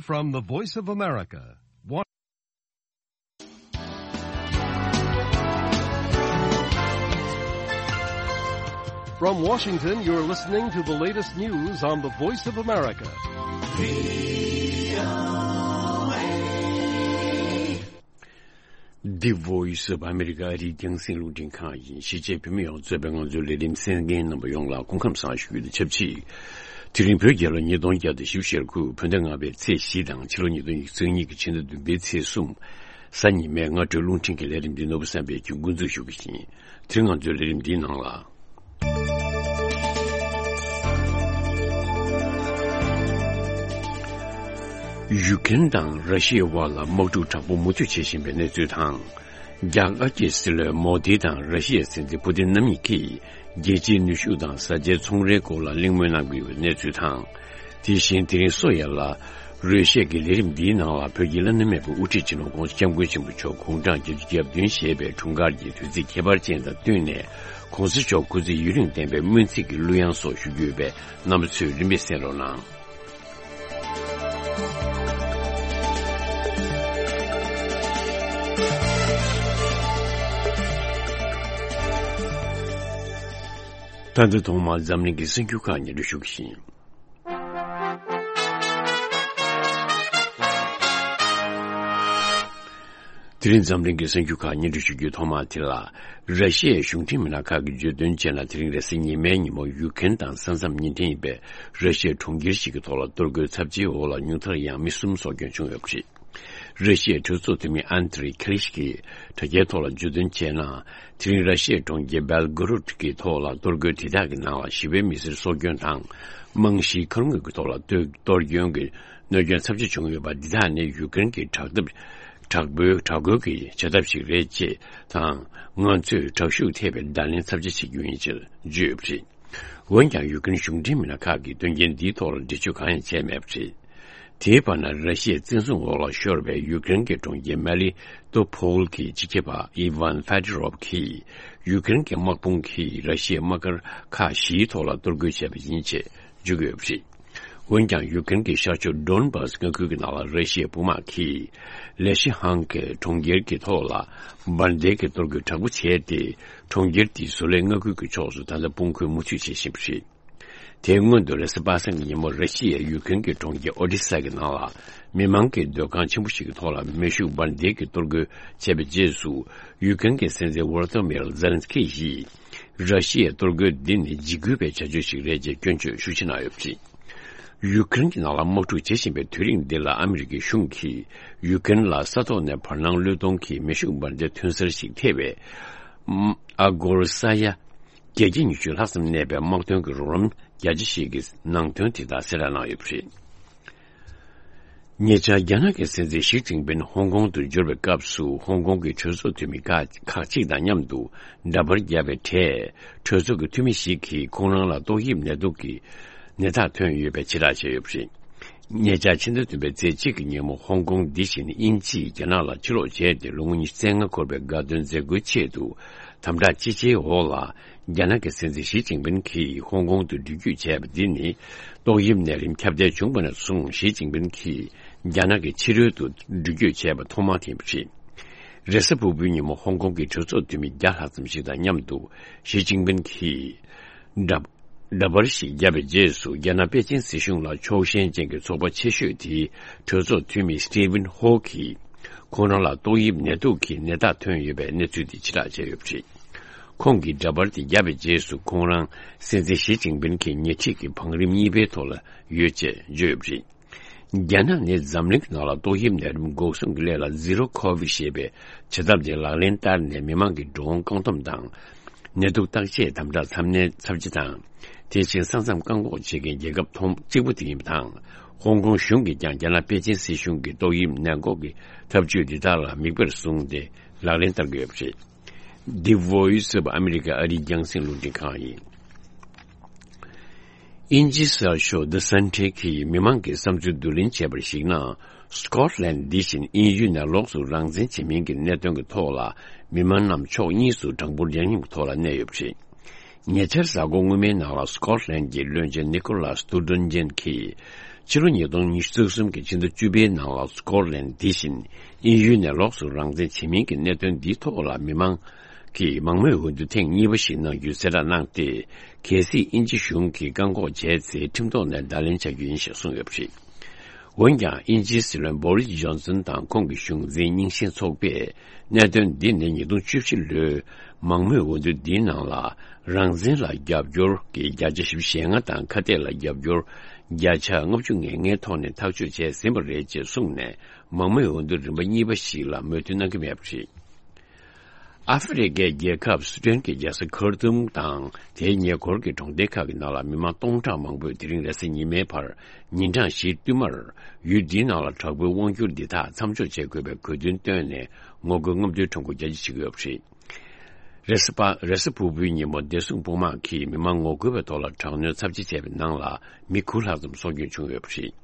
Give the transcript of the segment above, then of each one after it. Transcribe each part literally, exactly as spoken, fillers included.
From the Voice of America. Wa- From Washington, you're listening to the latest news on the Voice of America. The Voice of America ཨ་རིའི་རྒྱང་སྲིང་རླུང་འཕྲིན་ཁང་ཡིན། གཞིས་བྱེས་བོད་མི་ཡོངས་གཙོས་པའི་ང་ཚོའི་ལས་རིམ་གསན་མཁན་རྣམ་པ་ཡོངས་ལ་སྐུ་ཁམས་བཟང་ཞུ་རྒྱུ་དང་ཆབས་ཅིག་དེ་རིང་བོད་རྒྱལ་ལོ་ཉིས་སྟོང་བརྒྱ་དང་བཞི་བཅུ་ཞེ་དགུ་བོད་ཟླ་ལྔ་པའི་ཚེས་བཞི་དང་ཕྱི་ལོ་ཉིས་སྟོང་ཉི་ཤུ་རྩ་གཉིས་ཀྱི་ཕྱི་ཟླ་བདུན་པའི་ཚེས་གསུམ། གཟའ་ཉི་མའི་སྔ་དྲོའི་རླུང་འཕྲིན་གྱི་ལས་རིམ་འདི་ནོར་བུ་བསམ་འཕེལ་གྱིས་འགོ་འཛུགས་ཞུ་གི་ཡིན། དེ་རིང་ང་ཚོའི་ལས་རིམ་འདིའི་ནང་ལ། ཡུ་ཀེན་དང་ར་ཤི་ཡའི་དབར་ལ་དམག་འཁྲུག་དྲག་པོ་མུ་མཐུད་བྱེད་བཞིན་པའི་གནས་ཚུལ་དང་། རྒྱ་དཀར་གྱི་སྲིད་བློན་མོ་དི་དང་ར་ཤི་ཡའི་སྲིད་འཛིན་པུ་ཏིན་རྣམ་གཉིས་ཀྱིས་རྒྱལ་སྤྱིའི་ནུས་ཤུགས་དང་བཟའ་བཅའི་ཚོང་རའི་སྐོར་ལ་གླེང་མོལ་གནང་གི་ཡོད་པའི་གནས་ཚུལ་དང་། དེ་བཞིན་དེ་རིང་སོ་ཡ་ལ་རོལ་ཆས་ཀྱི་ལས་རིམ་འདིའི་ནང་ལ་བོད་ཀྱི་བླ་ན་མེད་པའི་དབུ་ཁྲིད་སྤྱི་ནོར་༧གོང་ས་༧སྐྱབས་མགོན་ཆེན་པོ་མཆོག་དགུང་གྲངས་བརྒྱད་ཅུ་གྱ་བདུན་བཞེས་པའི་འཁྲུངས་སྐར་གྱི་དུས་ཚིགས་ཁྱད་པར་ཅན་དང་བསྟུན་ནས། ༸གོང་ས་མཆོག་སྐུ་ཚེ་ཡུན་རིང་བརྟན་པའི་སྨོན་ཚིག་གི་གླུ་དབྱངས་སོགས་ཞུ་རྒྱུ་ཡོད་པས། རྣམ་པ་ཚོས་རིམ་པས་གསན་རོགས་གནང་། ད་ལྟ་ཐོག་མར་འཛམ་གླིང་གི་གསར་འགྱུར་ཁག་སྙན་སྒྲོན་ཞུ་གི་ཡིན། དེ་རིང་འཛམ་གླིང་གི་གསར་འགྱུར་ཁག་སྙན་སྒྲོན་ཞུ་རྒྱུའི་ཐོག་མ་དེ་ལ། ར་ཤི་ཡའི་གཞུང་འབྲེལ་མི་སྣ་ཁག་གིས་བརྗོད་དོན་བྱས་ན། དེ་རིང་རེས་གཟའ་ཉི་མའི་ཉིན་མོ་ཡུ་ཀེན་དང་ས་མཚམས་ཉེ་འབྲེལ་ཡིན་པའི་ར་ཤི་ཡའི་གྲོང་ཁྱེར་ཞིག་གི་ཐོག་ལ་གཏོར་རྒོལ་ཚབས་ཆེའི་འོག་ལ་ཉུང་མཐར་ཡང་མི་གསུམ་སྲོག་སྐྱོན་བྱུང་ཡོད་པ་རེད། ར་ཤི་ཡའི་གྲོས་ཚོགས་འཐུས་མི་ཨན་ཏི་རི་ཁེ་ལི་ཤི་གིས་དྲ་རྒྱའི་ཐོག་ལ་བརྗོད་དོན་བྱས་ན། དེ་རིང་ར་ཤི་ཡའི་གྲོང་ཁྱེར་སྦེལ་གོ་རོད་ཀྱི་ཐོག་ལ་གཏོར་རྒོལ་དེ་དག་གི་ནང་ལ་ཞི་བའི་མི་སེར་སྲོག་སྐྱོན་དང་། རྨང་གཞིའི་མཁར་དངོས་ཀྱི་ཐོག་ལ་གཏོར་གཏོར་སྐྱོན་གྱི་གནོད་སྐྱོན་ཚབས་ཆེ་བྱུང་ཡོད་པ། འདི་དག་ནི་ཡུཀ་རེན་གྱི་དྲག་འཐབ་དྲག་པོའི་དྲག་རྒོལ་གྱི་བྱ་ཐབས་ཤིག་རེད་ཅེས་དང་། ང་ཚོས་དྲག་ཤུགས་ཐེབས་པའི་བརྡ་ལན་ཚབས་ཆེ་བྱེད་རྒྱུ་ཡིན་ཅེས་བརྗོད་ཡོད་པ་རེད། འོན་ཀྱང་ཡུཀ་རེན་གཞུང་འབྲེལ་མི་སྣ་ཁག་གིས་དོན་རྐྱེན་འདིའི་ཐོག་ལ་འགྲེལ་བརྗོད་གང་ཡང་བྱས་མེད་པ་རེད། དེའི་བར་ན་ར་ཤི་ཡའི་བཙན་བཟུང་འོག་ལ་ཤོར་བའི་ཡུཀ་རེན་གྱི་གྲོང་ཁྱེར་མ་ལི་ཏོ་ཕོལ་གྱི་སྤྱི་ཁྱབ་པ་ཨི་ཝན་ཧྥེ་ཏི་རོབ་ཀྱིས་ཡུཀ་རེན་གྱི་དམག་དཔུང་གིས་ར་ཤི་ཡའི་དམག་སྒར་ཁག་བཞིའི་ཐོག་ལ་གཏོར་རྒོལ་བྱས་པ་ཡིན་ཅེས་བརྗོད་ཀྱི་ཡོད་པ་རེད། འོན་ཀྱང་ཡུཀ་རེན་གྱི་ཤར་ཕྱོགས་ཌོན་བཱས་མངའ་ཁུལ་གྱི་ནང་ལ་ར་ཤི་ཡའི་དཔུང་དམག་གིས་ལེ་ཤི་ཧང་གི་གྲོང་ཁྱེར་གྱི་ཐོག་ལ་འབར་མདེལ་གྱི་གཏོར་རྒོལ་དྲག་པོ་བྱས་ཏེ། གྲོང་ཁྱེར་དེའི་བཟོ་ལས་མངའ་ཁུལ་གྱི་ཕྱོགས་སུ་ད་ལྟ་དཔུང་འཁོར་མུ་མཐུད་བྱེད་བཞིན་པ་རེད། དེའི་སྔོན་དུ་རེས་གཟའ་པ་སངས་ཀྱི་ཉིན་མོ་ར་ཤི་ཡའི་ཡུཀ་རེན་གྱི་གྲོང་ཁྱེར་ཨོ་ཌི་ས་གི་ནང་ལ་མི་མང་གི་སྡོད་ཁང་ཆེན་པོ་ཞིག་གི་ཐོག་ལ་མེ་ཤུགས་འབར་མདེལ་གྱི་གཏོར་རྒོལ་བྱས་པའི་རྗེས་སུ། ཡུཀ་རེན་གྱི་སྲིད་འཛིན་ཝོ་ལོ་ཏི་མིར་ཛེ་ལན་སི་ཁི་ཡིས། ར་ཤི་ཡའི་གཏོར་རྒོལ་འདི་ནི་འཇིགས་སྐུལ་བའི་བྱ་སྤྱོད་ཞིག་རེད་ཅེས་སྐྱོན་བརྗོད་ཤུགས་ཆེ་གནང་ཡོད་པ་རེད། ཡུཀ་རེན་གྱི་ནང་ལ་དམག་འཁྲུག་བྱེད་བཞིན་པའི་དུས་རིང་འདི་ལ་ཨ་མི་རི་ཀའི་གཞུང་གིས་ཡུཀ་རེན་ལ་ས་ཐོག་ནས་བར་སྣང་བློས་གཏོང་གིས་མེ་ཤུགས་འབར་མདེལ་ཐོན་གསར་ཞིག་ཐེབས་པའི་ཨ་གོར་ས་ཡ་བརྒྱད་བརྒྱ་ཉི་ཤུ་ལྷག་ཙམ་གནས་པའི་དམག་དོན་གྱི་རོགས་རམ་རྒྱ་ཆེ་ཞིག་གི་ནང་དོན་དེ་དག་གསལ་བསྒྲགས་གནང་ཡོད་པ་རེད། ཉེ་ཆར་རྒྱ་ནག་གི་སྲིད་འཛིན་ཞི་ཅིན་ཕིན་ཧོང་ཀོང་དུ་འབྱོར་བའི་སྐབས་སུ། ཧོང་ཀོང་གི་གྲོས་ཚོགས་འཐུས་མི་ཁག་ཁག་ཅིག་དང་མཉམ་དུ་འདྲ་པར་བརྒྱབ་པའི་གྲས། གྲོས་ཚོགས་ཀྱི་འཐུས་མི་ཞིག་གིས་ཁོང་རང་ལ་ཏོག་དབྱིབས་ནད་དུག་གི་ནད་རྟགས་ཐོན་ཡོད་པའི་ཕྱིར་བསྒྲགས་བྱས་ཡོད་པ་རེད། ཉེ་ཆར་ཕྱི་ཟླ་བདུན་པའི་ཚེས་གཅིག་གི་ཉིན་མོ། ཧོང་ཀོང་འདི་བཞིན་དབྱིན་ཇིས་རྒྱ་ནག་ལ་ཕྱིར་ལོག་བྱས་ཏེ། ལོ་ངོ་ཉི་ཤུ་རྩ་ལྔ་འཁོར་བའི་དགའ་སྟོན་མཛད་སྒོའི་ཆེད་དུ་དམ་དྲག་ཅི་ཆེའི་འོག་ལ། རྒྱ་ནག་གི་སྲིད་འཛིན་ཞི་ཅིན་ཕིན་གྱིས་ཧོང་ཀོང་དུ་འགྲུལ་སྐྱོད་བྱས་པ་འདི་ནི། ཏོག་དབྱིབས་ནད་རིམས་ཁྱབ་གདལ་བྱུང་བ་ནས་བཟུང་ཞི་ཅིན་ཕིན་གྱིས་རྒྱ་ནག་གི་ཕྱི་རོལ་དུ་འགྲུལ་སྐྱོད་བྱས་པ་ཐོག་མ་དེ་ཡིན་པ་རེད། རེས་གཟའ་ཕུར་བུའི་ཉིན་མོ་ཧོང་ཀོང་གི་གྲོས་ཚོགས་འཐུས་མི་བརྒྱ་ལྷག་ཙམ་ཞིག་དང་མཉམ་དུ་ཞི་ཅིན་ཕིན་གྱིས་འདྲ་འདྲ་པར་ཞིག་བརྒྱབ་པའི་རྗེས་སུ། རྒྱ་ནག་པེ་ཅིན་སྲིད་གཞུང་ལ་ཕྱོགས་ཞེན་ཅན་གྱི་ཚོགས་པ་ཆེ་ཤོས་དེའི་གྲོས་ཚོགས་འཐུས་མི་སི་ཏི་ཝིན་ཧོ་གིས། ཁོང་རང་ལ་ཏོག་དབྱིབས་ནད་དུག་གི་ནད་རྟགས་ཐོན་ཡོད་པའི་གནས་ཚུལ་དེ་ཕྱིར་བསྒྲགས་བྱས་ཡོད་པ་རེད། ཁོང་གིས་འདྲ་པར་དེ་བརྒྱབ་པའི་རྗེས་སུ། ཁོང་རང་སྲིད་འཛིན་ཞི་ཅིན་ཕིན་གྱི་ཉེ་འཁྲིས་ཀྱི་བང་རིམ་གཉིས་པའི་ཐོག་ལ་ཡོད་ཅེས་བརྗོད་ཡོད་པ་རེད། རྒྱ་ནག་ནི་འཛམ་གླིང་གི་ནང་ལ་ཏོག་དབྱིབས་ནད་རིམས་འགོག་སྲུང་གི་སླད་ལ་ཟི་རོ་ཁོ་བིཌ་ཞེས་པའི་བྱ་ཐབས་དེ་ལག་ལེན་བསྟར་ནས། མི་མང་གི་འགྲོ་འོང་བཀག་སྡོམ་དང་། ནད་དུག་བརྟག་དཔྱད་དམ་དྲག་ཚ་ནན་ཚབས་ཆེ་དང་། དེ་བཞིན་ས་མཚམས་བཀག་འགོག་བྱེད་མཁན་རྒྱལ་ཁབ་མཐོང་གཅིག་པུ་དེ་ཡིན་པ་དང་། ཧོང་ཀོང་གཞུང་གིས་ཀྱང་རྒྱ་ནག་པེ་ཅིན་སྲིད་གཞུང་གི་ཏོག་དབྱིབས་ནད་འགོག་གི་ཐབས་ཇུས་འདི་དག་ལ་མིག་དཔེར་བཟུང་སྟེ་ལག་ལེན་བསྟར་གྱི་ཡོད་པ་རེད། The Voice of America ཨ་རིའི་རྒྱང་སྲིང་རླུང་འཕྲིན་ཁང་ཡིན། དབྱིན་ཇིའི་གསར་ཤོག་The Sun་གིས་མི་མང་གི་བསམ་ཚུལ་བསྡུ་ལེན་བྱས་པར་གཞིགས་ན། སི་ཀོཊ་ལན་འདི་བཞིན་དབྱིན་ཡུལ་ནས་ལོགས་སུ་རང་བཙན་བྱེད་མིན་གྱི་གནད་དོན་གྱི་ཐོག་ལ་མི་མང་རྣམས་ཕྱོགས་གཉིས་སུ་གྲངས་འབོར་འདྲ་མཉམ་གྱི་ཐོག་ལ་གནས་ཡོད་པ་རེད། ཉེ་ཆར་གཟའ་འཁོར་སྔོན་མའི་ནང་ལ་སི་ཀོཊ་ལན་གྱི་བློན་ཆེན་ནི་ཀོ་ལཱས་སྟུར་ཌོན་ཇན་གྱིས། ཕྱི་ལོ་ཉིས་སྟོང་ཉི་ཤུ་རྩ་གསུམ་གྱི་ཕྱི་ཟླ་བཅུ་པའི་ནང་ལ་སྐོར་ལན་འདི་བཞིན་དབྱིན་ཡུལ་ནས་ལོགས་སུ་རང་བཙན་བྱེད་མིན་གྱི་གནད་དོན་འདིའི་ཐོག་ལ་མི་མང་གིས་མང་མོས་འོས་བསྡུ་ཐེངས་གཉིས་པ་ཞིག་གནང་རྒྱུའི་གསལ་བསྒྲགས་གནང་སྟེ། གལ་སྲིད་དབྱིན་ཇི་གཞུང་གིས་བཀག་འགོག་བྱས་ཚེ་ཁྲིམས་ཐོག་ནས་བརྡ་ལན་བཅའ་རྒྱུ་ཡིན་ཞེས་གསུངས་ཡོད་པ་རེད། འོན་ཀྱང་དབྱིན་ཇིའི་སྲིད་བློན་བོ་རིས་ཇོན་སན་དང་ཁོང་གི་གཞུང་འཛིན་རྙིང་ཞེན་ཚོགས་པས་གནད་དོན་འདི་ནི་ཉིས་སྟོང་བཅུ་བཞི་ལོའི་མང་མོས་འོས་བསྡུ་འདིའི་ནང་ལ་རང་བཙན་ལ་རྒྱབ་སྐྱོར་གྱི་བརྒྱ་ཆ་བཞི་བཅུ་ཞེ་ལྔ་དང་ཁ་གཏད་ལ་རྒྱབ་སྐྱོར་བརྒྱ་ཆ་ལྔ་བཅུ་ང་ལྔའི་ཐོག་ནས་ཐག་གཅོད་བྱས་ཟིན་པ་རེད་ཅེས་གསུངས་ནས་མང་མོས་འོས་བསྡུ་རིམ་པ་གཉིས་པ་ཞིག་ལ་མོས་མཐུན་གནང་གི་མེད་པ་རེད། ཨ་ཧྥེ་རི་ཁའི་རྒྱལ་ཁབ་སུ་ཌན་གྱི་རྒྱལ་ས་ཁར་ཏུམ་དང་དེའི་ཉེ་འཁོར་གྱི་གྲོང་སྡེ་ཁག་གི་ནང་ལ་མི་མང་སྟོང་ཕྲག་མང་པོས་དེ་རིང་རེས་གཟའ་ཉི་མའི་བར་ཉིན་གྲངས་བཞིའི་བསྟུད་མར་ཡུལ་འདིའི་ནང་ལ་དྲག་པོའི་དབང་སྒྱུར་འདི་དག་མཚམས་འཇོག་བྱེད་དགོས་པའི་དགོས་འདུན་བཏོན་ནས་ངོ་རྒོལ་རྔམ་སྟོན་ཁྲོམ་སྐོར་རྒྱ་ཆེ་བྱེད་ཀྱི་ཡོད་པ་རེད། རེས་གཟའ་རེས་གཟའ་ཕུར་བུའི་ཉིན་མོ་བདེ་སྲུང་དཔུང་དམག་གིས་མི་མང་ངོ་རྒོལ་བའི་ཐོག་ལ་དྲག་གནོན་ཚབས་ཆེ་བྱས་པའི་ནང་ལ་མི་དགུ་ལྷག་ཙམ་སྲོག་སྐྱོན་བྱུང་ཡོད་པ་རེད།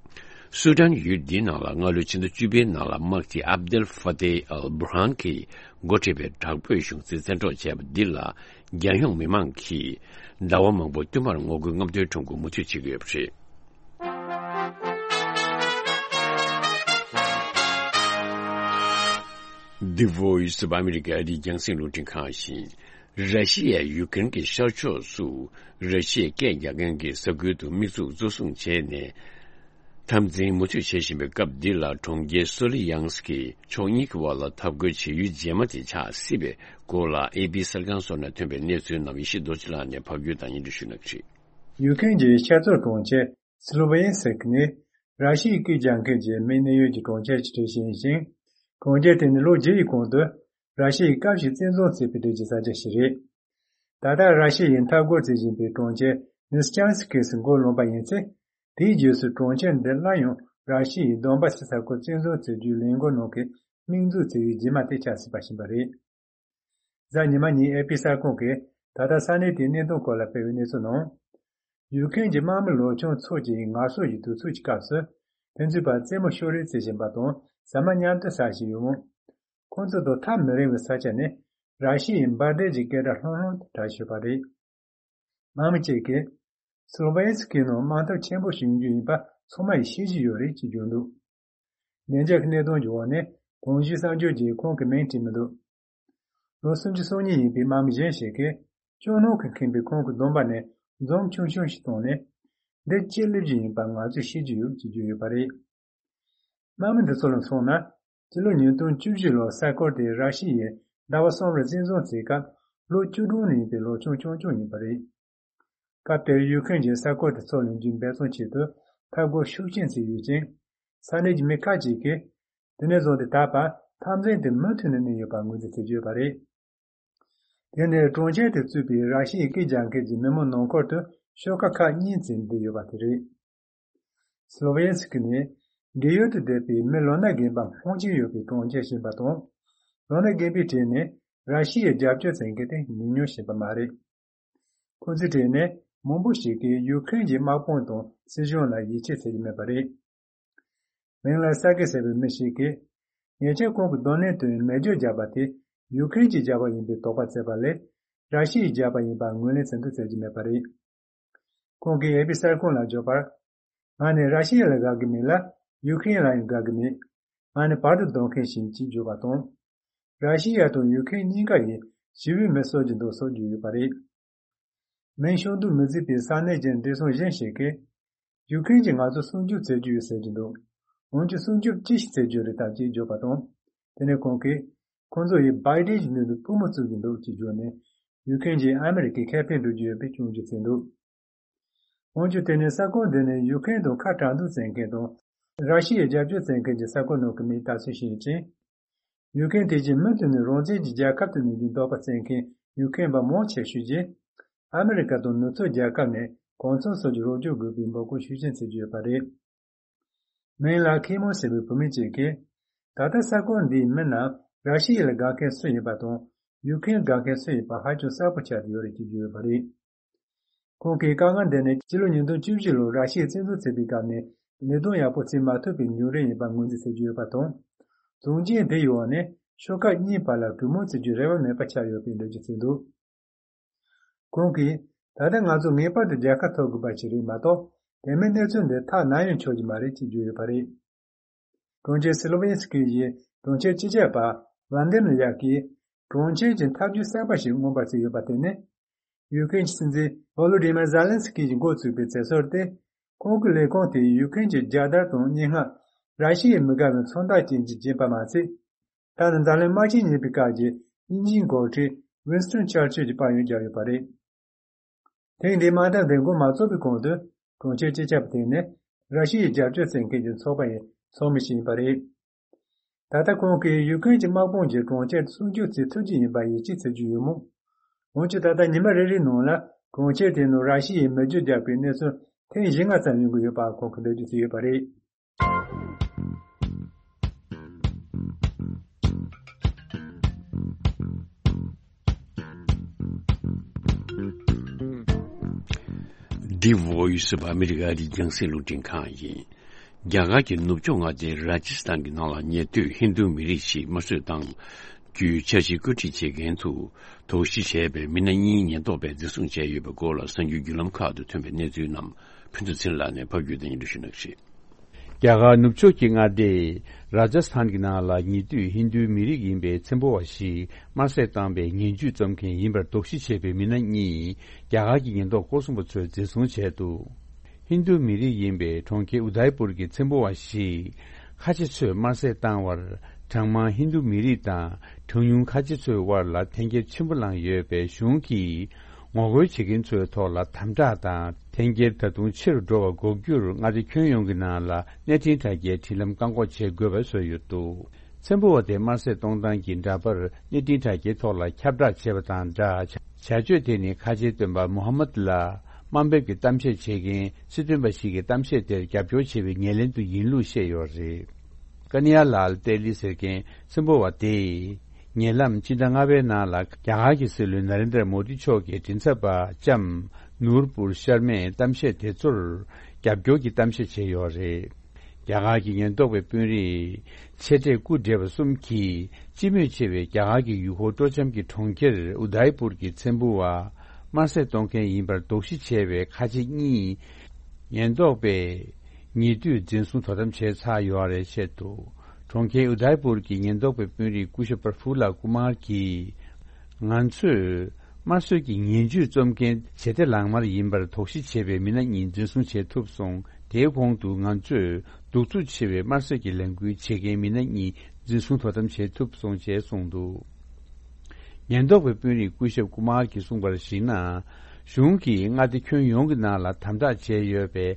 སུ་ཌན་ཡུལ་འདིའི་ནང་ལ་སྔ་ལོའི་ཕྱི་ཟླ་བཅུ་པའི་ནང་ལ་དམག་སྤྱི་ཨབ་དེལ་ཧྥ་ཏེ་ཨལ་བྷུ་རྷན་གྱིས་འགོ་ཁྲིད་པའི་དྲག་པོའི་གཞུང་འཛིན་བཙན་འཕྲོག་བྱས་པ་འདི་ལ་རྒྱལ་ཡོངས་མི་མང་གིས་ཟླ་བ་མང་པོ་བསྟུད་མར་ངོ་རྒོལ་རྔམ་སྟོན་ཁྲོམ་སྐོར་མུ་མཐུད་བྱེད་ཀྱི་ཡོད་པ་རེད། The Voice of America ཨ་རིའི་རྒྱང་སྲིང་རླུང་འཕྲིན་ཁང་ཡིན། ར་ཤི་ཡས་ཡུ་ཀེ་རེན་གྱི་ཤར་ཕྱོགས་སུ་ར་ཤི་ཡའི་སྐད་རྒྱག་མཁན་གྱི་ས་ཁུལ་དུ་དམིགས་འཛུགས་གཙོ་བཟུང་བྱས་ནས། འཐབ་འཛིང་མུ་མཐུད་བྱེད་བཞིན་པའི་སྐབས་འདི་ལ་གྲོང་ཁྱེར་སོ་ལི་ཡང་སི་ཀི་ཕྱོགས་གཉིས་ཀྱི་དབར་ལ་འཐབ་རྒོལ་བྱེད་ཡུལ་རྗེས་མ་དེ་ཆགས་སྲིད་པའི་སྐོར་ལ་ཨེ་པི་གསར་ཁང་སོགས་ནས་ཐོན་པའི་གནས་ཚུལ་རྣམས་ཡེ་ཤེས་རྡོ་རྗེ་ལགས་ནས་ཕབ་སྒྱུར་དང་སྙན་སྒྲོན་ཞུ་གནང་གི་རེད། ཡུ་ཀེ་རེན་གྱི་ཤར་ཕྱོགས་གྲོང་ཁྱེར་སི་ལོ་ཝེ་ཡན་སི་ཀི་ནི་ར་ཤི་ཡའི་སྐད་རྒྱག་མཁན་གྱི་མི་གནས་ཡུལ་གྱི་གྲོང་ཁྱེར་གྱི་གྲས་ཤིག་ཡིན་ཞིང་། གྲོང་ཁྱེར་དེ་ནི་ལོ་བརྒྱད་ཀྱི་གོང་དུ་ར་ཤི་ཡའི་སྐབས་ཤིག་བཙན་བཟུང་བྱས་པའི་གྲས་ཀྱི་ས་ཆ་ཞིག་རེད། ད་ལྟ་ར་ཤི་ཡས་འཐབ་རྒོལ་བྱེད་བཞིན་པའི་གྲོང་ཁྱེར་ལི་སི་ཅན་སི་ཀི་སུ་མགོ་ལོན་པ་ཡིན་ཚེ། དེའི་རྗེས་སུ་གྲོང་ཁྱེར་འདི་སླར་ཡང་ར་ཤི་ཡའི་དོན་པ་སི་ས་ཁུལ་བཙན་བཟུང་བྱེད་རྒྱུའི་ལས་འགུལ་ནང་གི་དམིགས་འཛུགས་བྱེད་ཡུལ་རྗེས་མ་དེ་ཆགས་སྲིད་པ་ཞིག་ཡིན་པ་རེད། གཟའ་ཉི་མ་ཉིན་ཨེ་པི་གསར་ཁང་གིས་ད་ལྟ་ས་གནས་དེའི་གནད་དོན་སྐོར་ལ་སྤེལ་བའི་གནས་ཚུལ་ནང་། ཡུ་ཀེ་རེན་གྱི་དམག་མི་ལོ་ཆུང་ཚོ་གཅིག་ངལ་གསོ་ཡི་དུས་ཚོད་ཀྱི་སྐབས་སུ། དེ་ཚོའི་བར་རྩེད་མོ་ཤོ་རེས་རྩེ་བཞིན་པ་དང་ཟ་མ་མཉམ་དུ་ཟ་བཞིན་ཡོད་མོད། ཁོང་ཚོ་དང་ཐག་མི་རིང་བའི་ས་ཆ་ནས་ར་ཤི་ཡའི་འབར་མདེལ་གྱི་སྐད་སྒྲ་ལྷང་ལྷང་དུ་གྲགས་བཞིན་པ་རེད། དམག་མི་གཅིག་གིས། སི་ལོ་ཝེ་སི་ཀི་ནང་དམག་འཐབ་ཆེན་པོ་ཞིག་ཡོང་རྒྱུ་ཡིན་པ་ཚང་མ་ཡིས་ཤེས་ཀྱི་ཡོད་རེད་ཅེས་བརྗོད་འདུག་བདེ་འཇགས་ཀྱི་གནད་དོན་གྱི་འོག་ནས་གོང་ཞུས་གསར་འགྱུར་གྱིས་ཁོང་གི་མིང་བྲིས་མི་འདུག་ལོ་སུམ་ཅུ་སོ་གཉིས་ཡིན་པའི་དམག་མི་གཞན་ཞིག་གིས་ཅོ་ནང་གིས་ཁེངས་པའི་ཁོང་གི་གདོང་པ་ནས་འཛུམ་ཆུང་ཆུང་ཞིག་བཏང་ནས། འདི་ཅི་སླེབས་ཀྱི་ཡིན་པ་ང་ཚོས་ཤེས་ཀྱི་ཡོད་ཅེས་བརྗོད་ཡོད་པ་རེད། དམག་མི་འདི་ཚོ་ལ་མཚོན་ན། སྤྱི་ལོ་ཉིས་སྟོང་བཅུ་བཞི་ལོར་ས་ཁུལ་དེ་ར་ཤི་ཡས་ཟླ་བ་གསུམ་རིང་བཙན་བཟུང་བྱས་སྐབས་ལོ་བཅུ་དྲུག་ནས་ཡིན་པའི་ལོ་ཆུང་ཆུང་ཆུང་ཡིན་པ་རེད། སྐབས་དེར་ཡུ་ཁྲེན་གྱིས་ས་ཁུལ་དེ་ཚོ་ལ་འཇུ་འབད་བརྩོན་ཆེད་དུ་འཐབ་རྒོལ་ཤུགས་ཆེན་བྱས་ཡོད་ཅིང་། ས་གནས་ཀྱི་མི་ཁག་ཅིག་གིས་དེ་ནས་བཟུང་སྟེ་ད་བར་འཐབ་འཛིང་དེ་མུ་མཐུད་ནས་གནས་ཡོད་པར་ངོས་འཛིན་བྱེད་ཀྱི་ཡོད་པ་རེད། དེ་ནས་གྲོང་ཁྱེར་དེ་གཙོས་པའི་ར་ཤི་ཡའི་སྐད་རྒྱག་མཁན་གྱི་མི་མང་ནང་ཁུལ་དུ་ཤོག་ཁག་ཁག་གཉིས་ཙམ་འདུས་ཡོད་པ་དེ་རེད། སི་ལོ་ཝེ་སི་ཀི་ནི་རྒས་ཡོལ་དུ་བསྡད་པའི་མི་ལོ་ན་རྒན་པ་མང་ཆེ་ཡོད་པའི་གྲོང་ཁྱེར་ཞིག་ཡིན་པ་དང་། ལོ་ན་རྒན་པའི་གྲས་ནས་ར་ཤི་ཡའི་རྒྱབ་སྐྱོར་བྱེད་མཁན་དེ་ཉུང་ཉུང་ཞིག་ཡིན་པ་མ་རེད། ཁོ་ཚོའི་གྲས་ནས་མང་པོ་ཞིག་གིས་ཡུ་ཁྲེན་གྱི་དམག་དཔུང་དང་སྲིད་གཞུང་ལ་ཡིད་ཆེས་བྱེད་ཀྱི་མེད་པ་རེད། མིང་ལ་ས་གི་ཟེར་བའི་མི་ཞིག་གིས། ཉེ་ཆར་ཁོང་གི་རྡུང་ལེན་དུ་མེ་སྒྱོགས་བརྒྱབ་པ་དེ་ཡུ་ཁྲེན་གྱིས་བརྒྱབ་པ་ཡིན་པའི་དོགས་པ་བརྩད་པ་ལས། ར་ཤི་ཡས་བརྒྱབ་པ་ཡིན་པར་ངོས་ལེན་བྱེད་འདུག་ཟེར་གྱི་མེད་པ་རེད། ཁོང་གིས་ཨེ་པི་གསར་ཁང་ལ་བརྗོད་པར། ང་ནི་ར་ཤི་ཡ་ལ་དགའ་གི་མེད་ལ། ཡུ་ཁྲེན་ལ་ཡང་དགའ་གི་མེད། ང་ནི་བར་དུ་སྡོད་མཁན་ཞིག་ཅེས་བརྗོད་པ་དང་། ར་ཤི་ཡ་དང་ཡུ་ཁྲེན་གཉིས་ཀ་ཡིས་ཞི་བའི་མི་གསོད་ཀྱི་འདུག་སོགས་བརྗོད་ཡོད་པ་རེད། མིང་ཤོང་འདུག་མི་བརྩི་བའི་ས་གནས་ཀྱི་བདེ་སྲུང་གཞན་ཞིག་གིས། ཡུ་ཁྲེན་གྱིས་ང་ཚོར་སྲུང་སྐྱོབ་བྱེད་ཀྱི་ཡོད་ཟེར་གྱི་འདུག་འོན་ཀྱང་སྲུང་སྐྱོབ་ཅི་ཞིག་བྱེད་རྒྱུ་རེད་དམ་ཅེས་བརྗོད་པ་དང་། དེ་ནས་ཁོང་གིས། ཁོང་ཚོ་ཡིས་བའི་ཌེན་གྱི་མདུན་དུ་པུས་མོ་བཙུགས་ཀྱི་འདུག་ཅེས་བརྗོད་ནས། ཡུ་ཁྲེན་གྱིས་ཨ་མི་རི་ཀའི་ཁེ་ཕན་སྒྲུབ་ཀྱི་ཡོད་པའི་སྐྱོན་བརྗོད་བྱས་འདུག་འོན་ཀྱང་དེ་ནི་ས་ཁུལ་འདི་ནི་ཡུ་ཁྲེན་དང་ཁ་བྲལ་འདུག་བྱེད་མཁན་དང་། ར་ཤི་ཡའི་རྒྱབ་སྐྱོར་བྱེད་མཁན་གྱི་ས་ཁུལ་ནང་གི་མིའི་ལྟ་ཚུལ་ཞིག་ཡིན་ཅིང་། ཡུ་ཁྲེན་དེ་བཞིན་མུ་མཐུད་ནས་རང་བཙན་གྱི་རྒྱལ་ཁབ་ཏུ་གནས་རྒྱུའི་འདོད་པ་བྱེད་མཁན་ཡུ་ཁྲེན་པ་མང་ཆེ་ཤོས་ཀྱིས། ཨ་མི་རི་ཀ་དང་ནུབ་ཕྱོགས་རྒྱལ་ཁབ་ནས་གང་འཚམ་སོགས་ཀྱི་རོགས་སྐྱོར་དགོས་པའི་འབོད་སྐུལ་ཤུགས་ཆེན་བྱེད་ཀྱི་ཡོད་པ་རེད། མིང་ལ་ཁེ་མོ་ཟེར་བའི་བུད་མེད་ཅིག་གིས། ད་ལྟ་ས་ཁུལ་འདིའི་མི་རྣམས་ར་ཤི་ཡ་ལ་དགའ་མཁན་སུ་ཡིན་པ་དང་། ཡུ་ཁྲེན་དགའ་མཁན་སུ་ཡིན་པ་ཧ་ཅང་གསལ་པོ་ཆགས་ཏེ་ཡོད་རེད་ཅེས་བརྗོད་ཡོད་པ་རེད། ཁོང་གིས་དཀའ་ངལ་འདི་ནི་སྤྱི་ལོ་ཉིས་སྟོང་བཅུ་བཞི་ལོར་ར་ཤི་ཡས་བཙན་འཛུལ་བྱས་པའི་སྐབས་ནས་ལས་དོན་ཡག་པོ་བྱེད་མ་ཐུབ་པའི་མྱོང་རིམ་ཡིན་པར་ངོས་འཛིན་བྱེད་ཀྱི་ཡོད་པ་དང་། བྱུང་རྐྱེན་དེ་ཡི་འོག་ནས་ཤོག་ཁག་གཉིས་བར་ལ་གྲོས་མོལ་བྱེད་རྒྱུའི་རེ་བ་མེད་པ་ཆགས་ཡོད་པའི་འགྲེལ་བརྗོད་བྱས་འདུག་ཁོང་གིས། ད་ལྟ་ང་ཚོ་ངེས་པར་དུ་རྒྱལ་ཁ་ཐོབ་དགོས་པ་ཞིག་རེད་མ་གཏོགས། དེ་མིན་གནས་ཚུལ་འདི་ཐག་ནམ་ཡང་ཆོད་ཀྱི་མ་རེད་ཅེས་བརྗོད་ཡོད་པ་རེད། གྲོང་ཁྱེར་སི་ལོ་ཝེན་སི་ཀི་ཡི་གྲོང་ཁྱེར་སྤྱི་ཁྱབ་པ་ཝན་དེམ་ལི་ཡག་གིས་གྲོང་ཁྱེར་གྱི་ཐབས་ཇུས་གསར་པ་ཞིག་མངོན་པར་བརྩིས་ཡོད་པ་དེ་ནི། ཡུ་ཀེ་རེན་གྱི་སྲིད་འཛིན་ཝོ་ལོ་ཌི་མེར་ཛེ་ལན་སི་ཀི་ཡིས་འགོ་བཙུགས་པའི་མཛད་སྒོ་དེ། ཁོང་གི་ལས་ཁུངས་དེས་ཡུ་ཀེ་རེན་གྱི་རྒྱལ་དར་དང་སྙན་ངག་ར་ཤི་ཡའི་མི་དགའ་བའི་མཚོན་རྟགས་ཅན་གྱིས་བརྒྱན་པ་མ་ཚད། ད་ནི་འཛམ་གླིང་དམག་ཆེན་གཉིས་པའི་སྐབས་ཀྱི་དབྱིན་ཇིའི་འགོ་ཁྲིད་ཝིན་སི་ཊོན་ཆར་ཆིལ་གྱི་དཔལ་ཡོན་བརྒྱབ་ཡོད་པ་རེད། ཐེངས་འདིའི་དམག་འཐབ་འདི་འགོ་མ་བཙུགས་པའི་གོང་དུ། གྲོང་ཁྱེར་སྤྱི་ཁྱབ་དེ་ནི་ར་ཤི་ཡའི་རྒྱབ་སྐྱོར་བྱེད་མཁན་གྱི་ཚོགས་པ་ཡི་ཚོགས་མི་ཞིག་ཡིན་པ་རེད། ད་ལྟ་ཁོང་གིས་ཡུ་ཀེ་རེན་གྱི་དམག་དཔུང་གིས་གྲོང་ཁྱེར་སྲུང་སྐྱོབ་བྱེད་ཐུབ་ཀྱི་ཡིན་པར་ཡིད་ཆེས་བྱེད་ཀྱི་ཡོད་མོད། འོན་ཀྱང་ད་ལྟ་ཉི་མ་རེ་རེའི་ནང་ལ་གྲོང་ཁྱེར་དེའི་ནང་ར་ཤི་ཡའི་མེ་སྒྱོགས་བརྒྱབ་པའི་གནས་ཚུལ་ཐེངས་བཞི་ལྔ་ཙམ་ཡོང་གི་ཡོད་པ་ཁོང་གིས་འགྲེལ་བརྗོད་བྱས་ཡོད་པ་རེད། འདི་Voice of America རྒྱང་སྲིང་རླུང་འཕྲིན་ཁང་ཡིན། རྒྱ་གར་གྱི་ནུབ་ཕྱོགས་མངའ་སྡེ་ར་ཇི་སི་ཐན་གྱི་ནང་ལ་ཉེ་དུས་ཧིན་རྡུ་མི་རིགས་ཤིག་དམར་གསོད་བཏང་རྒྱུའི་འཆར་གཞི་བཀོད་སྒྲིག་བྱེད་མཁན་དུ་དོགས་གཞི་བྱས་པའི་མི་སྣ་གཉིས་ཉེན་རྟོག་པས་འཛིན་བཟུང་བྱས་ཡོད་པའི་སྐོར་ལ་གསར་འགྱུར་བརྒྱུད་ལམ་ཁག་ཏུ་ཐོན་པའི་གནས་ཚུལ་རྣམས་ཕུན་ཚོགས་ཚེ་རིང་ལགས་ནས་ཕབ་སྒྱུར་དང་སྙན་སྒྲོན་ཞུ་གནང་གི་རེད། རྒྱ་གར་ནུབ་ཕྱོགས་ཀྱི་མངའ་སྡེ་ར་ཇ་སི་ཐན་གྱི་ནང་ལ་ཉེ་དུས་ཧིན་རྡུའི་མི་རིགས་ཡིན་པའི་ཚན་པོ་བ་ཞིག་དམར་གསོད་བཏང་བའི་ངན་ཇུས་རྩོམ་མཁན་ཡིན་པར་དོགས་གཞི་བྱས་པའི་མི་སྣ་གཉིས་རྒྱ་གར་གྱི་ཉེན་རྟོག་སྐོར་སྲུང་པ་ཚོས་འཛིན་བཟུང་བྱས་འདུག་ཧིན་རྡུ་མི་རིགས་ཡིན་པའི་གྲོང་ཁྱེར་ཨུ་དཱི་པུར་གྱི་ཚན་པོ་བ་ཞིག་ཁ་ཆེ་ཚོས་དམར་གསོད་བཏང་བར་གྲངས་མང་ཧིན་རྡུ་མི་རིགས་དང་གྲངས་ཉུང་ཁ་ཆེ་ཚོའི་དབར་ལ་འཐེན་འཁྱེར་ཆེན་པོ་བསླངས་ཡོད་པས་གཞུང་གིས་ངོ་རྒོལ་བྱེད་མཁན་ཚོའི་ཐོག་ལ་དམ་དྲག་དང་། འཐེན་འཁྱེར་ད་དུང་ཆེ་རུ་འགྲོ་བ་འགོག་རྒྱུར་མངའ་སྡེ་ཁྱོན་ཡོངས་ཀྱི་ནང་ལ་གནས་འཕྲིན་དྲ་རྒྱའི་འཕྲིན་ལམ་བཀག་འགོག་བྱེད་དགོས་པ་བཟོས་ཡོད་འདུག་ཚན་པོ་བ་དེ་དམར་གསོད་གཏོང་སྟངས་ཀྱི་འདྲ་པར་གནས་འཕྲིན་དྲ་རྒྱའི་ཐོག་ལ་ཁྱབ་བསྒྲགས་བྱས་པ་དང་སྦྲགས། བྱ་སྤྱོད་དེ་ནི་ཁ་ཆེའི་སྟོན་པ་མུ་ཧམ་མད་ལ་དམའ་འབེབས་ཀྱི་གཏམ་བཤད་བྱེད་མཁན་སྲིད་དོན་པ་ཞིག་གིས་གཏམ་བཤད་དེར་རྒྱབ་སྐྱོར་བྱས་པའི་ངོས་ལེན་དུ་ཡིན་ལུགས་བཤད་ཡོད་རེད། ཀ་ནི་ཡ་ལཱལ་ཏེ་ལི་ཟེར་མཁན་ཚན་པོ་བ་དེས། ཉེ་ལམ་སྤྱི་ཟླ་ལྔ་པའི་ནང་ལ་རྒྱ་གར་གྱི་སྲིད་བློན་ན་རེན་དྲ་མོ་དི་མཆོག་གི་མགྲིན་ཚབ་པ་ལྕམ་ནུར་པུར་ཤར་མས་གཏམ་བཤད་དེ་ཚོར་རྒྱབ་སྐྱོར་གྱི་གཏམ་བཤད་བྱས་ཡོད་རེད། རྒྱ་གར་གྱི་ཉེན་རྟོག་པའི་དཔོན་རིགས་ཆེ་གྲས་སྐུ་བགྲེས་པ་གསུམ་གྱིས་སྤྱི་མོས་ཆེ་བའི་རྒྱ་གར་གྱི་ཡུལ་སྐོར་སྤྲོ་འཆམ་གྱི་གྲོང་ཁྱེར་ཨུ་དཱི་པུར་གྱི་ཚན་པོ་བ་དམར་གསོད་གཏོང་མཁན་ཡིན་པར་དོགས་གཞི་བྱས་པའི་ཁ་ཆེ་གཉིས་ཉེན་རྟོག་པས་ཉེ་དུས་འཛིན་བཟུང་དོ་དམ་བྱས་ཚར་ཡོད་རེད་བཤད་འདུག་གྲོང་ཁྱེར་ཨུ་དཱི་པུར་གྱི་ཉེན་རྟོག་པའི་དཔོན་རིགས་སྐུ་ཞབས་པར་ཧྥུ་ལ་ཀུ་མར་གྱིས། ང་ཚོས་དམར་གསོད་ཀྱི་ངན་ཇུས་རྩོམ་མཁན་བྱེད་གཏེ་ལག་དམར་ཡིན་པར་དོགས་གཞི་བྱས་པའི་མི་སྣ་གཉིས་འཛིན་བཟུང་བྱེད་ཐུབ་སོང་། དེའི་གོང་དུ་ང་ཚོས་གདུག་རྩུབ་ཆེ་བའི་དམར་གསོད་ཀྱི་ལས་འགུལ་བྱེད་མཁན་མི་སྣ་གཉིས་འཛིན་བཟུང་དོ་དམ་བྱེད་ཐུབ་སོང་ཞེས་གསུངས་འདུག་ཉེན་རྟོག་པའི་དཔོན་རིགས་སྐུ་ཞབས་ཀུ་མར་གྱིས་གསུངས་པར་གཞིགས་ན། གཞུང་གིས་མངའ་སྡེ་ཁྱོན་ཡོངས་ཀྱི་ནང་ལ་དམ་དྲག་བྱས་ཡོད་པའི་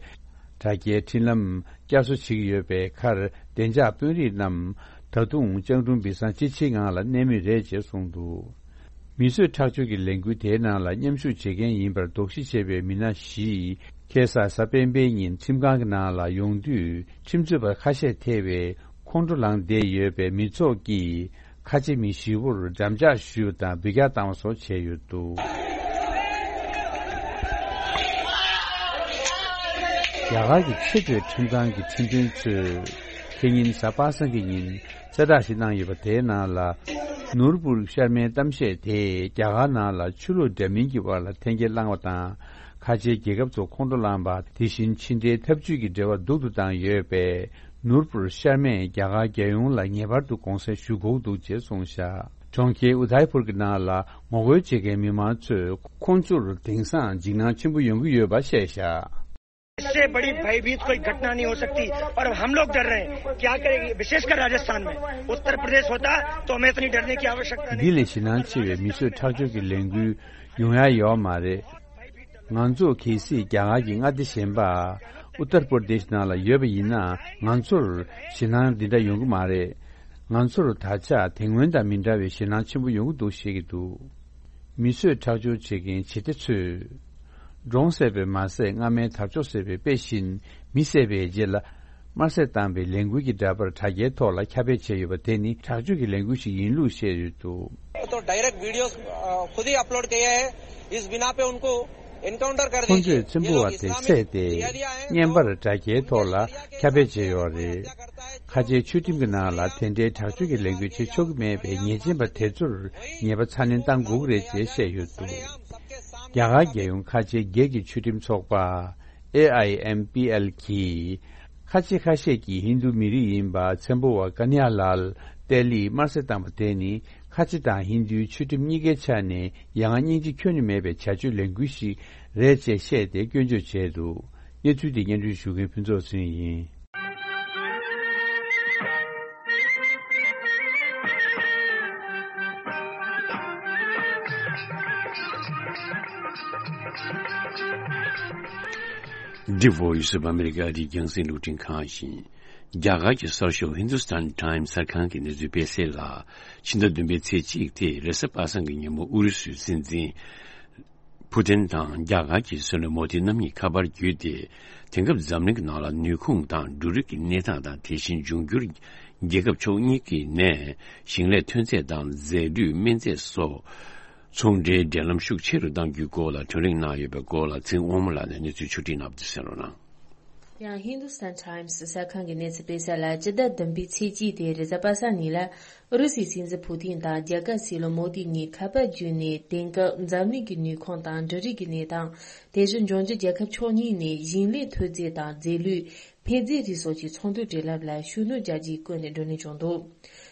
དྲ་རྒྱའི་འཕྲིན་ལམ་བསྐྱར་གསོ་བྱེད་ཀྱི་ཡོད་པའི་ཁར། བདེ་འཇགས་དཔོན་རིགས་རྣམས་ད་དུང་སྤྱང་གྲུང་བི་སང་ཅི་ཆེའི་ངང་ལ་གནས་མུས་རེད་ཅེས་གསུངས་འདུག་མི་གསོད་ཁྲག་སྦྱོར་གྱི་ལས་འགུལ་དེའི་ནང་ལ་མཉམ་ཞུགས་བྱེད་མཁན་ཡིན་པར་དོགས་གཞི་བྱས་པའི་མི་སྣ་བཞིས་ཁ་སང་གཟའ་སྤེན་པའི་ཉིན་ཁྲིམས་ཁང་གི་ནང་ལ་ཡོང་དུས་ཁྲིམས་རྩོད་པ་ཁ་ཤས་ཐེ་བའི་ཁོང་ཁྲོ་ལངས་བསྡད་ཡོད་པའི་མི་ཚོགས་ཀྱིས་ཁ་ཆེ་མི་བཞི་བོར་འགྲམ་ལྕག་གཞུས་པ་དང་འབུད་རྒྱག་བཏང་བ་སོགས་བྱས་ཡོད་འདུག་རྒྱ་གར་གྱི་ཆེས་མཐོའི་ཁྲིམས་ཁང་གི་ཁྲིམས་དཔོན་ཚོས་ཁེ་ཉིན་གཟའ་པ་སངས་ཀྱི་ཉིན་གསལ་བསྒྲགས་ཤིག་གནང་ཡོད་པ། དེའི་ནང་ལ་ནུར་པུར་ཤར་མའི་གཏམ་བཤད་དེས་རྒྱ་གར་ནང་ལ་ཆོས་ལུགས་འདྲ་མིན་གྱི་དབར་ལ་འཐེན་འཁྱེར་བསླངས་པ་དང་། ཁ་ཆེའི་རྒྱལ་ཁབ་ཚོ་ཁོང་ཁྲོ་ལངས་པ། དེ་བཞིན་ཕྱི་འབྲེལ་འཐབ་ཇུས་ཀྱི་འབྲེལ་བ་སྡུག་ཏུ་བཏང་ཡོད་པས། ནུར་པུར་ཤར་མས་རྒྱ་གར་རྒྱལ་ཡོངས་ལ་ངེས་པར་དུ་དགོངས་སེལ་ཞུ་དགོས་འདུག་ཅེས་གསུངས་བཞག་གྲོང་ཁྱེར་ཨུ་དཱི་པུར་གྱི་ནང་ལ་ངོ་རྒོལ་བྱེད་མཁན་མི་མང་ཚོས་ཁོང་ཚོར་དེང་སང་འཇིགས་སྣང་ཆེན་པོ་ཡོང་གི་ཡོད་པ་བཤད་བཞག इससे बड़ी भयभीत कोई घटना नहीं हो सकती। और अब हम लोग डर रहे हैं, क्या करेंगे? विशेषकर राजस्थान में, उत्तर प्रदेश होता तो हमें इतनी डरने की आवश्यकता नहीं। འདི་ལས་ཞེད་སྣང་ཆེ་བའི་མི་གསོད་ཁྲག་སྦྱོར་གྱི་ལས་འགུལ་ཡོང་ཡ་ཡོད་མ་རེད། ང་ཚོ་གལ་སྲིད་རྒྱ་གར་གྱི་མངའ་སྡེ་གཞན་པ་ཨུ་ཏར་པར་དེཤ་ནང་ལ་ཡོད་པ་ཡིན་ན། ང་ཚོར་ཞེད་སྣང་འདི་འདྲ་ཡོང་གི་མ་རེད། ང་ཚོར་ད་ཆ་དེ་སྔོན་དང་མི་འདྲ་བའི་ཞེད་སྣང་ཆེན་པོ་ཡོང་གི་འདུག་བཤད་ཀྱི་འདུག་མི་གསོད་ཁྲག་སྦྱོར་བྱེད་མཁན་བྱེད་གཏེ་ཚོས། འབྲོང་བསད་པས་མ་ཟད་རྔ་མའི་དར་ལྕོག་བསད་པའི་དཔེ་བཞིན། མི་བསད་པའི་རྗེས་ལ་དམར་གསོད་བཏང་པའི་ལས་འགུལ་གྱི་འདྲ་པར་དྲ་རྒྱའི་ཐོག་ལ་ཁྱབ་སྤེལ་བྱས་ཡོད་པ་དེ་ནི་དྲག་སྤྱོད་ཀྱི་ལས་འགུལ་ཞིག་ཡིན་ལུགས་བཤད་ཡོད་འདུག तो डायरेक्ट वीडियोज़, अ, खुद ही अपलोड किए हैं। इस बिना पे उनको एनकाउंटर कर ཁོང་ཚོས་ཚེམ་བུ་བ་དེ་བསད་དེ། བརྙན་པར་དྲ་རྒྱའི་ཐོག་ལ་ཁྱབ་སྤེལ་བྱས་ཡོད་རེད། ཁ་ཆེའི་ཆོས་ཁྲིམས་ཀྱི་ནང་ལ་དེ་འདྲའི་དྲག་སྤྱོད་ཀྱི་ལས་འགུལ་བྱེད་ཆོག་གི་མེད་པའི་ཉེས་ཅན་པ་དེ་ཚོར་ཉེས་པ་ཚ་ནན་གཏང་དགོས་ཀྱི་རེད་ཅེས་བཤད་ཡོད་འདུག་རྒྱ་གར་རྒྱལ་ཡོངས་ཁ་ཆེའི་སྒེར་གྱི་ཆོས་ཁྲིམས་ཚོགས་པ། ཨེ་ཨའི་ཨེམ་པི་ཨེལ་གྱིས་ཁ་ཆེ་ཁ་ཤས་ཀྱི་ཧིན་རྡུ་མི་རིགས་ཡིན་པ་ཚན་པོ་བ་ཀ་ནི་ཡ་ལལ་ཏེ་ལིས་དམར་གསོད་བཏང་པ་དེ་ནི་ཁ་ཆེ་དང་ཧིན་རྡུའི་ཆོས་ཁྲིམས་གཉིས་ཀའི་ཆ་ནས་ཡ་ང་སྙིང་རྗེ་ཁྱོན་ནས་མེད་པའི་བྱ་སྤྱོད་ལས་འགུལ་ཞིག་རེད་ཅེས་བཤད་དེ་སྐྱོན་བརྗོད་བྱས་འདུག། གནས་ཚུལ་དེ་སྙན་སྒྲོན་ཞུ་མཁན་ཕུན་ཚོགས་ཚེ་རིང་ཡིན། འདི་Voice of America རྒྱང་སྲིང་རླུང་འཕྲིན་ཁང་ཡིན། རྒྱ་གར་གྱི་གསར་ཤོག་Hindustan Times གསར་ཁང་གི་གནས་ཚུལ་སྤེལ་གསལ་ལ། ཕྱི་ཟླ་བདུན་པའི་ཚེས་གཅིག་སྟེ་རེས་གཟའ་པ་སངས་ཀྱི་ཉིན་མོ་ཨུ་རུ་སུའི་སྲིད་འཛིན་ཕུ་ཏིན་དང་རྒྱ་གར་གྱི་སྲིད་བློན་མོ་དི་རྣམ་གཉིས་ཁ་པར་བརྒྱུད་དེ། དེང་སྐབས་འཛམ་གླིང་གི་ནང་ལ་ནུས་ཁུངས་དང་འབྲུ་རིགས་ཀྱི་གནས་སྟངས་དང་དེ་བཞིན་འབྱུང་འགྱུར་རྒྱལ་ཁབ་ཕྱོགས་གཉིས་ཀྱི་ནས་ཞིང་ལས་ཐོན་རྫས་དང་རྫས་ལུད་སྨན་རྫས་སོགས་ཚོང་འབྲེལ་འབྲེལ་ལམ་ཤུགས་ཆེ་རུ་གཏང་རྒྱུའི་སྐོར་ལ་གྲོས་རིམ་གནང་ཡོད་པའི་སྐོར་ལ་ཚེ་དབང་མོ་ལགས་ནས་གནས་ཚུལ་ཕྱོགས་སྒྲིག་གནང་བ་དེ་གསན་རོགས་གནང་། ཡང་Hindustan Times གསར་ཁང་གི་གནས་ཚུལ་སྤེལ་གསལ་ལ། སྤྱི་ཟླ་བདུན་པའི་ཚེས་གཅིག་སྟེ་རེས་གཟའ་པ་སངས་ཉིན་ལ། ཨུ་རུ་སུའི་སྲིད་འཛིན་ཕུ་ཏིན་དང་རྒྱ་གར་སྲིད་བློན་མོ་དི་གཉིས་ཁ་པར་བརྒྱུད་ནས་དེང་སྐབས་འཛམ་གླིང་གི་ནུས་ཁུངས་དང་འབྲུ་རིགས་ཀྱི་གནས་སྟངས། དེ་བཞིན་འབྱུང་འགྱུར་རྒྱལ་ཁབ་ཕྱོགས་གཉིས་ནས་ཞིང་ལས་ཐོན་རྫས་དང་རྫས་ལུད། འཕེལ་རྫས་རིགས་སོགས་ཀྱི་ཚོང་དོན་འབྲེལ་ལམ་ལ་ཤུགས་སྣོན་རྒྱག་རྒྱུའི་སྐོར་ནས་བགྲོ་གླེང་བྱུང་འདུག།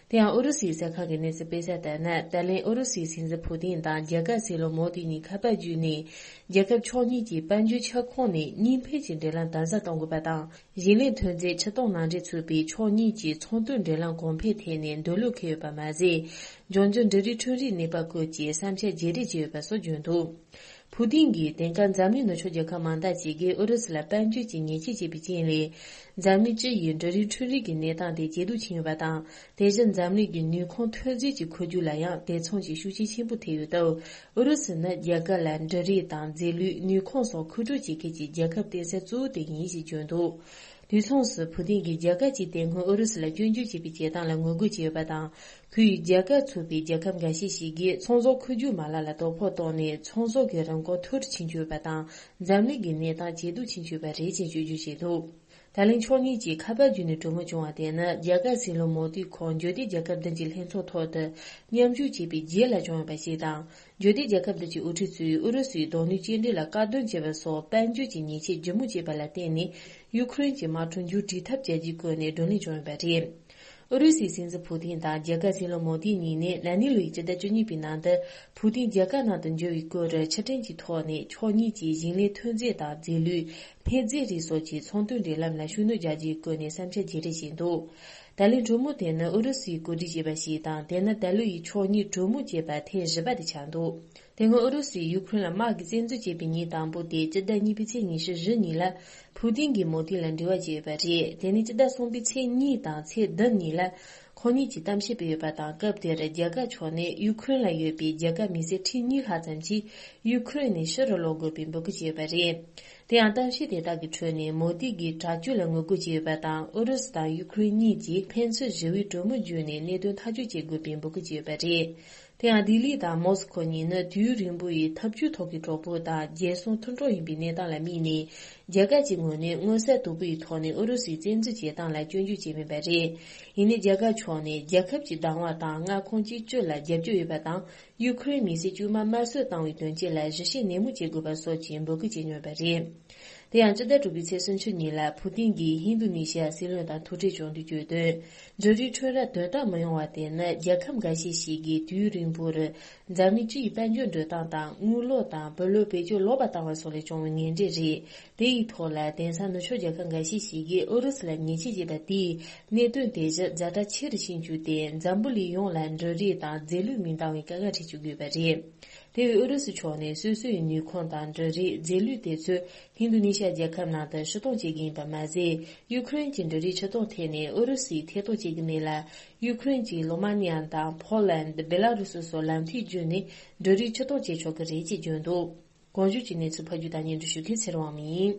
དེ་ཡང་ཨུ་རུ་སུའི་གསར་ཁང་གི་གནས་ཚུལ་སྤེལ་གསལ་ལྟར་ན། ད་ལན་ཨུ་རུ་སུའི་སྲིད་འཛིན་ཕུ་ཏིན་དང་རྒྱ་གར་སྲིད་བློན་མོ་དི་གཉིས་ཁ་པར་བརྒྱུད་ནས། རྒྱལ་ཁབ་ཕྱོགས་གཉིས་ཀྱི་དཔལ་འབྱོར་ཁྱབ་ཁོངས་ནས་གཉིས་ཕན་གྱི་འབྲེལ་ལམ་དམ་ཟབ་གཏོང་དགོས་པ་དང་། ཞིང་ལས་ཐོན་རྫས་ཕྱིར་གཏོང་ནང་འདྲེན་ཚུད་པའི་ཕྱོགས་གཉིས་ཀྱི་ཚོང་དོན་འབྲེལ་ལམ་གོང་འཕེལ་ཐད་ནས་འདོད་བློ་འཁེལ་ཡོད་པ་མ་ཟད། འབྱུང་འགྱུར་འབྲུ་རིགས་ཁྲོད་རིགས་གནས་སྤར་སྐོར་གྱི་བསམ་འཆར་བརྗེ་རེས་བྱས་ཡོད་པ་སོགས་བརྗོད་འདུག། ཕུ་ཏིན་གྱིས་དེང་སྐབས་འཛམ་གླིང་ནུབ་ཕྱོགས་རྒྱལ་ཁབ་མང་དག་ཅིག་གིས་ཨུ་རུ་སུ་ལ་དཔལ་འབྱོར་གྱི་ཉེས་ཆད་བཅད་པའི་རྐྱེན་ལས། འཛམ་གླིང་སྤྱི་ཡི་འབྲུ་རིགས་ཁྲོད་རིགས་ཀྱི་གནས་སྟངས་དེ་ཇེ་སྡུག་ཕྱིན་ཡོད་པ་དང་། དེ་བཞིན་འཛམ་གླིང་གི་ནུས་ཁུངས་ཐོན་རྫས་ཀྱི་འཁོར་རྒྱུག་ལ་ཡང་དེ་མཚུངས་ཀྱི་ཤུགས་རྐྱེན་ཆེན་པོ་ཐེབས་ཡོད་སྟབས། ཨུ་རུ་སུ་ནི་རྒྱ་གར་ལ་འབྲུ་རིགས་དང་རྫས་ལུད། ནུས་ཁུངས་སོགས་མཁོ་སྤྲོད་བྱེད་མཁན་གྱི་རྒྱལ་ཁབ་བརྟེན་ས་གཙོ་བོ་དེ་ཡིན་ཞེས་བརྗོད་འདུག། དུས་མཚུངས་སུ་ཕུ་ཏིན་གྱིས་རྒྱ་གར་གྱིས་དེ་སྔོན་ཨུ་རུ་སུ་ལ་སྐྱོན་བརྗོད་བྱས་པའི་བྱེད་སྟངས་ལ་ངོ་རྒོལ་བྱས་ཡོད་པ་དང་། ཁོས་རྒྱ་གར་ཚུད་པའི་རྒྱལ་ཁབ་འགའ་ཤས་ཤིག་གིས་ཚོང་ཟོག་མཁོ་སྤྲོད་མ་ལག་ལ་དོ་ཕོག་བཏང་ནས་ཚོང་ཟོག་གི་རིན་གོང་མཐོ་རུ་ཕྱིན་ཡོད་པ་དང་། འཛམ་གླིང་གི་གནས་སྟངས་ཇེ་སྡུག་ཕྱིན་ཡོད་པ་རེད་ཅེས་བརྗོད་རྒྱུ་བྱས་འདུག། ད་ལན་ཕྱོགས་གཉིས་ཀྱིས་ཁ་པར་བརྒྱུད་ནས་གྲོས་མོལ་བྱུང་བ་དེ་ནི་རྒྱ་གར་སྲིད་བློན་མོ་དིས་ཁོང་འབྱོར་ལྡན་རྒྱལ་ཁབ་བདུན་གྱི་ལྷན་ཚོགས་ཐོག་ཏུ་མཉམ་ཞུགས་བྱས་པའི་རྗེས་ལ་བྱུང་ཡོད་པ་ཞིག་དང་། འབྱོར་ལྡན་རྒྱལ་ཁབ་བདུན་གྱི་དབུ་ཁྲིད་ཚོས་ཨུ་རུ་སུའི་རྡོ་སྣུམ་སྐྱེལ་འདྲེན་ལ་བཀག་སྡོམ་བྱས་པ་སོགས་དཔལ་འབྱོར་གྱི་ཉེས་ཆད་ལྗིད་མོ་བྱས་པ་ལ་བརྟེན་ནས། ཡུ་ཁུ་རེན་གྱི་དམག་འཁྲུག་མཇུག་སྒྲིལ་ཐབས་བྱ་རྒྱུའི་སྐོར་ནས་བགྲོ་གླེང་བྱུང་ཡོད་པ་རེད། ཨུ་རུ་སུའི་སྲིད་འཛིན་ཕུ་ཏིན་དང་རྒྱ་གར་སྲིད་བློན་མོ་དི་གཉིས་ནས་ན་ནིང་ལོའི་སྤྱི་ཟླ་བཅུ་གཉིས་པའི་ནང་དུ་ཕུ་ཏིན་རྒྱ་གར་ནང་དུ་འབྱོར་བའི་སྐོར་ཕྱིར་དྲན་གྱི་ཐོག་ནས་ཕྱོགས་གཉིས་ཀྱིས་ཞིང་ལས་ཐོན་རྫས་དང་རྫས་ལུད། འཕེལ་རྫས་རིགས་སོགས་ཀྱི་ཚོང་དོན་འབྲེལ་ལམ་ལ་ཤུགས་སྣོན་རྒྱག་རྒྱུའི་སྐོར་ནས་བསམ་འཆར་བརྗེ་རེས་བྱས་འདུག། ད་ལན་གྲོས་མོལ་དེ་ནི་ཨུ་རུ་སུས་གོ་སྒྲིག་བྱས་པ་ཞིག་དང་། དེ་ནི་ད་ལོ་ཡི་ཕྱོགས་གཉིས་གྲོས་མོལ་བྱས་པ་ཐེངས་བཞི་པ་དེ་ཆགས་འདུག། དེ་སྔོན་ཨུ་རུ་སུས་ཡུ་ཁུ་རེན་ལ་དམག་གིས་བཙན་འཛུལ་བྱས་པའི་ཉིན་དང་པོ་སྟེ་སྤྱི་ཟླ་གཉིས་པའི་ཚེས་ཉི་ཤུ་བཞི་ཉིན་ལ་ཕུ་ཏིན་གྱིས་མོ་དི་ལ་འབྲེལ་བ་བྱས་ཡོད་པ་རེད། དེ་ནས་སྤྱི་ཟླ་གསུམ་པའི་ཚེས་གཉིས་དང་ཚེས་བདུན་ཉིན་ལ་ཁོང་གཉིས་ཀྱིས་གཏམ་བཤད་སྤེལ་ཡོད་པ་དང་། སྐབས་དེར་རྒྱ་གར་ཕྱོགས་ནས་ཡུ་ཁུ་རེན་ལ་ཡོད་པའི་རྒྱ་གར་མི་སེར་ཁྲི་གཉིས་ལྷག་ཙམ་ཞིག་ཡུ་ཁུ་རེན་ནས་ཕྱི་རུ་ལོག་དགོས་པའི་འབོད་སྐུལ་བྱས་ཡོད་པ་རེད། དེ་ཡང་གཏམ་བཤད་དེ་དག་གི་ཁྲོད་ནས་མོ་དི་གིས་དྲག་སྤྱོད་ལ་ངོ་རྒོལ་བྱས་ཡོད་པ་དང་། ཨུ་རུ་སུ་དང་ཡུ་ཁུ་རེན་གཉིས་ཀྱིས་ཕན་ཚུན་ཞི་བའི་གྲོས་མོལ་བརྒྱུད་ནས་གནད་དོན་ཐག་གཅོད་བྱེད་དགོས་པའི་འབོད་སྐུལ་བྱས་ཡོད་པ་རེད། དེ་ཡང་ལྡི་ལི་དང་མོ་སི་ཁོ་གཉིས་ནི་དུས་ཡུན་རིང་པོ་ཡི་འཐབ་ཇུས་ཐོག་གི་གྲོགས་པོ་དང་རྒྱལ་སྲུང་མཐུན་གྲོགས་ཡིན་པའི་གནས་སྟངས་ལ་དམིགས་ནས། རྒྱ་གར་གྱི་ངོས་ནས་མངོན་གསལ་དོད་པོ་ཡི་ཐོག་ནས་ཨུ་རུ་སུའི་བཙན་འཛུལ་བྱེད་སྟངས་ལ་སྐྱོན་བརྗོད་བྱས་མེད་པ་རེད། ཡིན་ནའི་རྒྱ་གར་ཕྱོགས་ནས་རྒྱལ་ཁབ་ཀྱི་བདག་དབང་དང་མངའ་ཁོངས་གཅིག་གྱུར་ལ་རྒྱབ་སྐྱོར་ཡོད་པ་དང་། ཡུ་ཁུ་རེན་མི་སེར་དཀྱུས་མ་དམར་གསོད་བཏང་བའི་དོན་རྐྱེན་ལ་ཞིབ་བཤེར་ནན་མོ་བྱེད་དགོས་པ་སོགས་ཀྱི་འབོད་སྐུལ་བྱས་མྱོང་བ་རེད། དེ་ཡང་སྤྱི་ཟླ་དྲུག་པའི་ཚེས་སུམ་ཅུ་ཉིན་ལ་ཕུ་ཏིན་གྱིས་ཧིན་རྡུ་ནི་ཤི་ཡ་སྲིད་བློན་དང་ཐུག་འཕྲད་བྱུང་དུས་བརྗོད་དོན། འབྲུ་རིགས་ཁྲོད་ར་དོན་དག་མི་ཡོང་བ་དེ་ནི་རྒྱལ་ཁབ་འགའ་ཤས་ཤིག་གིས་དུས་ཡུན་རིང་པོར་འཛམ་གླིང་སྤྱི་ཡི་དཔལ་འབྱོར་འགྲོ་སྟངས་དང་། དངུལ་ལོར་དང་བུ་ལོན་བེད་སྤྱོད་ལོག་པར་བཏང་བ་སོགས་ལས་བྱུང་བའི་ངན་འབྲས་རེད། དེ་ཡི་ཐོག་ལ་དེང་སང་ནུབ་ཕྱོགས་རྒྱལ་ཁབ་འགའ་ཤས་ཤིག་གིས་ཨུ་རུ་སུ་ལ་ཉེས་ཆད་བཅད་པ་དེས་གནད་དོན་དེ་བཞིན་ཛ་དྲག་ཆེ་རུ་ཕྱིན་རྒྱུ་དེ། འཛམ་བུ་གླིང་ཡོངས་ལ་འབྲུ་རིགས་དང་རྫས་ལུད་མི་འདང་བའི་དཀའ་ངལ་འཕྲད་བཅུག་དགོས་པ་རེད། དེ་བས་ཨུ་རུ་སུ་ཕྱོགས་ནས་སོ་སོའི་ནུས་ཁུངས་དང་འབྲུ་རིགས་རྫས་ལུད་དེ་ཚོ་ཧིན་རྡུ་ནི་ཤ་རྒྱལ་ཁབ་ནང་དུ་ཕྱིར་གཏོང་བྱེད་ཀྱི་ཡིན་པ་མ་ཟད། ཡུ་ཁུ་རེན་གྱི་འབྲུ་རིགས་ཕྱིར་གཏོང་ཐད་ནས་ཨུ་རུ་སུས་ཐེ་གཏོགས་བྱེད་ཀྱི་མེད་ལ། ཡུ་ཁུ་རེན་གྱིས་ལོ་མ་ནི་ཡ་དང་ཕོ་ལན། བེ་ལ་རུ་སུ་སོགས་ལམ་ཐིག་བརྒྱུད་ནས་འབྲུ་རིགས་ཕྱིར་གཏོང་བྱེད་ཆོག་གི་རེད་ཅེས་བརྗོད་འདུག། གོང་ཞུས་ཀྱི་གནས་ཚུལ་ཕབ་སྒྱུར་དང་སྙན་སྒྲོན་ཞུ་མཁན་ཚེ་རིང་དབང་མོ་ཡིན།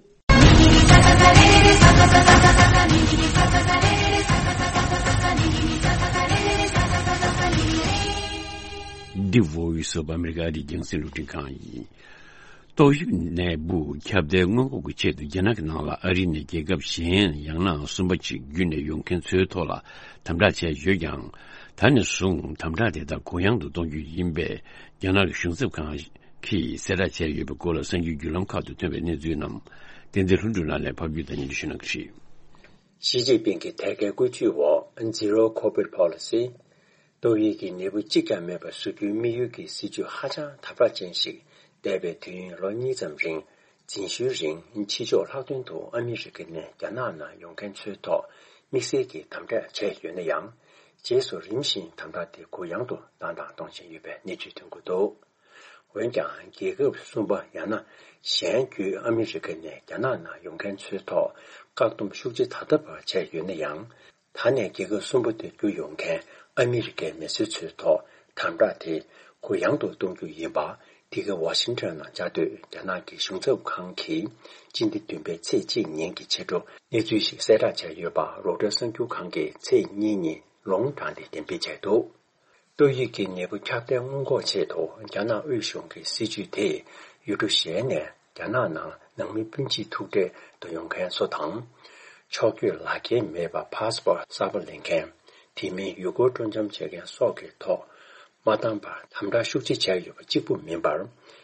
འདི་Voice of America རྒྱང་སྲིང་རླུང་འཕྲིན་ཁང་ཡིན། ཏོག་དབྱིབས་ནད་འབུ་ཁྱབ་གདལ་སྔོན་འགོག་གི་ཆེད་དུ་རྒྱ་ནག་གི་ནང་ལ་ཨ་རིའི་ནས་རྒྱལ་ཁབ་གཞན་ཡང་ན་གསུམ་པ་ཅིག་བརྒྱུད་ནས་ཡོང་མཁན་ཚོའི་ཐོག་ལ་དམ་དྲག་བྱས་ཡོད་ཀྱང་། ད་ནས་བཟུང་དམ་དྲག་དེ་དག་གུ་ཡངས་དུ་གཏོང་རྒྱུ་ཡིན་པའི་རྒྱ་ནག་གི་གཞུང་ཚབ་ཁང་གིས་གསལ་བསྒྲགས་བྱས་ཡོད་པའི་སྐོར་ལ་གསར་འགྱུར་བརྒྱུད་ལམ་ཁག་ཏུ་ཐོན་པའི་གནས་ཚུལ་རྣམས་ བསྟན་འཛིན་ལྷུན་གྲུབ་ལགས་ནས་ཕབ་སྒྱུར་དང་སྙན་སྒྲོན་ཞུ་གནང་གི་རེད། ཞི་ཅིན་ཕིང་གི་ཐད་ཀའི་བཀོད་ཇུས་འོག Zero Covid Policy། ཏོག་དབྱིབས་ཀྱི་ནད་འབུ་གཅིག་ཀྱང་མེད་པ་བཟོ་རྒྱུའི་དམིགས་ཡུལ་གྱི་སྲིད་ཇུས་ཧ་ཅང་དམ་དྲག་ཅན་ཞིག་འདས་པའི་དུས་ཡུན་ལོ་གཉིས་ཙམ་རིང་། འཛིན་ཞུའི་རིང་ཕྱི་ཕྱོགས་ལྷག་དོན་དུ་ཨ་མི་རི་ཀ་ནས་རྒྱ་ནག་ནང་ཡོང་མཁན་ཚོའི་ཐོག་དམིགས་བསལ་གྱི་དམ་དྲག་བྱས་ཡོད་ན་ཡང་། རྗེས་སུ་རིམ་བཞིན་དམ་དྲག་དེ་གུ་ཡངས་དུ་བཏང་དང་གཏོང་བཞིན་ཡོད་པའི་གནས་ཚུལ་ཐོན་གྱི་འདུག་འོན་ཀྱང་རྒྱལ་ཁབ་གསུམ་པ་ཡང་ན་གཞན་བརྒྱུད་ཨ་མི་རི་ཀ་ནས་རྒྱ་ནག་ནང་ཡོང་མཁན་ཚོའི་ཐོག་བཀག་སྡོམ་ཤུགས་ཆེ་ད་ལྟ་བར་བྱས་ཡོད་ན་ཡང་། ད་ནས་རྒྱལ་ཁབ་གསུམ་པ་དེར་བསྐྱོད་ཡོང་མཁན་ཨ་མི་རི་ཀའི་མི་སེར་ཚོའི་ཐོག་དམ་དྲག་དེ་གུ་ཡངས་དུ་གཏོང་རྒྱུ་ཡིན་པ། འདི་ག་ཝ་ཤིང་ཊོན་ནང་བཅའ་སྡོད་རྒྱ་ནག་གི་གཞུང་ཚབ་ཁང་གིས་སྤྱི་ཟླ་བདུན་པའི་ཚེས་གཅིག་ཉིན་གྱི་ཕྱི་དྲོ་གནས་ཚུལ་ཞིག་གསལ་བསྒྲགས་བྱས་ཡོད་པ་རོའི་ཊར་གསར་འགྱུར་ཁང་གིས་ཚེས་གཉིས་ཉིན་ལུང་དྲངས་ཏེ་འགྲེམས་སྤེལ་བྱས་འདུག་ཏོག་དབྱིབས་ཀྱི་ནད་འབུ་ཁྱབ་གདལ་སྔོན་འགོག་ཆེད་དུ་རྒྱ་ནག་དབུས་གཞུང་གི་སྲིད་ཇུས་དེས་ཡུལ་གྲུ་གཞན་ནས་རྒྱ་ནག་ནང་ནང་མི་སྤུན་མཆེད་ཐུག་འཕྲད་དུ་ཡོང་མཁན་ཚོ་དང་། ཕྱོགས་བསྐྱོད་ལག་འཁྱེར་མེད་པར་ཕཱ་སི་པོར་གསར་པ་ལེན་མཁན། དེ་མིན་ཡུལ་སྐོར་སྤྲོ་འཆམ་བྱེད་མཁན་སོགས་ཀྱི་ཐོག་མ་བཏང་བར་དམ་དྲག་ཤུགས་ཆེ་བྱས་ཡོད་པ་གཅིག་པུ་མིན་པར།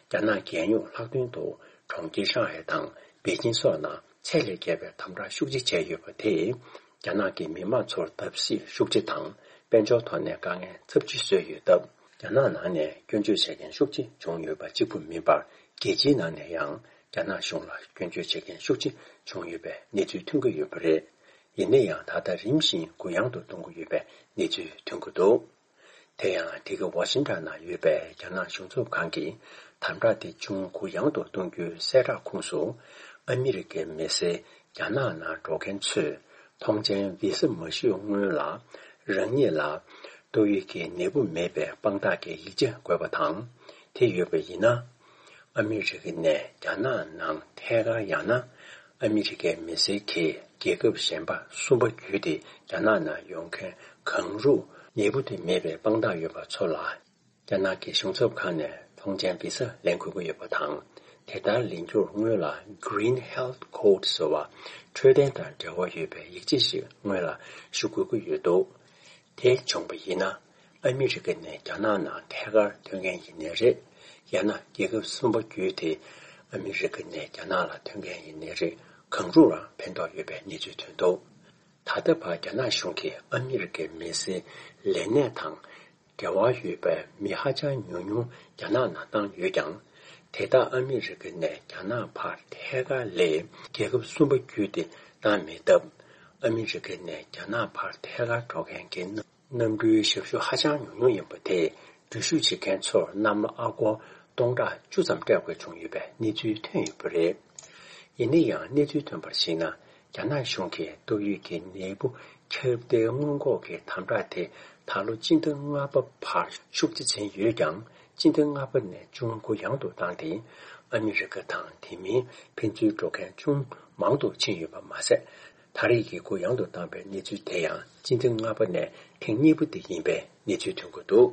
རྒྱ་ནག་རྒྱལ་ཡོངས་ལྷག་དོན་དུ་གྲོང་ཁྱེར་ཧྲང་ཧའེ་དང་པེ་ཅིན་སོགས་ནང་ཚད་ལས་བརྒལ་བའི་དམ་དྲག་ཤུགས་ཆེ་བྱས་ཡོད་པ་དེས། རྒྱ་ནག་གི་མི་མང་ཚོར་བརྡབ་གསིག་ཤུགས་ཆེ་དང་། དཔལ་འབྱོར་ཐོག་ནས་དཀའ་ངལ་ཚབས་ཆེ་བཟོས་ཡོད་སྟབས། རྒྱ་ནག་ནང་ནས་སྐྱོན་བརྗོད་བྱེད་མཁན་ཤུགས་ཆེ་བྱུང་ཡོད་པ་གཅིག་པུ་མིན་པར། རྒྱལ་སྤྱིའི་ནང་ནས་ཡང་རྒྱ་ནག་གཞུང་ལ་སྐྱོན་བརྗོད་བྱེད་མཁན་ཤུགས་ཆེ་བྱུང་ཡོད་པའི་གནས་ཚུལ་ཐོན་གྱི་ཡོད་པ་རེད། ཡིན་ན་ཡང་ད་ལྟ་རིམ་བཞིན་གུ་ཡངས་དུ་གཏོང་གི་ཡོད་པའི་གནས་ཚུལ་ཐོན་གྱི་འདུག་དེ་ཡང་འདི་ག་ཝ་ཤིང་ཊོན་ནང་ཡོད་པའི་རྒྱ་ནག་གཞུང་ཚབ་ཁང་གིས་དམ་དྲག་དེ་ཅུང་གུ་ཡངས་དུ་གཏོང་རྒྱུའི་གསལ་བསྒྲགས་ཁོངས་སུ། ཨ་མི་རི་ཀའི་མི་སེར་རྒྱ་ནག་ནང་འགྲོ་མཁན་ཚོས་ཐོངས་མཆན་བི་ས་མ་ཞུས་སྔོན་ལ་རང་ཉིད་ལ་ཏོག་དབྱིབས་ཀྱི་ནད་འབུ་མེད་པའི་དཔང་རྟགས་ཀྱི་ཡིག་ཆ་དགོས་པ་དང་། དེ་ཡོད་པ་ཡིན་ན། ཨ་མི་རི་ཀ་ནས་རྒྱ་ནག་ནང་ཐད་ཀར་ཡང་ན་ཨ་མི་རི་ཀའི་མི་སེར་གྱིས་རྒྱལ་ཁབ་གཞན་པ་གསུམ་པ་བརྒྱུད་དེ་རྒྱ་ནག་ནང་ཡོང་མཁན་གང་རུང་ནད་འབུ་དེ་མེད་པའི་དཔང་རྟགས་ཡོད་པ་ཚོ་ལ། རྒྱ་ནག་གི་གཞུང་ཚབ་ཁང་ནས་ཐོངས་མཆན་བི་ས་ལེན་དགོས་ཀྱི་ཡོད་པ་དང་། དེ་ལྟར་ལེན་རྒྱུར་སྔོན་ལ་Green Health Code ཟེར་བ་འཕྲོད་བསྟེན་དང་འབྲེལ་བ་ཡོད་པའི་ཡིག་ཆ་ཞིག་སྔོན་ལ་ཞུ་དགོས་ཀྱི་ཡོད་འདུག་དེ་བྱུང་བ་ཡིན་ན། ཨ་མི་རི་ཀ་ནས་རྒྱ་ནག་ནང་ཐད་ཀར་ཐོན་མཁན་ཡིན་ནའི་རེད། ཡང་ན་རྒྱལ་ཁབ་གསུམ་པ་བརྒྱུད་དེ་ཨ་མི་རི་ཀ་ནས་རྒྱ་ནག་ལ་ཐོན་མཁན་ཡིན་ནའི་རེད། གང་རུང་ལ་ཕན་ཐོགས་ཡོད་པའི་གནས་ཚུལ་ཐོན་འདུག་ད་ལྟ་བར་རྒྱ་ནག་གཞུང་གིས་ཨ་མི་རི་ཀའི་མི་སེར་ལས་གནས་དང་འབྲེལ་བ་ཡོད་པའི་མི་ཧ་ཅང་ཉུང་ཉུང་རྒྱ་ནག་ནང་བཏང་ཡོད་ཀྱང་། དེ་དག་ཨ་མི་རི་ཀ་ནས་རྒྱ་ནག་བར་ཐད་ཀར་ལས་རྒྱལ་ཁབ་གསུམ་པ་བརྒྱུད་དེ་བཏང་མེད་སྟབས། ཨ་མི་རི་ཀ་ནས་རྒྱ་ནག་བར་ཐད་ཀར་འགྲོ་མཁན་གྱི་གནམ་གྲུའི་ཞབས་ཞུ་ཧ་ཅང་ཉུང་ཉུང་ཡིན་པ་དེས་འགྲུལ་བཞུད་བྱེད་མཁན་ཚོར་གནམ་ལོ་ཨ་སྒོར་སྟོང་ཕྲག་བཅུ་ཙམ་སྤྲད་དགོས་བྱུང་ཡོད་པའི་གནས་ཚུལ་ཐོན་ཡོད་པ་རེད། ཡིན་ན་ཡང་གནས་ཚུལ་ཐོན་པར་གཞིགས་ན། རྒྱ་ནག་གཞུང་གིས་ཏོག་དབྱིབས་ཀྱི་ནད་འབུ་ཁྱབ་གདལ་སྔོན་འགོག་གི་དམ་དྲག་དེ་ད་ལོ་སྤྱི་ཟླ་ལྔ་པ་བར་ཤུགས་ཆེ་ཕྱིན་ཡོད་ཀྱང་། སྤྱི་ཟླ་ལྔ་པ་ནས་ཅུང་གུ་ཡངས་དུ་བཏང་སྟེ། ཨ་མི་རི་ཀ་དང་དེ་མིན་ཕན་ཚུན་འགྲོ་མཁན་ཅུང་མང་དུ་ཕྱིན་ཡོད་པ་མ་ཟད། ད་རེས་ཀྱི་གུ་ཡངས་དུ་བཏང་པའི་གནས་ཚུལ་དེ་ཡང་སྤྱི་ཟླ་ལྔ་པ་ནས་ཐེངས་གཉིས་པ་དེ་ཡིན་པའི་གནས་ཚུལ་ཐོན་གྱི་འདུག་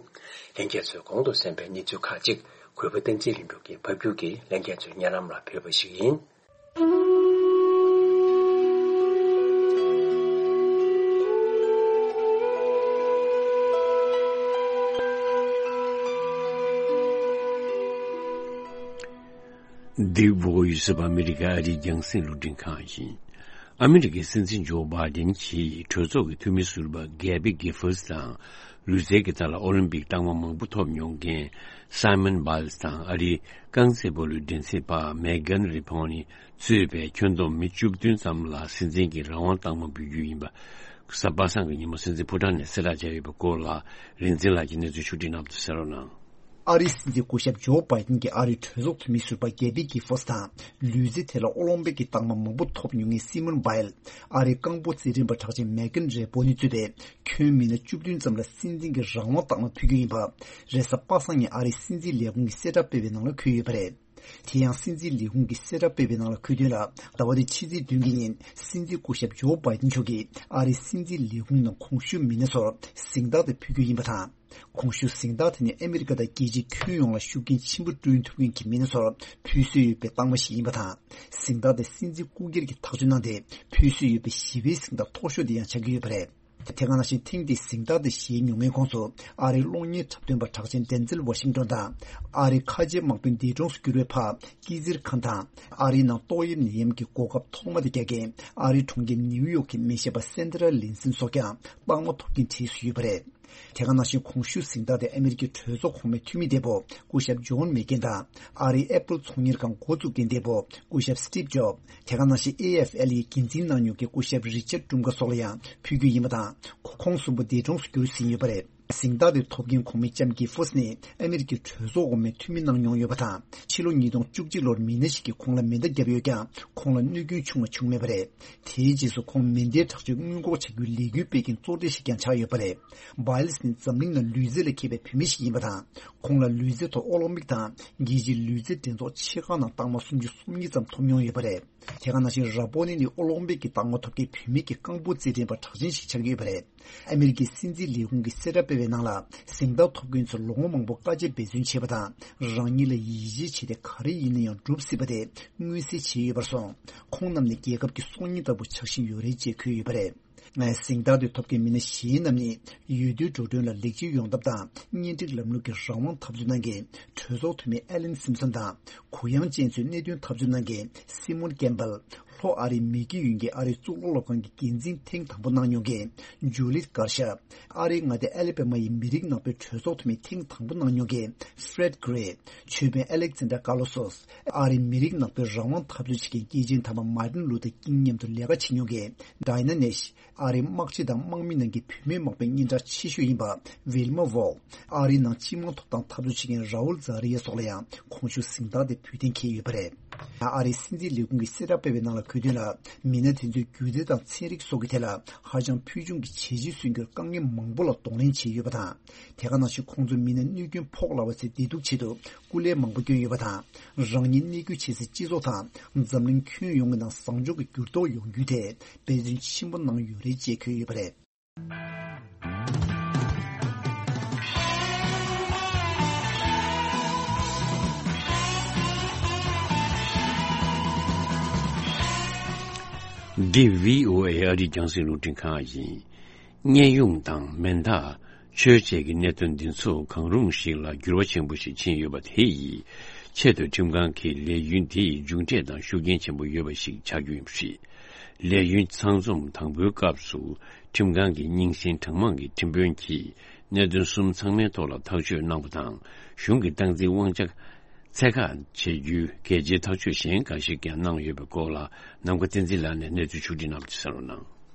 ལྷན་རྒྱས་ཚོས་གོང་དུ་གསན་པའི་གནས་ཚུལ་ཁག་ཅིག་གུས་པ་བསྟན་འཛིན་ལྷུན་གྲུབ་ཀྱིས་ཕབ་སྒྱུར་གྱིས་ལྷན་རྒྱས་ཚོའི་སྙན་ལམ་ལ་ཕུལ་བ་ཞིག་ཡིན། The Voice of America ཨ་རིའི་རྒྱང་སྲིང་རླུང་འཕྲིན་ཁང་ཡིན། ཨ་མི་རི་ཀའི་སྲིད་འཛིན་ཇོ་བྷའི་ཌེན་གྱིས་གྲོས་ཚོགས་ཀྱི་འཐུས་མི་ཟུར་པ་གེ་བྷི་གྷི་ཕོར་སི་དང་། ལུས་རྩལ་གྱི་ཐད་ལ་ཨོ་ལིམ་པིག་རྟགས་མ་མང་པོ་ཐོབ་མྱོང་མཁན་སའི་མོན་བྷའི་ལི་སི་དང་། ཨ་རིའི་རྐང་རྩེད་སྤོ་ལོའི་འགྲན་རྩོད་པ་མེ་གྷན་རི་ཕོན་ནི་གཙོས་པའི་ཁྱོན་བསྡོམས་མི་བཅུ་བདུན་ཙམ་ལ་སྲིད་འཛིན་གྱི་རང་དབང་རྟགས་མ་འབུལ་རྒྱུ་ཡིན་པ། གཟའ་པ་སངས་ཀྱི་ཉིན་མོ་སྲིད་འཛིན་ཕོ་བྲང་ནས་གསལ་བསྒྲགས་བྱས་ཡོད་པའི་སྐོར་ལ། རིག་འཛིན་ལགས་ཀྱིས་གནས་ཚུལ་ཕྱོགས་བསྒྲིགས་གནང་བ་དེ་གསན་རོགས་གནང་། ཨ་རིའི་སྲིད་འཛིན་སྐུ་ཞབས་ཇོ་བྷའི་ཌེན་གྱིས་ཨ་རིའི་གྲོས་ཚོགས་འཐུས་མི་ཟུར་པ་གེ་བྷི་གྷི་ཕོར་སི་དང་། ལུས་རྩལ་ཐད་ལ་ཨོ་ལིམ་པིག་གི་རྟགས་མ་མང་པོ་ཐོབ་མྱོང་མཁན་སའི་མོན་བྷའི་ལི། ཨ་རིའི་རྐང་སྤོལ་རྩེད་འགྲན་པ་གྲགས་ཅན་མེ་གྷན་རེ་པོ་ནི་གཙོས་པའི་ཁྱོན་མི་སྣ་བཅུ་བདུན་ཙམ་ལ་སྲིད་འཛིན་གྱི་རང་དབང་རྟགས་མ་ཕུལ་རྒྱུ་ཡིན་པ། རེས་གཟའ་པ་སངས་ཉིན་ཨ་རིའི་སྲིད་འཛིན་ལས་ཁུངས་ཀྱིས་གསལ་བསྒྲགས་སྤེལ་བའི་ནང་ལ་འཁོད་ཡོད་པ་རེད། དེ་ཡང་སྲིད་འཛིན་ལས་ཁུངས་ཀྱིས་གསལ་བསྒྲགས་སྤེལ་བའི་ནང་ལ་འཁོད་དོན་ལ། ཟླ་བ་འདིའི་ཕྱི་ཚེས་བདུན་གྱི་ཉིན་སྲིད་འཛིན་སྐུ་ཞབས་ཇོ་བྷའི་ཌེན་མཆོག་གིས་ཨ་རིའི་སྲིད་འཛིན་ལས་ཁུངས་ནང་གོང་ཞུས་མི་སྣ་ཚོར་གཟེངས་རྟགས་དེ་ཕུལ་རྒྱུ་ཡིན་པ་དང་། གོང་ཞུས་གཟེངས་རྟགས་དེ་ནི་ཨ་མི་རི་ཀ་དང་རྒྱལ་སྤྱིའི་ཁྱོན་ཡོངས་ལ་ཤུགས་རྐྱེན་ཆེན་པོ་བསྐྲུན་ཐུབ་མཁན་གྱི་མི་སྣ་ཚོར་ཕུལ་སྲོལ་ཡོད་པའི་རྟགས་མ་ཞིག་ཡིན་པ་དང་། གཟེངས་རྟགས་དེ་སྲིད་འཛིན་སྐུ་སྒེར་གྱིས་ཐག་གཅོད་གནང་སྟེ་ཕུལ་སྲོལ་ཡོད་པའི་ཞི་བའི་གཟེངས་རྟགས་མཐོ་ཤོས་དེ་ཡང་ཆགས་ཀྱི་ཡོད་པ་རེད། དེ་ག་ནང་བཞིན་ཐེངས་འདིའི་གཟེངས་རྟགས་དེ་བཞེས་མྱོང་མཁན་ཁོངས་སུ་ཨ་རིའི་གློག་བརྙན་འཁྲབ་སྟོན་པ་གྲགས་ཅན་ཌེན་ཛེལ་ཝ་ཤིང་ཏོན་དང་། ཨ་རིའི་ཁ་ཆེའི་དམག་དཔོན་འདས་གྲོངས་སུ་གྱུར་བའི་ཕ་ཀི་ཛིར་ཁཱན་དང་། ཨ་རིའི་ནང་ཏོག་དབྱིབས་ནད་ཡམས་ཀྱི་འགོག་ཁབ་ཐོག་མ་དེ་རྒྱག་མཁན་ཨ་རིའི་གྲོང་ཁྱེར་ནིའུ་ཡོག་གི་མི་བྱེད་པ་སན་ཏྲ་ལིན་སིན་སོགས་ཀྱང་རྟགས་མ་ཐོབ་མཁན་གྲས་སུ་ཡོད་པ་རེད། དེ་ག་ནང་བཞིན་གོང་ཞུས་གཟེངས་རྟགས་དེ་ཨ་མེ་རི་ཀའི་གྲོས་ཚོགས་གོང་མའི་འཐུས་མི་འདས་པོ་སྐུ་ཞབས་ཇོན་མེག་ཀེན་དང་། ཨ་རིའི་ཨེ་པལ་ཚོང་གཉེར་ཁང་འགོ་བཙུགས་མཁན་འདས་པོ་སྐུ་ཞབས་སི་ཊིབ་ཇོབ། དེ་ག་ནང་བཞིན་ཨེ་ཨེཕ་ཨེལ་ཡི་འགན་འཛིན་གནང་མྱོང་མཁན་སྐུ་ཞབས་རི་ཆར་ཀྲུམ་ཀ་སོགས་ལ་ཡང་ཕུལ་རྒྱུ་ཡིན་པ་དང་། ཁོང་གསུམ་པོ་འདས་གྲོངས་སུ་གྱུར་ཟིན་ཡོད་པ་རེད། གཟེངས་རྟགས་དེ་ཐོབ་མཁན་གོང་མའི་ལྕམ་གྱི་ཧྥུས་ནི་ཨ་མེ་རི་ཀའི་གྲོས་ཚོགས་གོང་མའི་འཐུས་མི་གནང་མྱོང་ཡོད་པ་དང་། ཕྱི་ལོ་ཉིས་སྟོང་བཅུ་གཅིག་ལོར་མི་སྣ་ཞིག་གིས་ཁོང་ལ་མེ་མདའ་བརྒྱབ་ཡོད་ཀྱང་ཁོང་ལ་གནོད་སྐྱོན་བྱུང་བ་བྱུང་མེད་པ་རེད། དེའི་རྗེས་སུ་ཁོང་མེ་མདའི་དྲག་སྤྱོད་སྔོན་འགོག་བྱ་རྒྱུའི་ལས་འགུལ་སྤེལ་མཁན་གཙོ་གྲས་ཤིག་ཀྱང་ཆགས་ཡོད་པ་རེད། བྷའི་ལིས་ནི་འཛམ་གླིང་ནང་ལུས་རྩལ་ལ་མཁས་པའི་བུད་མེད་ཞིག་ཡིན་པ་དང་། ཁོང་ལ་ལུས་རྩལ་ཐོག་ཨོ་ལིམ་པིག་དང་རྒྱལ་སྤྱིའི་ལུས་རྩལ་འགྲན་ཚོགས་ཆེ་ཁག་ནང་རྟགས་མ་སུམ་ཅུ་སོ་གཉིས་ཙམ་ཐོབ་མྱོང་ཡོད་པ་རེད། དེ་ག་ནང་བཞིན་ར་པོ་ནི་ནི་ཨོ་ལིམ་པིག་གི་རྟགས་མ་ཐོབ་མཁན་བུད་མེད་ཀྱི་རྐང་སྤོལ་རྩེད་འགྲན་པ་གྲགས་ཅན་ཞིག་ཆགས་ཀྱི་ཡོད་པ་རེད། ཨ་མེ་རི་ཀའི་སྲིད་འཛིན་ལས་ཁུངས་ཀྱིས་གསལ་བསྒྲགས་སྤེལ་བའི་ནང་ལ། གཟེངས་རྟགས་ཐོབ་མཁན་ཚོས་ལོ་ངོ་མང་པོ་དཀའ་སྤྱད་འབད་བརྩོན་བྱས་པ་དང་། རང་ཉིད་ལ་ཡིད་ཆེས་བྱེད་དེ་ག་རེ་ཡིན་ན་ཡང་སྒྲུབ་སྲིད་པ་དེ་མངོན་གསལ་བྱས་ཡོད་པར་སོང་། ཁོང་རྣམས་ནི་རྒྱལ་ཁབ་ཀྱི་སྲོག་ཉེན་ལྟ་བུ་ཆགས་བཞིན་ཡོད་རེད་ཅེས་འཁོད་ཡོད་པ་རེད། གཟེངས་རྟགས་དེ་ཐོབ་མཁན་མི་སྣ་གཞན་རྣམས་ནི་ཡུལ་དུས་འགྲོ་གྲོན་ལ་ལེགས་བཅོས་ཡོང་ཐབས་དང་། གཉེན་སྒྲིག་ལམ་ལུགས་ཀྱི་རང་དབང་འཐབ་རྩོད་གནང་མཁན་གྲོས་ཚོགས་འཐུས་མི་ཨེ་ལན་སིམ་སོན་དང་། གུ་ཡངས་ཅན་ཚོའི་གནད་དོན་འཐབ་རྩོད་གནང་མཁན་སི་མོན་ཀེམ་པལ། ལྷོ་ཨ་རིའི་མི་སྐྱིད་ཡུལ་གྱི་ཨ་རིའི་གཙུག་ལག་སློབ་ཁང་གི་འགན་འཛིན་ཐེངས་དང་པོ་གནང་མྱོང་མཁན་ཇུ་ལིད་གར་ཤ། ཨ་རིའི་མངའ་སྡེ་ཨ་ལེ་པེ་མ་ཡི་མི་རིགས་ནག་པའི་གྲོས་ཚོགས་འཐུས་མི་ཐེངས་དང་པོ་གནང་མྱོང་མཁན་ཧྥྲེད་གྷི་རེ། ཆོས་དཔོན་ཨེ་ལེག་ཛན་ཌར་ཀར་ལོ་སོས། ཨ་རིའི་མི་རིགས་ནག་པའི་རང་དབང་འཐབ་རྩོད་བྱེད་མཁན་སྐྱེས་ཆེན་དམ་པ་མཱར་ཏིན་ལུ་ཐར་ཀིང་མཉམ་དུ་ལས་ཀ་བྱེད་མྱོང་མཁན་ཌའི་ན་ནེཤ། ཨ་རིའི་དམག་སྤྱི་དང་དམག་མི་ནང་གི་བུད་མེད་དམག་དཔོན་སྙན་གྲགས་ཆེ་ཤོས་ཡིན་པ་ཝིལ་མ་ཝོལ། ཨ་རིའི་ནང་སྤྱི་དམངས་ཐོབ་ཐང་འཐབ་རྩོད་བྱེད་མཁན་རའུལ་ཛ་རི་ཡ་སོགས་ལ་ཡང་གོང་ཞུས་གཟེངས་རྟགས་དེ་ཕུལ་གཏན་འཁེལ་ཡོད་པ་རེད། ཨ་རིའི་སྲིད་འཛིན་ལས་ཁུངས་ཀྱིས་གསལ་བསྒྲགས་སྤེལ་བའི་ནང་ལ་འཁོད་དོན་ལ། མི་སྣ་དེ་ཚོའི་སྒྱུ་རྩལ་དང་ཚན་རིག་སོགས་ཀྱི་ཐད་ལ་ཧ་ཅང་ཕུལ་བྱུང་གི་བྱས་རྗེས་སོན་རྒྱུར་དཀའ་ངལ་མང་པོ་ལ་གདོང་ལེན་བྱས་ཡོད་པ་དང་། དེ་ག་ནང་བཞིན་ཁོང་ཚོའི་མི་སྣ་གནོད་སྐྱོན་ཕོག་སླ་བ་ཚོའི་བདེ་སྡུག་ཆེད་དུ་སྐུ་ལས་མང་པོ་བསྐྱོན་ཡོད་པ་དང་། རང་ཉིད་གནས་འཁོད་བྱེད་སའི་སྤྱི་ཚོགས་དང་འཛམ་གླིང་ཁྱོན་ཡོངས་ཀྱི་ནང་བཟང་ཕྱོགས་ཀྱི་འགྱུར་ལྡོག་ཡོང་རྒྱུའི་ཐད་འབད་བརྩོན་ཆེན་པོ་གནང་ཡོད་རེད་ཅེས་འཁོད་ཡོད་པ་རེད། འདི་བྷི་ཨོ་ཨེ་ཨ་རིའི་རྒྱང་སྲིང་རླུང་འཕྲིན་ཁང་ཡིན། གཉན་ཡོངས་དང་མེ་མདའ། ཆོས་བཅས་ཀྱི་གནད་དོན་འདི་ཚོ་གང་རུང་ཞིག་ལ་འགྱུར་བ་ཆེན་པོ་ཞིག་ཕྱིན་ཡོད་པ་དེ་ཡི་ཆེད་དུ་ཁྲིམས་ཁང་གིས་ལས་ཡུན་དེ་ཡི་མཇུག་འབྲས་དང་ཤུགས་རྐྱེན་ཆེན་པོ་ཡོད་པ་ཞིག་ཆགས་རྒྱུ་ཡིན་པ་རེད། ལས་ཡུན་ཚང་འཛོམས་དང་པོའི་སྐབས་སུ་ཁྲིམས་ཁང་གི་རྙིང་ཞེན་གྲངས་མང་གི་ཁྲིམས་དཔོན་གྱིས་གནད་དོན་གསུམ་ཚང་མའི་ཐོག་ལ་ཐག་གཅོད་གནང་བ་དང་། གཞུང་གི་སྟངས་འཛིན་དབང་ཆ་ཚད་བཀག་བྱེད་རྒྱུའི་གལ་ཆེའི་ཐག་གཅོད་གཞན་འགའ་ཞིག་ཀྱང་གནང་ཡོད་པའི་སྐོར་ལ་ནམ་མཁའ་བསྟན་འཛིན་ལགས་ནས་གནས་ཚུལ་ཕྱོགས་སྒྲིག་གནང་བ་ཅིག་གསན་རོགས་གནང་།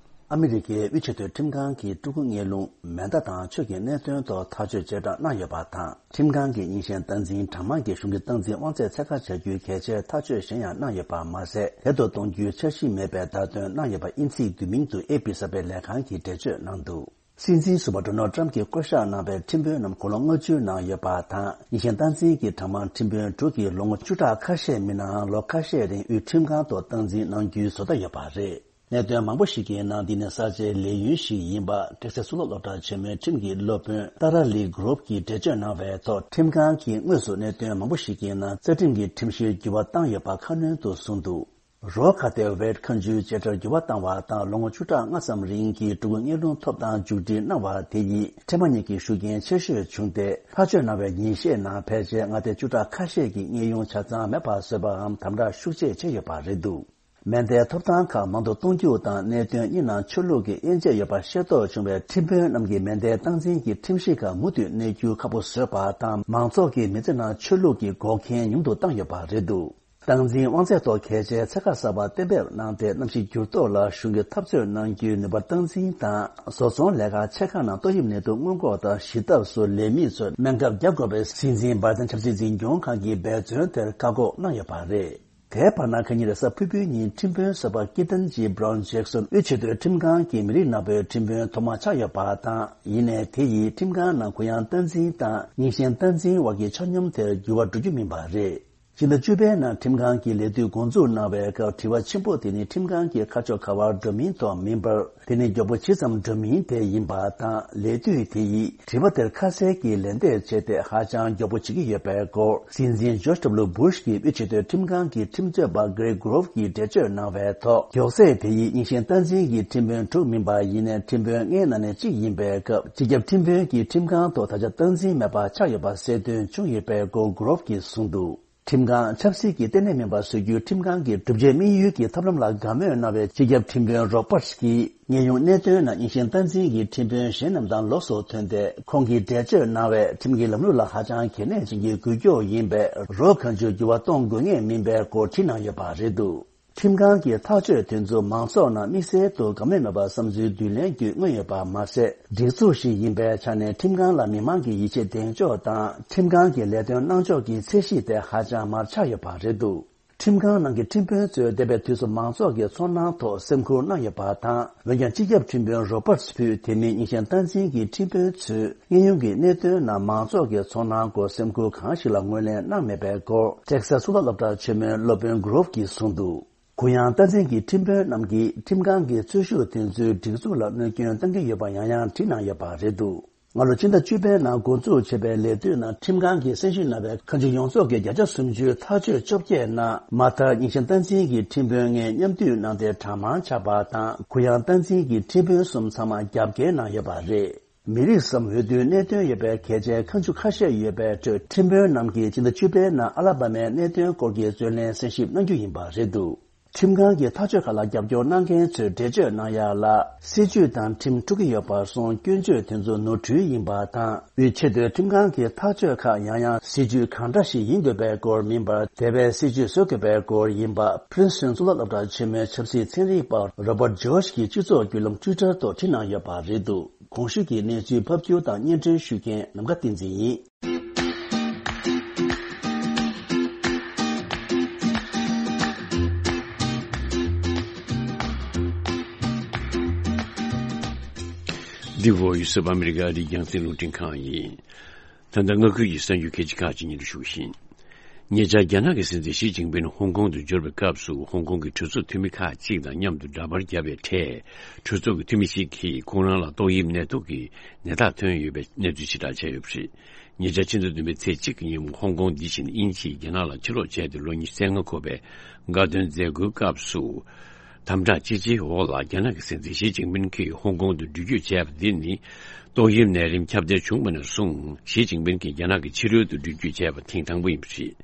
ཨ་མི་རི་ཀའི་དབུས་ཆེས་མཐོའི་ཁྲིམས་ཁང་གིས་ཕྲུ་གུ་གཉེན་སློང་། མེ་མདའ་དང་ཆོས་ཀྱི་གནད་དོན་ཐོག་ཐག་གཅོད་བཅད་གྲངས་གནང་ཡོད་པ་དང་། ཁྲིམས་ཁང་གིས་རྙིང་ཞེན་སྟངས་འཛིན་གྲངས་མང་གིས་གཞུང་གི་སྟངས་འཛིན་དབང་ཚད་ཚད་བཀག་བྱ་རྒྱུའི་གལ་ཆེའི་ཐག་གཅོད་གཞན་ཡང་གནང་ཡོད་པ་མ་ཟད། དལ་དུ་གཏོང་རྒྱུའི་འཆར་གཞི་མེད་པའི་བརྡ་སྟོན་གནང་ཡོད་པ་དབྱིན་ཚིག་བསྡུས་མིང་དུ་ཨེ་པི་གསར་སྤེལ་ལས་ཁང་གིས་འགྲེལ་བརྗོད་གནང་འདུག། སྲིད་འཛིན་ཟུར་པ་ཌོ་ནལ་ཊམ་གྱིས་བསྐོ་གཞག་གནང་བའི་ཁྲིམས་དཔོན་རྣམས་དགུང་ལོ་ལྔ་བཅུ་གནང་ཡོད་པ་དང་། རྙིང་ཞེན་སྟངས་འཛིན་གྱི་གྲངས་མང་ཁྲིམས་དཔོན་དྲུག་གིས་ལོ་ངོ་བཅུ་ཕྲག་ཁ་ཤས་མིན་ནའང་ལོ་ཁ་ཤས་རིང་དབུས་ཁྲིམས་ཁང་དུ་སྟངས་འཛིན་གནང་རྒྱུའི་བཟོ་ལྟ་ཡོད་པ་རེད། གནད་དོན་མང་པོ་ཞིག་གི་ནང་འདི་ནི་གསར་བརྗེའི་ལས་ཡུན་ཞིག་ཡིན་པ། ཊེག་སཱས་གཙུག་ལག་སློབ་གྲྭ་ཆེན་མོའི་ཁྲིམས་ཀྱི་སློབ་དཔོན་ཏཱ་ར་ལི་གྷོ་རོབ་ཀྱིས་འགྲེལ་བརྗོད་གནང་བའི་ཐོག་ཁྲིམས་ཁང་གིས་དངོས་སུ་གནད་དོན་མང་པོ་ཞིག་གི་ནང་རྩ་ཁྲིམས་ཀྱི་ཁྲིམས་གཞིར་འགྱུར་བ་བཏང་ཡོད་པ་ཁ་སྣོན་དུ་གསུངས་འདུག། རོ་ཁ་ཏའི་ཝེད་ཁ་མཆུའི་བྱེད་སྒྲར་འགྱུར་བ་བཏང་བ་དང་། ལོ་ངོ་བཅུ་ཕྲག་ལྔ་ཙམ་རིང་གི་ཕྲུ་གུ་གཉེན་སློང་ཐོབ་ཐང་མཇུག་སྒྲིལ་གནང་བ་དེ་ཡིས་ཕྲེང་བ་གཉིས་ཀྱི་ཤུགས་རྐྱེན་ཆེ་ཤོས་བྱུང་སྟེ། ཐག་གཅོད་གནང་བའི་ཉིན་ཤས་ནང་ཕལ་ཆེར་མངའ་སྡེ་བཅུ་ཕྲག་ཁ་ཤས་ཀྱི་གཉེན་ཡོང་ཆ་ཚང་མེད་པ་བཟོས་པའམ་དམ་དྲག་ཤུགས་ཆེ་བྱས་ཡོད་པ་རེད་འདུག། མེ་མདའི་ཐོབ་ཐང་ཁག་མང་དུ་གཏོང་རྒྱུ་དང་། གནད་དོན་གཉིས་ནང་ཆོས་ལུགས་ཀྱི་དབྱེ་འབྱེད་ཡོད་པ་ཤེས་རྟོགས་བྱུང་བའི་ཁྲིམས་དཔོན་རྣམས་ཀྱིས་མེ་མདའི་སྟངས་འཛིན་གྱི་ཁྲིམས་གཞི་ཁག་མུ་མཐུད་གནས་རྒྱུ་ཁག་པོ་བཟོས་པ་དང་། མང་ཚོགས་ཀྱི་མི་ཚེ་ནང་ཆོས་ལུགས་ཀྱི་འགོག་རྐྱེན་ཉུང་དུ་བཏང་ཡོད་པ་རེད་འདུག། སྟངས་འཛིན་དབང་ཚད་ཐོག་གལ་ཆེའི་ཚད་བཀག་གསར་པ་གཏན་འབེབས་གནང་སྟེ། གནམ་གཤིས་འགྱུར་ལྡོག་ལ་གཞུང་གིས་འཐབ་རྩོད་གནང་རྒྱུའི་ནུས་པ་སྟངས་འཛིན་དང་། བཟོ་ཚོང་ལས་ཀ་ཆེ་ཁག་ནང་ཏོག་དབྱིབས་ནད་དུག་སྔོན་འགོག་དང་ཞི་ཐབས་སུ་ལས་མི་ཚོས་སྨན་ཁབ་བརྒྱབ་དགོས་པའི་སྲིད་འཛིན་བྷའི་ཌེན་ཆབ་སྲིད་འཛིན་སྐྱོང་ཁང་གི་འབད་བརྩོན་དེར་བཀག་འགོག་གནང་ཡོད་པ་རེད། དེའི་བར་ན། ཁ་ཉིན་རེས་གཟའ་ཕུར་བུའི་ཉིན་ཁྲིམས་དཔོན་ཟུར་པ་ཀི་ཏན་ཇི་བྷ་རའུན་ཇེག་སོན་དབུས་ཆེས་མཐོའི་ཁྲིམས་ཁང་གི་མི་རིགས་ནག་པོའི་ཁྲིམས་དཔོན་ཐོག་མ་ཆགས་ཡོད་པ་དང་། ཡིན་ནའི་དེ་ཡིས་ཁྲིམས་ཁང་ནང་གུ་ཡངས་སྟངས་འཛིན་དང་རྙིང་ཞེན་སྟངས་འཛིན་དབར་གྱི་ཆ་སྙོམས་དེར་འགྱུར་བ་འགྲོ་རྒྱུ་མིན་པ་རེད། སྤྱི་ཟླ་བཅུ་པའི་ནང་ཁྲིམས་ཁང་གི་ལས་དུས་འགོ་འཛུགས་གནང་བའི་སྐབས། དྲི་བ་ཆེན་པོ་དེ་ནི་ཁྲིམས་ཁང་གི་ཁ་ཕྱོགས་ག་བར་འགྲོ་མིན་ཐོག་མིན་པར། དེ་ནི་མགྱོགས་པོ་ཇི་ཙམ་འགྲོ་མིན་དེ་ཡིན་པ་དང་། ལས་དུས་དེ་ཡིས་དྲི་བ་དེར་ཁ་གསལ་གྱི་ལན་འདེབས་བྱས་ཏེ་ཧ་ཅང་མགྱོགས་པོ་བྱེད་ཀྱི་ཡོད་པའི་སྐོར། སྲིད་འཛིན་ཇོརྗ་ཌབ་ལུ་སྦུ་ཤ་གི་དབུས་ཆེས་མཐོའི་ཁྲིམས་ཁང་གི་ཁྲིམས་རྩོད་པ་གྷི་རེག་གྷོ་རོབ་ཀྱིས་འགྲེལ་བརྗོད་གནང་བའི་ཐོག། མགྱོགས་ཚད་དེ་ཡིས་རྙིང་ཞེན་སྟངས་འཛིན་གྱི་ཁྲིམས་དཔོན་དྲུག་མིན་པ་ཡིན་ནའི། ཁྲིམས་དཔོན་ལྔའི་ནང་ནས་གཅིག་ཡིན་པའི་སྐབས། སྤྱི་ཁྱབ་ཁྲིམས་དཔོན་གྱིས་ཁྲིམས་ཁང་ཐོག་ད་ཆ་སྟངས་འཛིན་མེད་པ་ཆགས་ཡོད་པ་གསལ་སྟོན་བྱུང་ཡོད་པའི་སྐོར་གྷི་རོབ་ཀྱིས་གསུངས་འདུག། ཁྲིམས་ཁང་ཆབ་སྲིད་ཀྱི་ལྟེ་གནས་མིན་པ་བཟོ་རྒྱུའི་ཁྲིམས་ཁང་གི་གྲུབ་ཆའི་དམིགས་ཡུལ་གྱི་ཐབས་ལམ་ལ་དགའ་མོས་གནང་བའི་སྤྱི་ཁྱབ་ཁྲིམས་དཔོན་རོ་པར་ཊི་གིས། གནས་དབྱུང་གནད་དོན་ནང་རྙིང་ཞེན་སྟངས་འཛིན་གྱི་ཁྲིམས་དཔོན་གཞན་རྣམས་དང་ལོགས་སུ་ཐོན་ཏེ། ཁོང་གིས་འགྲེལ་བརྗོད་གནང་བས། ཁྲིམས་ཀྱི་ལམ་ལུགས་ལ་ཧ་ཅང་གལ་གནད་ཅན་གྱི་འགུལ་སྐྱོད་ཡིན་པས། རོགས་གང་བྱུང་འགྱུར་བ་གཏོང་དགོས་ངེས་མིན་པའི་སྐོར་བྲིས་གནང་ཡོད་པ་རེད་འདུག། ཁྲིམས་ཁང་གི་ཐག་གཅོད་དེ་ཚོ་མང་ཚོགས་ནང་དམིགས་བསལ་དུ་དགའ་མོས་མེད་པར་བསམ་ཚུལ་བསྡུ་ལེན་བརྒྱུད་མངོན་ཡོད་པ་མ་ཟད། སྒྲིག་འཛུགས་ཤིག་ཡིན་པའི་ཆ་ནས་ཁྲིམས་ཁང་ལ་མི་མང་གི་ཡིད་ཆེས་གདེང་འཇོག་དང་། ཁྲིམས་ཁང་གི་ལས་དོན་གནང་ཕྱོགས་ཀྱི་ཚད་གཞི་དེ་ཧ་ཅང་མར་ཆག་ཡོད་པ་རེད་འདུག། ཁྲིམས་ཁང་ནང་གི་ཁྲིམས་དཔོན་ཚོས་འདས་པའི་དུས་སུ་མང་ཚོགས་ཀྱི་ཚོར་སྣང་ཐོག་སེམས་ཁུར་གནང་ཡོད་པ་དང་། འོན་ཀྱང་སྤྱི་ཁྱབ་ཁྲིམས་དཔོན་རོ་པར་ཊི་ཕུད་དེ་མིན་རྙིང་ཞེན་སྟངས་འཛིན་གྱི་ཁྲིམས་དཔོན་ཚོས་གནས་དབྱུང་གི་གནད་དོན་ནང་མང་ཚོགས་ཀྱི་ཚོར་སྣང་སྐོར་སེམས་ཁུར་གང་ཞིག་ལ་ངོས་ལེན་གནང་མེད་པའི་སྐོར། ཊེག་སཱ་གཙུག་ལག་སློབ་གྲྭ་ཆེན་མོའི་སློབ་དཔོན་གྷི་རོབ་ཀྱིས་གསུངས་འདུག། གུ་ཡངས་སྟངས་འཛིན་གྱི་ཁྲིམས་དཔོན་རྣམས་ཀྱིས་ཁྲིམས་ཁང་གི་འཛུལ་ཞུགས་དེ་ཚོས་སྒྲིག་འཛུགས་ལ་གནོད་སྐྱོན་གཏང་གི་ཡོད་པ་ཡང་ཡང་བྲིས་གནང་ཡོད་པ་རེད་འདུག། སྔ་ལོ་ཕྱི་ཟླ་བཅུ་པའི་ནང་འགོ་འཛུགས་བྱས་པའི་ལས་དུས་ནང་ཁྲིམས་ཁང་གིས་གསན་ཞིབ་གནང་བའི་ཁ་མཆུ་ཡོངས་རྫོགས་ཀྱི་བརྒྱ་ཆ་སུམ་ཅུ་ཐག་གཅོད་བཅོ་བརྒྱད་ནང་མ་མཐར་རྙིང་ཞེན་སྟངས་འཛིན་གྱི་ཁྲིམས་དཔོན་ལྔས་མཉམ་འདུས་གནང་སྟེ་གྲངས་མང་ཆགས་པ་དང་། གུ་ཡངས་སྟངས་འཛིན་གྱི་ཁྲིམས་དཔོན་གསུམ་ཚང་མ་རྒྱབ་འགལ་གནང་ཡོད་པ་རེད། མི་རིགས་སམ་འོས་བསྡུའི་གནད་དོན་ཡོད་པའི་གལ་ཆེའི་ཁ་མཆུ་ཁ་ཤས་ཡོད་པའི་ཁྲོད། ཁྲིམས་དཔོན་རྣམས་ཀྱིས་ཕྱི་ཟླ་བཅུ་པའི་ནང་ཨ་ལ་བྷ་མའི་གནད་དོན་སྐོར་གྱི་རྩོད་ལེན་གསན་ཞིབ་གནང་རྒྱུ་ཡིན་པ་རེད་འདུག། ཁྲིམས་ཁང་གི་ཐག་གཅོད་ཁག་ལ་རྒྱབ་སྐྱོར་གནང་མཁན་ཚོས་འགྲེལ་བརྗོད་གནང་ཡག་ལ། སྲིད་བྱུས་དང་ཁྲིམས་འཁྲུག་གི་ཡོད་པར་སོང་། སྐྱོན་བརྗོད་དེ་ཚོ་ནོར་འཁྲུལ་ཡིན་པ་དང་། དབུས་ཆེས་མཐོའི་ཁྲིམས་ཁང་གི་ཐག་གཅོད་ཁག་ཡང་ཡང་སྲིད་བྱུས་གང་འདྲ་ཞིག་ཡིན་དགོས་པའི་སྐོར་མིན་པར། དེ་བས་སྲིད་བྱུས་བཟོ་དགོས་པའི་སྐོར་ཡིན་པ། Princeton་གཙུག་ལག་སློབ་གྲྭ་ཆེན་མོའི་ཆབ་སྲིད་ཚན་རིག་པ་Robert George་གྱིས་སྤྱི་ཚོགས་བརྒྱུད་ལམ་Twitter་ཐོག་བྲིས་གནང་ཡོད་པ་རེད་འདུག། གོང་ཞུས་ཀྱི་གནས་ཚུལ་ཕབ་སྒྱུར་དང་སྙན་སྒྲོན་ཞུ་མཁན་ནམ་མཁའ་བསྟན་འཛིན་ཡིན། འདི་Voice of America་ཨ་རིའི་རྒྱང་སྲིང་རླུང་འཕྲིན་ཁང་ཡིན། ད་ལྟ་མངའ་ཁུལ་གྱི་གསར་འགྱུར་གལ་ཆེ་ཁག་ཅིག་སྙན་སྒྲོན་ཞུ་བཞིན། ཉེ་ཆར་རྒྱ་ནག་གི་སྲིད་འཛིན་ཞི་ཅིན་ཕིན་ཧོང་ཀོང་དུ་འབྱོར་བའི་སྐབས་སུ། ཧོང་ཀོང་གི་གྲོས་ཚོགས་འཐུས་མི་ཁག་ཅིག་དང་མཉམ་དུ་འདྲ་པར་བརྒྱབ་པའི་གྲས། གྲོས་ཚོགས་ཀྱི་འཐུས་མི་ཞིག་གིས་ཁོང་རང་ལ་ཏོག་དབྱིབས་ནད་དུག་གི་ནད་རྟགས་ཐོན་ཡོད་པའི་གནས་ཚུལ་ཕྱིར་བསྒྲགས་བྱས་ཡོད་པ་རེད། ཉེ་ཆར་ཕྱི་ཟླ་བདུན་པའི་ཚེས་གཅིག་གི་ཉིན་མོ། ཧོང་ཀོང་འདི་བཞིན་དབྱིན་ཇིས་རྒྱ་ནག་ལ་ཕྱིར་ལོག་བྱས་ཏེ་ལོ་ཉི་ཤུ་རྩ་ལྔ་འཁོར་བའི་དགའ་སྟོན་མཛད་སྒོའི་སྐབས་སུ། དམ་དྲག་ཅི་ཆེའི་འོག་ལ་རྒྱ་ནག་གི་སྲིད་འཛིན་ཞི་ཅིན་ཕིན་གྱིས་ཧོང་ཀོང་དུ་འགྲུལ་སྐྱོད་བྱས་པ་འདི་ནི། ཏོག་དབྱིབས་ནད་རིམས་ཁྱབ་གདལ་བྱུང་བ་ནས་བཟུང་ཞི་ཅིན་ཕིན་གྱིས་རྒྱ་ནག་གི་ཕྱི་རོལ་དུ་འགྲུལ་སྐྱོད་བྱས་པ་ཐེངས་དང་པོ་ཡིན་པ་རེད།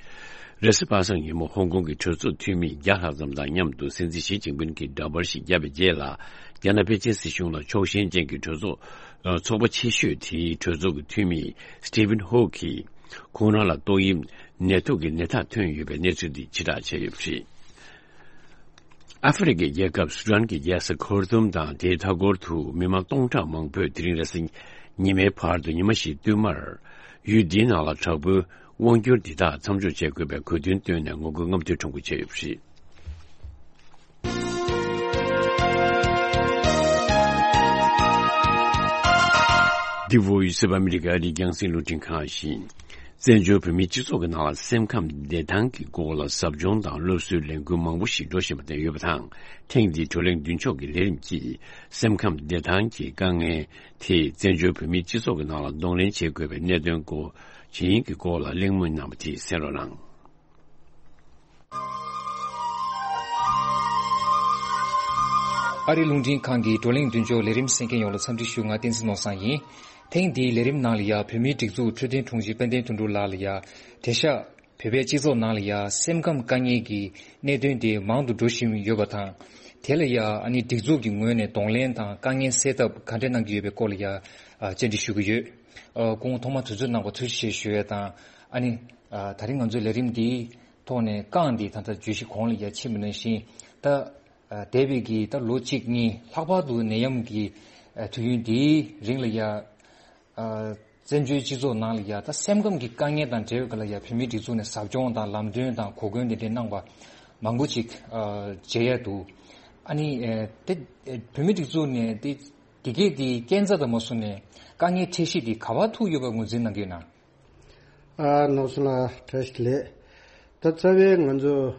རེས་གཟའ་པ་སངས་ཉིན་མོ་ཧོང་ཀོང་གི་གྲོས་ཚོགས་འཐུས་མི་བརྒྱ་ལྷག་ཙམ་དང་མཉམ་དུ་སྲིད་འཛིན་ཞི་ཅིན་ཕིན་གྱིས་འདྲ་པར་ཞིག་བརྒྱབ་པའི་རྗེས་ལ། རྒྱ་ནག་པེ་ཅིན་སྲིད་གཞུང་ལ་ཕྱོགས་ཞེན་ཅན་གྱི་གྲོས་ཚོགས། ཚོགས་པ་ཆེ་ཤོས་དེའི་གྲོས་ཚོགས་ཀྱི་འཐུས་མི་Stephen Hawke་གིས་ཁོང་རང་ལ་ཏོག་དབྱིབས་ནད་དུག་གི་ནད་རྟགས་ཐོན་ཡོད་པའི་གནས་ཚུལ་འདི་ཕྱིར་བསྒྲགས་བྱས་ཡོད་པ་རེད། ཨ་ཧྥེ་རི་ཁའི་རྒྱལ་ཁབ་སུ་ཌན་གྱི་རྒྱལ་ས་ཁར་ཏུམ་དང་དེའི་མཐའ་འཁོར་དུ་མི་མང་སྟོང་ཕྲག་མང་པོས་དེ་རིང་རེས་གཟའ་ཉི་མའི་བར་དུ་ཉི་མ་བཞིའི་བསྟུད་མར། ཡུལ་འདིའི་ནང་ལ་དྲག་པོའི་དབང་སྒྱུར་འདི་དག་མཚམས་འཇོག་བྱེད་དགོས་པའི་གོ་དོན་བཏོན་ནས་ངོ་རྒོལ་རྔམ་སྟོན་ཁྲོམ་སྐོར་བྱས་ཡོད་པ་རེད། འདི་Voice of America་ཨ་རིའི་རྒྱང་སྲིང་རླུང་འཕྲིན་ཁང་ཡིན། བཙན་བྱོལ་བོད་མིའི་སྤྱི་ཚོགས་ཀྱི་ནང་ལ་སེམས་ཁམས་བདེ་ཐང་གི་སྐོར་ལ་ཟབ་སྦྱོང་དང་སློབ་གསོའི་ལས་འགུལ་མང་པོ་ཞིག་འགྲོ་བཞིན་པ་དེ་ཡོད་པ་དང་། ཐེངས་འདིའི་བགྲོ་གླེང་མདུན་ལྕོག་གི་ལས་རིམ་གྱིས། སེམས་ཁམས་བདེ་ཐང་གི་དཀའ་ངལ་དེས་བཙན་བྱོལ་བོད་མིའི་སྤྱི་ཚོགས་ཀྱི་ནང་ལ་གདོང་ལེན་བྱེད་དགོས་པའི་གནད་དོན་སྐོར་ཇི་ཡིན་གྱི་སྐོར་ལ་གླེང་མོལ་གནང་བ་དེ་གསན་རོགས་གནང་། ཨ་རིའི་རླུང་འཕྲིན་ཁང་གི་བགྲོ་གླེང་མདུན་ལྕོག་ལས་རིམ་གསན་མཁན་ཡོངས་ལ་འཚམས་འདྲི་ཞུ། ང་བསྟན་འཛིན་ནོར་བཟང་ཡིན། ཐེངས་འདིའི་ལས་རིམ་ནང་ལ་ཡ་བོད་མིའི་སྒྲིག་འཛུགས་འཕྲོད་བསྟེན་དྲུང་ཆེ་དཔལ་ལྡན་དོན་གྲུབ་ལགས་ལ་ཡ་དེ་ཤག་བོད་པའི་སྤྱི་ཚོགས་ནང་ལ་ཡ་སེམས་ཁམས་དཀའ་ངལ་གྱི་གནད་དོན་དེ་མང་དུ་འགྲོ་བཞིན་ཡོད་པ་དང་། དེ་ལ་ཡ་ཨ་ནི་སྒྲིག་འཛུགས་ཀྱི་ངོས་ནས་གདོང་ལེན་དང་དཀའ་ངལ་སེལ་ཐབས་ག་འདྲ་གནང་གི་ཡོད་པའི་སྐོར་ལ་ཡ་ཨ་བཅར་འདྲི་ཞུ་གི་ཡོད། ཨ་སྐུ་ངོ་ཐོག་མར་དུས་ཚོད་གནང་བར་ཐུགས་རྗེ་ཆེ་ཞུ་ཡས་དང་། ཨ་ནི་ཨ་ད་རིང་ང་ཚོའི་ལས་རིམ་འདིའི་ཐོག་ནས་རྐང་འདི་ད་ལྟ་བརྗོད་གཞི་གོང་ལ་ཡ་ཕྱིན་པ་ནང་བཞིན། ད་ཨ་འདས་པའི་གི་ད་ལོ་གཅིག་གཉིས་ལྷག་པར་དུ་ནད་ཡམས་ཀྱི་ཨ་དུས་ཡུན་འདིའི་རིང་ལ་ཡ། ཨ་བཙན་བྱོལ་སྤྱི་ཚོགས་ནང་ལ་ཡ་ད་སེམས་ཁམས་ཀྱི་དཀའ་ངལ་དང་འབྲེལ་བའི་སྐོར་ལ་ཡ་བོད་མིའི་སྒྲིག་འཛུགས་ནས་ཟབ་སྦྱོང་དང་ལམ་སྟོན་དང་གོ་སྐོན་དེ་འདྲའི་གནང་བ་མང་པོ་ཅིག་ཨ་མཇལ་ཡ་འདུག། ཨ་ནི་ཨེ་དེ་ཨེ་བོད་མིའི་སྒྲིག་འཛུགས་ནས་དེ་དེ་གས་དེ་རྐྱེན་རྩ་དང་མ་སོང་ནས་དཀའ་ངལ་འཕྲད་གཞི་དེ་ག་པར་ཐུག་ཡོད་པ་ངོས་འཛིན་གནང་གི་ཡོད་ན། ཨ་ནོར་བཟང་ལགས་བཀྲ་ཤིས་བདེ་ལེགས། ད་རྩ་བའི་ང་ཚོ་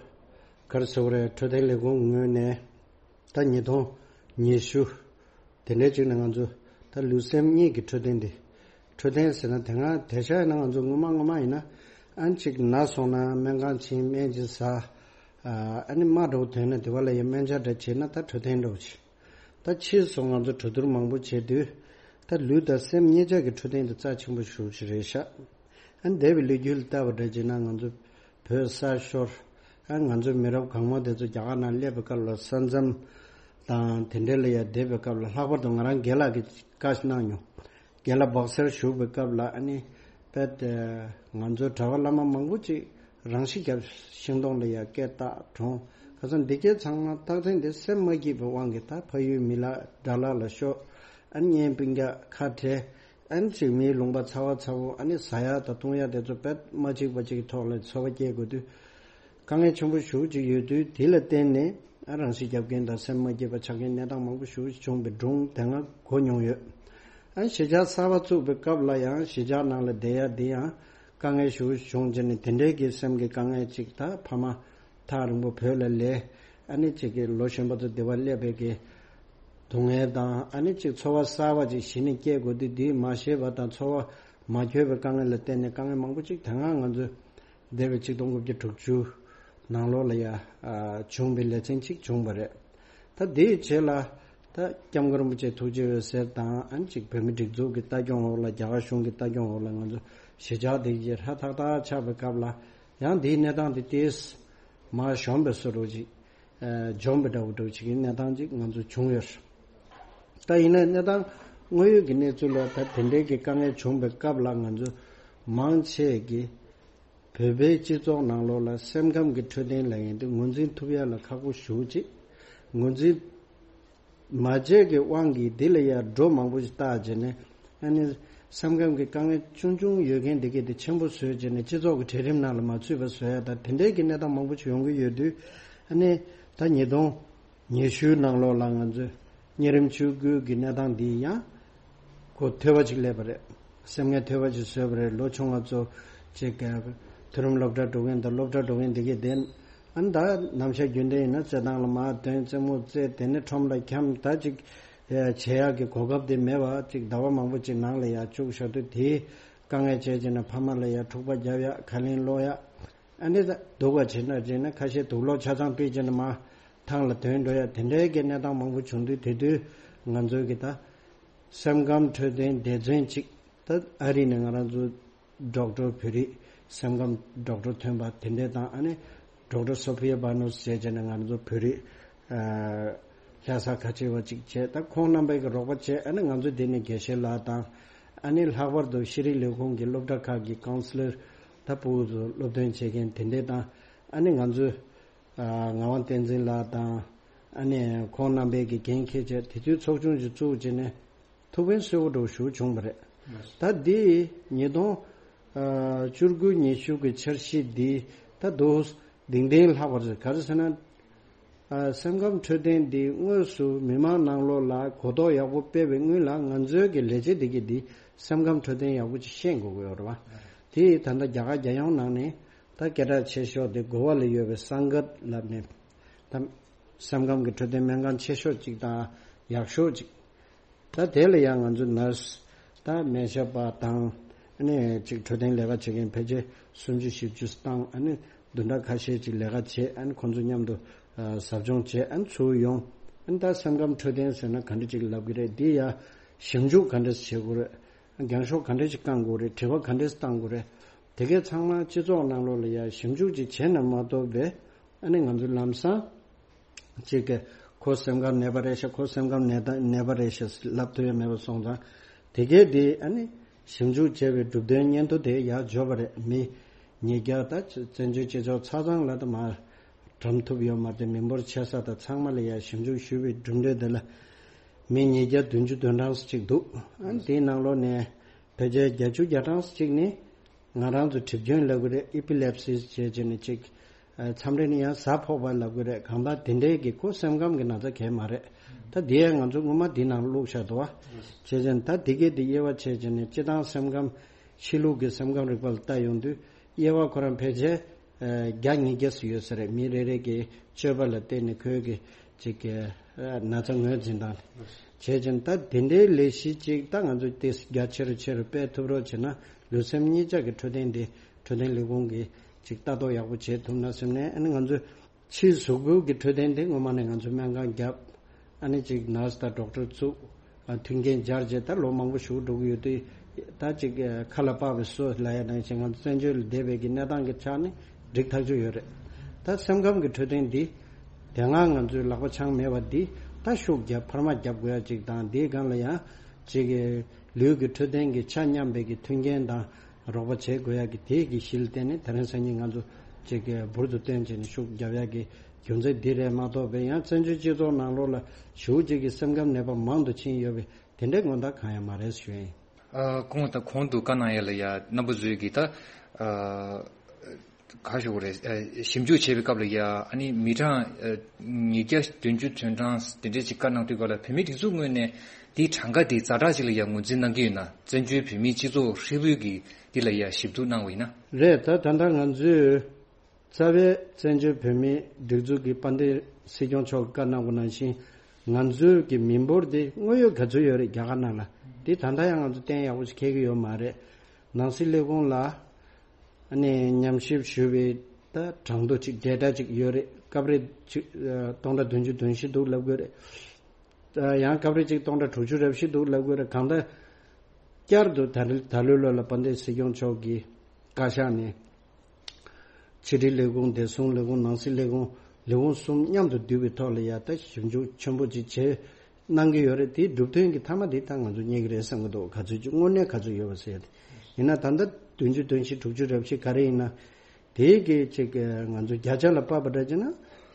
ག་རེ་ཟེར་དགོས་རེད། འཕྲོད་བསྟེན་ལས་ཁུངས་ངོས་ནས་ད་ཉིས་སྟོང་ཉི་ཤུ་དེ་འདྲའི་ཅིག་ནས་ང་ཚོ་ད་ལུས་སེམས་གཉིས་ཀྱི་འཕྲོད་བསྟེན་དེ། འཕྲོད་བསྟེན་ཟེར་ན་དེ་སྔ་དེང་སང་ཡིན་ན་ང་ཚོ་སྔོན་མ་སྔོན་མ་ཡིན་ན་ཨ་ནི་ཅིག་ན་སོང་ན་སྨན་ཁང་ཕྱིན་སྨན་ཅིག་ཟ། ཨ་ནི་རྨ་འདྲ་བོ་ཐོན་ན་དེ་བ་ལ་ཡ་སྨན་ཆ་འདྲ་བྱས་ན་ད་འཕྲོད་བསྟེན་འདྲ་བོ་བྱས། ད་ཕྱིས་སུ་ང་ཚོ་གྲོས་བསྡུར་མང་པོ་བྱས་དུས། ད་ལུས་དང་སེམས་གཉིས་ཆ་གི་འཕྲོད་བསྟེན་དེ་རྩ་ཆེན་པོ་ཞེ་པོ་ཅིག་རེད་ཤག་ཨ་ནི་འདས་པའི་ལོ་རྒྱུས་ལ་བལྟས་པ་འདྲ་བྱས་ན་ང་ཚོ་བོད་ས་ཤོར། ཨ་ང་ཚོའི་མི་རབས་གང་མང་དེ་ཚོ་རྒྱ་གར་ནང་སླེབས་པའི་སྐབས་ལ་ས་མཚམས་དང་དེ་འདྲ་ལ་ཡ་བསྡད་པའི་སྐབས་ལ། ལྷག་པར་དུ་ང་རང་རྒན་ལགས་ཀྱིས་བཀའ་གནང་མྱོང་། རྒན་ལགས་སྦག་སེར་བཞུགས་པའི་སྐབས་ལ་ཨ་ནི་དཔེ་ང་ཚོའི་གྲྭ་པ་བླ་མ་མང་པོ་ཅིག་རང་ཤི་བརྒྱབ། ཤིང་སྡོང་ལ་ཡ་སྐད་བཏགས་གྲོངས། ཁ་སང་འདི་སྐད་ཚང་མ་རྟགས་མཚན་དེ་སེམས་མ་སྐྱིད་པའི་དབང་གིས་ད་ཕ་ཡུལ་མི་ལ་དགྲ་ལག་ལ་ཤོར། ཨ་ནི་གཉེན་སྤུན་ཀྱག་ཁ་བྲལ། ཨ་ནི་ཅིག་མིའི་ལུང་པ་ཚ་བ་ཚ་བོ་ཨ་ནི་ཟ་ཡག་དང་བཏུང་ཡག་དེ་ཚོ་དཔེ་མ་གཅིག་པ་གཅིག་གི་ཐོག་ལ་འཚོ་བ་སྐྱེལ་དགོས་དུས། དཀའ་ངལ་ཆེན་པོ་ཞེ་པོ་ཅིག་ཡོད་དུས། དེ་ལ་བརྟེན་ནས་ཨ་རང་ཤི་བརྒྱབ་མཁན་དང་སེམས་མ་སྐྱིད་པ་ཆགས་མཁན་གནས་སྟངས་མང་པོ་ཞེ་པོ་ཅིག་བྱུང་བའི་སྒྲུང་དེ་སྔ་གོ་མྱོང་ཡོད། ཨ་གཞིས་ཆགས་གསར་པ་བཙུགས་པའི་སྐབས་ལ་ཡང་གཞིས་ཆགས་ནང་ལ་བསྡད་ཡག་འདི་ཡང་དཀའ་ངལ་ཞེ་པོ་ཅིག་བྱུང་བྱས་ནས། དེ་འདྲའི་གི་སེམས་ཀྱི་དཀའ་ངལ་ཅིག་ད་ཕ་མ་ཐག་རིང་པོ་བོད་ལ་ལས། ཨ་ནི་ཅིག་གི་ལོ་གཞོན་པ་ཚོ་སྡེ་བ་སླེབས་པའི་གི་སྡུག་བསྔལ་དང་། ཨ་ནི་ཅིག་འཚོ་བ་གསར་བ་ཅིག་གཞི་ནས་སྐྱེལ་དགོས་དུས། འདིའི་མ་ཤེས་པ་དང་འཚོ་བ་མ་འཁྱོལ་བའི་དཀའ་ངལ་ལ་བརྟེན་ནས་དཀའ་ངལ་མང་པོ་ཅིག་དེ་སྔ་ང་ཚོས་འདས་པའི་ཆིག་སྟོང་དགུ་བརྒྱ་དྲུག་ཅུ་ནང་ལོགས་ལ་ཡ་ཨ་བྱུང་བའི་ལེ་ཚན་ཅིག་བྱུང་བ་རེད། ད་དེའི་རྗེས་ལ་ད་སྐྱབས་མགོན་རིན་པོ་ཆེ་ཐུགས་རྗེ་འོད་ཟེར་དང་། ཨ་ནི་ཅིག་བོད་མི་སྒྲིག་འཛུགས་ཀྱི་ལྟ་སྐྱོང་འོག་ལ། རྒྱ་གར་གཞུང་གི་ལྟ་སྐྱོང་འོག་ལ་ང་ཚོ་གཞིས་ཆགས་དེ་གི་ཧྲ་ཐག་ཐག་ཆགས་པའི་སྐབས་ལ། ཡང་འདིའི་གནས་སྟངས་དེ་ཏོག་ཙམ་མར་གཞོམ་པའི་བཟོ་འདྲ་ཅིག་ཨ་འཇོམས་པའི་འདྲ་བོ་འདྲ་བོ་ཅིག་གི་གནས་སྟངས་ཅིག་ང་ཚོ་བྱུང་ཡོད། ད་ཡིན་ན་གནས་སྟངས་དངོས་ཡོད་ཀྱི་གནས་ཚུལ་ལ་ད་དེ་འདྲའི་གི་དཀའ་ངལ་བྱུང་བའི་སྐབས་ལ། ང་ཚོ་མང་ཆེ་གིས་བོད་པའི་སྤྱི་ཚོགས་ནང་ལོགས་ལ་སེམས་ཁམས་ཀྱི་འཕྲོད་བསྟེན་ལབ་མཁན་དེ་ངོས་འཛིན་ཐུབ་ཡ་ལ་ཁག་པོ་ཞེ་པོ་ཅིག་ངོས་འཛིན་མ་བྱས་ཀྱི་དབང་གིས་འདི་ལ་ཡ་འགྲོ་མང་པོ་ཞིག་བཏགས་བྱས་ནས། ཨ་ནི་སེམས་ཁམས་ཀྱི་དཀའ་ངལ་ཆུང་ཆུང་ཡོད་མཁན་འདི་གས་དེ་ཆེན་པོ་བཟོས་བྱས་ནས་སྤྱི་ཚོགས་ཀྱི་གྲལ་རིམ་ནང་ལ་མ་ཚུད་པ་བཟོ་ཡ་དང་། དེ་འདྲའི་གི་གནས་སྟངས་མང་པོ་ཞིག་ཡོང་གི་ཡོད་དུས། ཨ་ནི་ད་ཉིས་སྟོང་ཉི་ཤུའི་ནང་ལོགས་ལ་ང་ཚོས་གཉན་རིམས་ཆེ་རྒྱུགས་ཀྱི་གནས་སྟངས་འདི་ཡང་གོ་ཐོས་པ་ཅིག་སླེབས་པ་རེད། སེམས་ངལ་ཐོས་པ་ཅིག་བཟོས་པ་རེད། ལོ་ཆུང་བ་ཚོ་ཅིག་ག་མཐོ་རིམ་སློབ་གྲྭ་འགྲོ་མཁན་དང་སློབ་གྲྭ་འགྲོ་མཁན་འདི་གས་དེ། ཨ་ནི་ད་ནམ་ཞག་རྒྱུན་ལྡན་ཡིན་ན་རྩེད་ཐང་ལ་མར་ཐོན། རྩེད་མོ་རྩེ། དེ་ནས་ཁྲོམ་ལ་འཁྱམ། ད་ཅིག་བྱེད་ཡག་གི་གོ་སྐབས་དེ་མེད་པ་ཅིག་ཟླ་བ་མང་པོ་ཅིག་ནང་ལ་ཡར་བཅུག་བཞག་དུས། དེའི་དཀའ་ངལ་བྱས་བྱས་ནས་ཕ་མ་ལ་ཡར་འཁྲུག་པ་རྒྱབ་ཡག། ཁ་ལན་སློག་ཡག། ཨ་ནི་ད་སྡུག་པ་བྱེད་འདྲ་བྱས་ན་ཁ་ཤས་དུག་སློག་ཆ་ཚང་སྤྲད་བྱས་ནས་མར་ཐང་ལ་ཐོན་འགྲོ་ཡག། དེ་འདྲའི་གི་གནས་སྟངས་མང་པོ་བྱུང་དུས། དེ་དུས་ང་ཚོའི་གི་ད་སེམས་ཁམས་འཕྲོད་བསྟེན་སྡེ་ཚན་ཅིག་ད་ཨ་རི་ནས་ང་རང་ཚོ་ཌོག་ཊར་བོད་རིགས་སེམས་ཁམས་ཌོག་ཊར་ཐོན་པ་དེ་འདྲས་དང་། ཨ་ནི་ཌོག་ཊར་སོ་ཕི་ཡ་བྷ་ནོས་ཟེར་བྱས་ནས་ང་ཚོ་བོད་རིགས་ཨ་ལྷ་ས་ཁ་ཆེ་བ་ཅིག་བྱས། ད་ཁོང་རྣམ་པས་ཀྱི་རོགས་པ་བྱས། ཨ་ནི་ང་ཚོ་འདི་ནས་དགེ་བཤེས་ལགས་དང་། ཨ་ནི་ལྷག་པར་དུ་ཤེས་རིག་ལས་ཁུངས་ཀྱི་སློབ་གྲྭ་ཁག་གི་ཀའུན་སི་ལར། ད་ཕྲུ་གུ་ཚོ་སློབ་སྟོན་བྱེད་མཁན་དེ་འདྲས་དང་། ཨ་ནི་ང་ཚོས་ཨ་ངག་དབང་བསྟན་འཛིན་ལགས་དང་། ཨ་ནི་ཁོང་རྣམ་པས་ཀྱི་འགན་འཁྱེར་བྱས། དེ་དུས་ཚོགས་ཆུང་ཞིག་བཙུགས་བྱས་ནས་ཐུགས་ཕན་གསོས་པོ་འདྲ་བོ་ཞེ་པོ་བྱུང་བ་རེད། ད་འདི་ཉིས་སྟོང་ཨ་བཅུ་དགུ་ཉི་ཤུ་གི་འཆར་གཞི་འདི་ད་དུང་གདེང་ལྡན་ལྷག་པ་རེད། ག་རེ་ཟེར་ན། ཨ་སེམས་ཁམས་འཕྲོད་བསྟེན་འདི་དངོས་སུ་མི་མང་ནང་ལོགས་ལ་གོ་རྟོགས་ཡག་པོ་སྤེལ་བའི་སྔོན་ལ། ང་ཚོའི་གི་ལས་བྱེད་འདི་གི་འདི་སེམས་ཁམས་འཕྲོད་བསྟེན་ཡག་པོ་ཅིག་ཤེས་དགོས་ཀྱི་ཡོད་རེད་བ། དེ་ད་ལྟ་རྒྱ་གར་རྒྱལ་ཡོངས་ནང་ནས་ད་སྐད་གྲགས་ཆེ་ཤོས་དེ་གོ་བ་ལ་ཡོད་པའི་སངྒད་ལབ་ནས། ད་སེམས་ཁམས་ཀྱི་འཕྲོད་བསྟེན་སྨན་ཁང་ཆེ་ཤོས་ཅིག་དང་ཡག་ཤོས་ཅིག་ད་དེ་ལ་ཡང་ང་ཚོ་ནར་སི་དང་སྨན་ཞབས་པ་དང་། ཨ་ནི་ཅིག་འཕྲོད་བསྟེན་ལས་ཀ་བྱེད་མཁན་ཕལ་ཆེར་སུམ་ཅུ་བཞི་བཅུ་བཏང་། ཨ་ནི་བདུན་ཕྲག་ཁ་ཤས་ཅིག་ལས་ཀ་བྱས། ཨ་ནི་ཁོང་ཚོ་མཉམ་དུ་ཨ་ཟབ་སྦྱོང་བྱས། ཨ་ནི་ཚུར་ཡོང་། ཨ་ནི་ད་སེམས་ཁམས་འཕྲོད་བསྟེན་ཟེར་ན་ག་འདྲ་ཅིག་ལབ་ཀྱི་རེད། འདི་ཡ་ཞིབ་འཇུག་ག་འདྲ་བྱེད་དགོས་རེད། རྒྱང་ཤོག་ག་འདྲ་ཅིག་བཀང་དགོས་རེད། དྲི་བ་ག་འདྲ་ཅིག་བཏང་དགོས་རེད། དེ་གས་ཚང་མ་སྤྱི་ཚོགས་ནང་ལོགས་ལ་ཡ་ཞིབ་འཇུག་ཅིག་བྱས་ན་མ་གཏོགས་པས། ཨ་ནི་ང་ཚོ་ལམ་སང་ཅིག་གི་ཁོ་སེམས་ཁམས་ནད་པ་རེད་ཤག་ཁོ་སེམས་ཁམས་ནད་ད་ནད་པ་རེད་ཤག་ལབ་ཐུབ་ཡ་མེད་པ་སོང་ཙང་། དེ་གས་དེ་ཨ་ནི་ཞིབ་འཇུག་བྱས་པའི་གྲུབ་དོན་སྙན་ཐོ་དེ་ཡར་འབྱོར་བ་རེད། མི་ཉིས་བརྒྱ། ད་བཙན་བྱོལ་སྤྱི་ཚོགས་ཆ་ཚང་ལ་ད་མར་གྲམ་ཐུབ་ཡོད་མ་རེད། མི་འབོར་ཆེ་ས་དང་ཚང་མ་ལ་ཡར་ཞིབ་འཇུག་ཞུས་པའི་གྲུབ་འབྲས་དེ་ལ་མི་ཉིས་བརྒྱ་བདུན་ཅུ་དོན་གྲངས་ཅིག་འདུག་ཨ་ནི་དེའི་ནང་ལོགས་ནས་ཕལ་ཆེར་བརྒྱད་ཅུ་གྱ་གྲངས་ཅིག་ནི་ང་རང་ཚོ་གྲིབ་སྐྱོན་ལབ་ཀྱི་རེད། ཨི་པི་ལེབ་སི་བྱས་བྱས་ནས་ཅིག་ཨ་མཚམས་རེ་ནི་ཡང་གཟའ་ཕོག་པ་ལབ་ཀྱི་རེད། གང་ལྟར་དེ་འདྲའི་གི་ཁོ་སེམས་ཁམས་ཀྱི་ན་ཚ་གང་ཡང་མ་རེད། ད་དེ་ཡང་ང་ཚོ་སྔོན་མ་འདི་ནང་བླུགས་བཞག་འདུག་བ། བྱས་བྱས་ནས་ད་དེ་གས་དེ་དབྱེ་བ་ཕྱེ་བྱས་ནས་སྤྱིར་བཏང་སེམས་ཁམས་ཕྱི་ལུགས་ཀྱི་སེམས་ཁམས་རིག་པ་ལ་ལྟ་ཡོང་དུས། དབྱེ་བ་ཁོ་རང་ཕལ་ཆེར་ བརྒྱ་ཉིས་བརྒྱ་ཙམ་ཡོད་ས་རེད། མི་རེ་རེ་གི་སྤྱོད་པ་ལ་བརྟེན་ནས་ཁོའི་གི་ཅིག་གི་ན་ཚ་ངོས་འཛིན་དང་བྱས་ཙང་། ད་དེ་འདྲའི་ལས་གཞི་ཅིག་ད་ང་ཚོ་དེ་རྒྱ་ཆེ་རུ་ཆེ་རུ་སྤེལ་ཐུབ་རོགས་བྱས་ན། ལུས་སེམས་གཉིས་ཆ་གི་འཕྲོད་བསྟེན་དེ་འཕྲོད་བསྟེན་ལས་ཁུངས་ཀྱིས་ཅིག་ལྟ་རྟོག་ཡག་པོ་བྱེད་ཐུབ་ན་བསམ་ནས། ཨ་ནི་ང་ཚོས་ཕྱིའི་གཟུགས་པོ་གི་འཕྲོད་བསྟེན་དེ་སྔོན་མ་ནས་ང་ཚོས་སྨན་ཁང་བརྒྱབ། ཨ་ནི་ཅིག་ནར་སི་དང་ཌོག་ཊར་བཙུགས། ཨ། མཐུན་རྐྱེན་སྦྱར་རྗེས་ད་ལོ་མང་པོ་ཞིག་འགྲོ་གི་ཡོད་དུས། ད་ཅིག་ཁ་ལ་པགས་པའི་སོ་ལབ་ཡ་ནང་བཞིན་ང་ཚོ་བཙན་བྱོལ་ལ་བསྡད་པའི་གི་གནས་སྟངས་ཀྱི་ཆ་ནས་འགྲིག་ཐག་ཆོད་ཡོད་རེད། ད་སེམས་ཁམས་ཀྱི་འཕྲོད་བསྟེན་འདི་དེ་སྔ་ང་ཚོའི་ལག་པ་འཆང་མེད་པ་འདི་ད་ཤུགས་རྒྱབ། འཕར་མ་རྒྱབ་དགོས་ཡ་ཅིག་དང་། འདིའི་སྒང་ལ་ཡང་ཅིག་ལུས་ཀྱི་འཕྲོད་བསྟེན་གྱི་ཆ་མཉམ་པའི་གི་མཐུན་རྐྱེན་དང་རོགས་པ་བྱེད་དགོས་ཡ་གི་དེའི་གི་གཞི་ལ་བརྟེན་ནས། དེ་རིང་སང་ཉིན་ང་ཚོ་ཅིག་འབུར་དུ་བཏོན་བྱས་ནས་ཤུགས་རྒྱབ་ཡ་གི་རྒྱུ་མཚན་འདི་རེད་མ་གཏོགས་པའི། ཡང་བཙན་བྱོལ་སྤྱི་ཚོགས་ནང་ལོགས་ལ་ཞེ་པོ་ཅིག་གི་སེམས་ཁམས་ནད་པ་མང་དུ་ཕྱིན་ཡོད་པའི་དེ་འདྲའི་མངོན་རྟགས་གང་ཡང་མ་རེད་ཞུ་ཡིན། ཨ། གོང་དང་གོང་དུ་བཀའ་གནང་ཡ་ལ་ཡ་རྣམ་པ་ཚོས་ཀྱིས་ད། ཨ། ག་ཞུ་དགོས་རེད། ཨ། ཞིབ་འཇུག་བྱས་པའི་སྐབས་ལ་ཡ། ཨ་ནི་མི་གྲངས། ཨ། ཉིས་བརྒྱ་བདུན་ཅུ་དོན་གྲངས་དེ་འདྲས་ཅིག་བཀའ་གནང་དུས་སྐབས་ལ། བོད་མིའི་སྒྲིག་འཛུགས་ངོས་ནས་དེའི་གྲངས་ཀ་དེ་ཛ་དྲག་ཅིག་ལ་ཡ་ངོས་འཛིན་གནང་གི་ཡོད་ན། བཙན་བྱོལ་བོད་མིའི་སྤྱི་ཚོགས་ཧྲིལ་པོའི་གི་འདི་ལ་ཡ་ཞིབ་བསྡུར་གནང་བ་ཡིན་ན། རེད། ད་ད་ལྟ་ང་ཚོས་རྩ་བའི་བཙན་བྱོལ་བོད་མིའི་སྒྲིག་འཛུགས་ཀྱི་དཔལ་ལྡན་སྲིད་སྐྱོང་མཆོག་གིས་བཀའ་གནང་བ་ནང་བཞིན། ང་ཚོའི་གི་མི་འབོར་དེ་དངོས་ཡོད་ག་ཚོད་ཡོད་རེད། རྒྱ་གར་ནང་ལ་དེ་ད་ལྟ་ཡང་ང་ཚོ་གཏན་ཡག་པོ་ཞིག་འཁེལ་གྱི་ཡོད་མ་རེད། ནང་སྲིད་ལས་ཁུངས་ལ་ཨ་ནི་ཉམས་ཞིབ་ཞུས་པའི་ད་གྲངས་ཐོ་ཅིག་ཌེ་ཊ་ཅིག་ཡོད་རེད། སྐབས་རེ་ཅིག་ཨ། སྟོང་ཕྲག་བདུན་ཅུ་དོན་བཞི་འདུག་ལབ་དགོས་རེད། ཨ། ཡང་སྐབས་རེ་ཅིག་སྟོང་ཕྲག་དྲུག་ཅུ་རེ་བཞི་འདུག་ལབ་དགོས་རེད། གང་ལྟར་བསྐྱར་དུ་ད་རེས་ད་ལོའི་ལོ་ལ་དཔལ་ལྡན་སྲིད་སྐྱོང་མཆོག་གི་བཀའ་ཤག་ནས་ཕྱི་དྲིལ་ལས་ཁུངས། བདེ་སྲུང་ལས་ཁུངས། ནང་སྲིད་ལས་ཁུངས། ལས་ཁུངས་གསུམ་མཉམ་དུ་བསྡུས་པའི་ཐོག་ལ་ཡ་ད་ཞིབ་འཇུག་ཆེན་པོ་ཅིག་བྱས་གནང་གི་ཡོད་རེད། དེའི་གྲུབ་དོན་གྱི་མཐའ་མ་དེ་ད་ང་ཚོ་རྙེད་ཀྱི་རེད་བསམ་གྱི་འདུག། ག་ཚོད་ཅིག་དངོས་གནས་ག་ཚོད་ཡོད་པ་ཟེར་ཡ་དེ། ཡིན་ན་ད་ལྟ་བདུན་ཅུ་དོན་བཞི། དྲུག་ཅུ་རེ་བཞི་ག་རེ་ཡིན་ན། དེའི་གི་ཅིག་ང་ཚོ་བརྒྱ་ཆ་ལ་ཕབ་པ་འདྲ་བྱས་ན་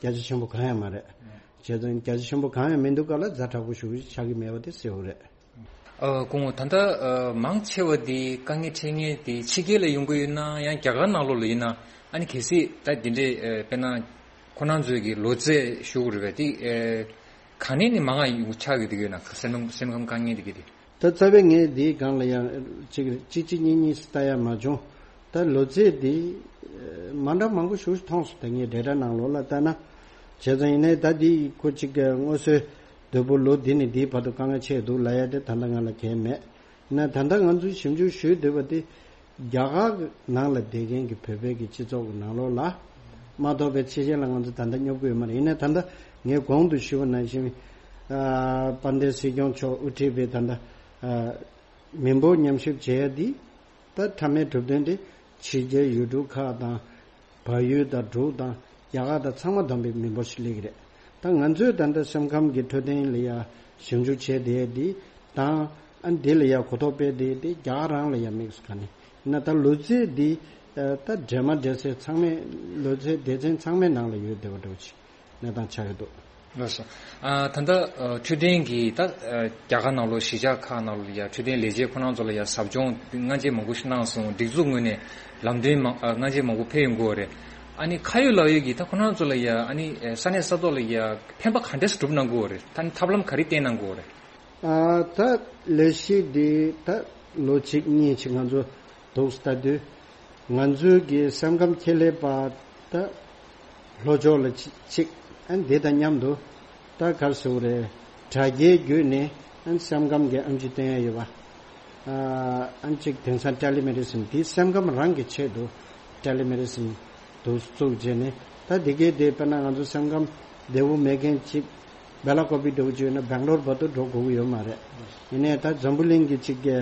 བརྒྱ་ཆ་ཆེན་པོ་གང་ཡང་མ་རེད། བྱས་ཙང་བརྒྱ་ཆ་ཆེན་པོ་གང་ཡང་མི་འདུག་ག་ལ། ཛ་དྲག་པོ་ཞེ་པོ་ཆགས་ཀྱི་མེད་པ་དེ་གསལ་པོ་རེད། ཨ། སྐུ་ངོ། ད་ལྟ་ཨ། མང་ཆེ་བ་དེ་དཀའ་ངལ་འཕྲད་མཁན་དེ་ཕྱི་རྒྱལ་ལ་ཡོང་གི་ཡོད་ན་ཡང་རྒྱ་གར་ནང་ལོགས་ལ་ཡིན་ན། ཨ་ནི་གལ་སྲིད་ད་དེ་འདྲའི་ཨ། དཔེར་ན་ཁོ་རང་ཚོའི་གི་ལོ་ཚད་ཞུ་དགོས་རེད་པས། དེ་ཨ། ག་ནས་ནས་མང་ང་ཡོང་ཆགས་ཀྱི་དེ་གི་ཡོད་ན། སེམས་སེམས་ཁམས་དཀའ་ངལ་དེ་གི་དེ། ད་རྩ་བའི་ངས་འདིའི་སྒང་ལ་ཡང་ཅིག་གཅིག་གཅིག་གཉིས་གཉིས་ལྟ་ཡ་མ་བྱུང་། ད་ལོ་ཚད་འདི་མ་འདྲ་མང་པོ་ཞིག་མཐོང་སོང་། ད་ངས་ཌེ་ཊ་ནང་ལོགས་ལ་ལྟ་ན། བྱས་ཙང་ཡིན་ནའི་ད་འདི་ཁོ་ཅིག་སྔོ་སོའི་དོད་པོ་ལོ་འདི་ནས་འདིའི་བར་དུ་དཀའ་ངལ་ཆེ་འདུག་ལབ་ཡ་དེ་ད་ལྟ་ང་ལ་གལ་མེད། ན་ད་ལྟ་ང་ཚོས་ཞིབ་འཇུག་ཞུས་བསྡད་པ་དེ། རྒྱ་གར་ནང་ལ་བསྡད་མཁན་གྱི་བོད་པའི་གི་སྤྱི་ཚོགས་ཀྱི་ནང་ལོགས་ལ་མ་གཏོགས་པའི་ཕྱི་རྒྱལ་ལ་ང་ཚོ་ད་ལྟ་སྙོབ་ཀྱི་ཡོད་མ་རེད། ཡིན་ནའི་ད་ལྟ་ངས་གོང་དུ་ཞུས་པ་ནང་བཞིན། ཨ། དཔལ་ལྡན་སྲིད་སྐྱོང་མཆོག་དབུ་ཁྲིད་པའི་ད་ལྟ་ཨ། མི་འབོར་ཉམས་ཞིབ་བྱེད་ཡ་འདི་ད་མཐའ་མའི་གྲུབ་དོན་དེ་ཕྱི་རྒྱལ་ཡུལ་གྲུ་ཁག་དང་། བལ་ཡུལ་དང་འབྲུག་དང་རྒྱ་གར་དང་ཚང་མ་བསྡོམས་པའི་མི་འབོར་ཞིག་སླེབས་ཀྱི་རེད། ད་ང་ཚོས་ད་ལྟ་སེམས་ཁམས་ཀྱི་འཕྲོད་བསྟེན་ལ་ཡ་ཞིབ་འཇུག་བྱས་བསྡད་ཡ་འདི་དང་། ཨ། འདི་ལ་ཡ་གོ་རྟོགས་སྤེལ་བསྡད་ཡ་འདི་རྒྱ་གར་རང་ལ་ཡ་དམིགས་སུ་བཀར་ནས། ཡིན་ན་ད་ལོ་ཚད་འདི་ད་འདྲེས་མ་འདྲེས་སའི་ཚང་མས། ལོ་ཚད་སྡེ་ཚན་ཚང་མའི་ནང་ལ་ཡོད་བསྡད་པ་འདྲ་བོ་ཅིག་གནས་སྟངས་ཆགས་ཀྱི་འདུག། ལགས་སོ། ཨ། ད་ལྟ་ཨ། འཕྲོད་བསྟེན་གྱི་ད་ཨ། རྒྱ་གར་ནང་ལོགས་གཞིས་ཆགས་ཁག་ནང་ལོགས་ལ་ཡ་འཕྲོད་བསྟེན་ལས་བྱེད་ཁོ་རང་ཚོ་ལ་ཡ་ཟབ་སྦྱོང་སྔ་རྗེས་མང་པོ་ཞིག་གནང་སོང་། སྒྲིག་འཛུགས་ངོས་ནས་ལམ་སྟོན་མང་ཨ། སྔ་རྗེས་མང་པོ་ཕེབས་ཡོང་གི་ཡོད་རེད། ཨ་ནི་ཁ་ཡོད་ལག་ཡོད་ཀྱིས་ད་ཁོ་རང་ཚོ་ལ་ཡ། ཨ་ནི་ས་གནས་ས་ཐོག་ལ་ཡ་ཕན་པ་ག་འདྲས་སྒྲུབ་གནང་གི་ཡོད་རེད། ད་ནི་ཐབས་ལམ་ག་རེ་བསྟེན་གནང་གི་ཡོད་རེད། ཨ། ད་ལས་གཞི་འདི་ད་ལོ་གཅིག་གཉིས་ཅིག་ང་ཚོ་འདུག་ལྟ་དུས། ང་ཚོའི་གི་སེམས་ཁམས་ཁྱད་ལས་པ་ད་ལྷོ་ཕྱོགས་ལ་ཅིག་ཅིག་ཨ། འདི་དང་མཉམ་དུ་ད་ག་རེ་ཟེར་དགོས་རེད། དྲ་རྒྱའི་བརྒྱུད་ནས་ཨ། སེམས་ཁམས་ཀྱི་ཨེམ་ཆི་བསྟན་ཡ་ཡོད་པ། ཨ། ཨ་ནི་ཅིག་དེང་སང་ཊེ་ལི་མེ་ཌི་སིན་འདི་སེམས་ཁམས་རང་གི་ཆེད་དུ་ཊེ་ལི་མེ་ཌི་སིན་དུ་བཙུགས་བྱས་ནས། ད་འདི་གའི་དེ་དཔེར་ན་ང་ཚོ་སེམས་ཁམས་བདེ་པོ་མེད་མཁན་ཅིག་སྦེ་ལ་ཀོ་པི་འདྲ་བོ་ཅིག་ཡོད་ན་སྦེང་ལོར་བར་དུ་འགྲོ་དགོས་ཀྱི་ཡོད་མ་རེད། ཡིན་ནའི་ད་འཛམ་བུ་གླིང་གི་ཅིག་གི་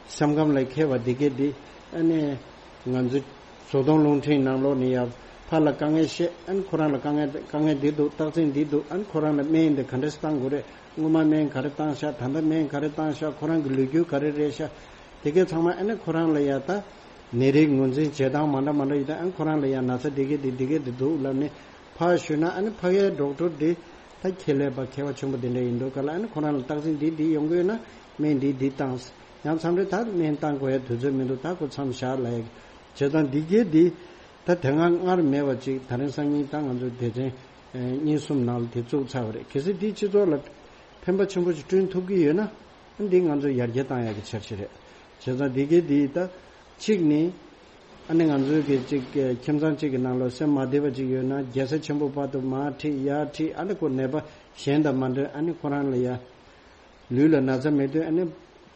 སེམས་ཁམས་ལ་མཁས་པ་འདི་གའི་འདི། ཨ་ནི་ང་ཚོ་བཟོ་གདོང་རླུང་འཕྲིན་ནང་ལོགས་ནས་ཡ་ཕར་ལ་དཀའ་ངལ་བཤད། ཨ་ནི་ཁོ་རང་ལ་དཀའ་ངལ་དཀའ་ངལ་འདི་འདུག། རྟགས་མཚན་འདི་འདུག། ཨ་ནི་ཁོ་རང་ལ་སྨན་འདི་ག་འདྲས་བཏང་དགོས་རེད། སྔོན་མ་སྨན་ག་རེ་བཏང་ཤག། ད་ལྟ་སྨན་ག་རེ་བཏང་ཤག། ཁོ་རང་གི་ལོ་རྒྱུས་ག་རེ་རེད་ཤག། དེ་གའི་ཚང་མ་ཨ་ནི་ཁོ་རང་ལ་ཡ་ད་ནད་རིགས་ངོས་འཛིན་བྱེད་སྟངས་མ་འདྲ་མ་འདྲ་ཡོད་དུས། ཨ་ནི་ཁོ་རང་ལ་ཡ་ན་ཚ་འདི་གའི་འདི་འདི་གའི་འདི་འདུག་ལབ་ནས་ཕར་ཞུས་ན། ཨ་ནི་ཕ་གིའི་ཌོག་ཊར་འདི་ད་ཁྱད་ལས་པ་མཁས་པ་ཆེན་པོ་འདི་འདྲ་ཡིན་འདུག་ག་ལ། ཨ་ནི་ཁོ་རང་ལ་རྟགས་མཚན་འདི་འདི་ཡོང་གི་ཡོད་ན་སྨན་འདི་འདི་བཏང་། ཡང་མཚམས་རེ་ད་སྨན་བཏང་དགོས་ཡ་དུས་ཚོད་མི་འདུག། ད་ཁོ་མཚམས་བཞག་ལབ་ཡ། བྱས་ཙང་འདི་གའི་འདི་ད་དེ་སྔ་སྔར་མེད་པ་ཅིག་ད་རིང་སང་ཉིན་ད་ང་ཚོ་སྡེ་ཚན་གཉིས་གསུམ་ནང་ལ་དེ་བཙུགས་ཚར་བ་རེད། གལ་སྲིད་འདིས་སྤྱི་ཚོགས་ལ་ཕན་པ་ཆེན་པོ་ཞིག་བསྐྲུན་ཐུབ་ཀྱི་ཡོད་ན། འདི་ང་ཚོ་ཡར་རྒྱས་བཏང་ཡག་གི་འཆར་གཞི་རེད། བྱས་ཙང་འདི་གའི་འདི་ད་གཅིག་ནི་ ཨ་ནི་ང་ཚོའི་གི་ཅིག་ཁྱིམ་ཚང་གཅིག་གི་ནང་ལ་སེམས་མ་བདེ་བ་ཅིག་ཡོད་ན་རྒྱལ་ས་ཆེན་པོ་བར་དུ་མར་ཁྲིད་ཡར་ཁྲིད། ཨ་ནི་ཁོ་ནད་པ་གཞན་དང་མ་འདྲེས། ཨ་ནི་ཁོ་རང་ལ་ཡ་ལུས་ལ་ན་ཚ་མེད་དུས་ཨ་ནི་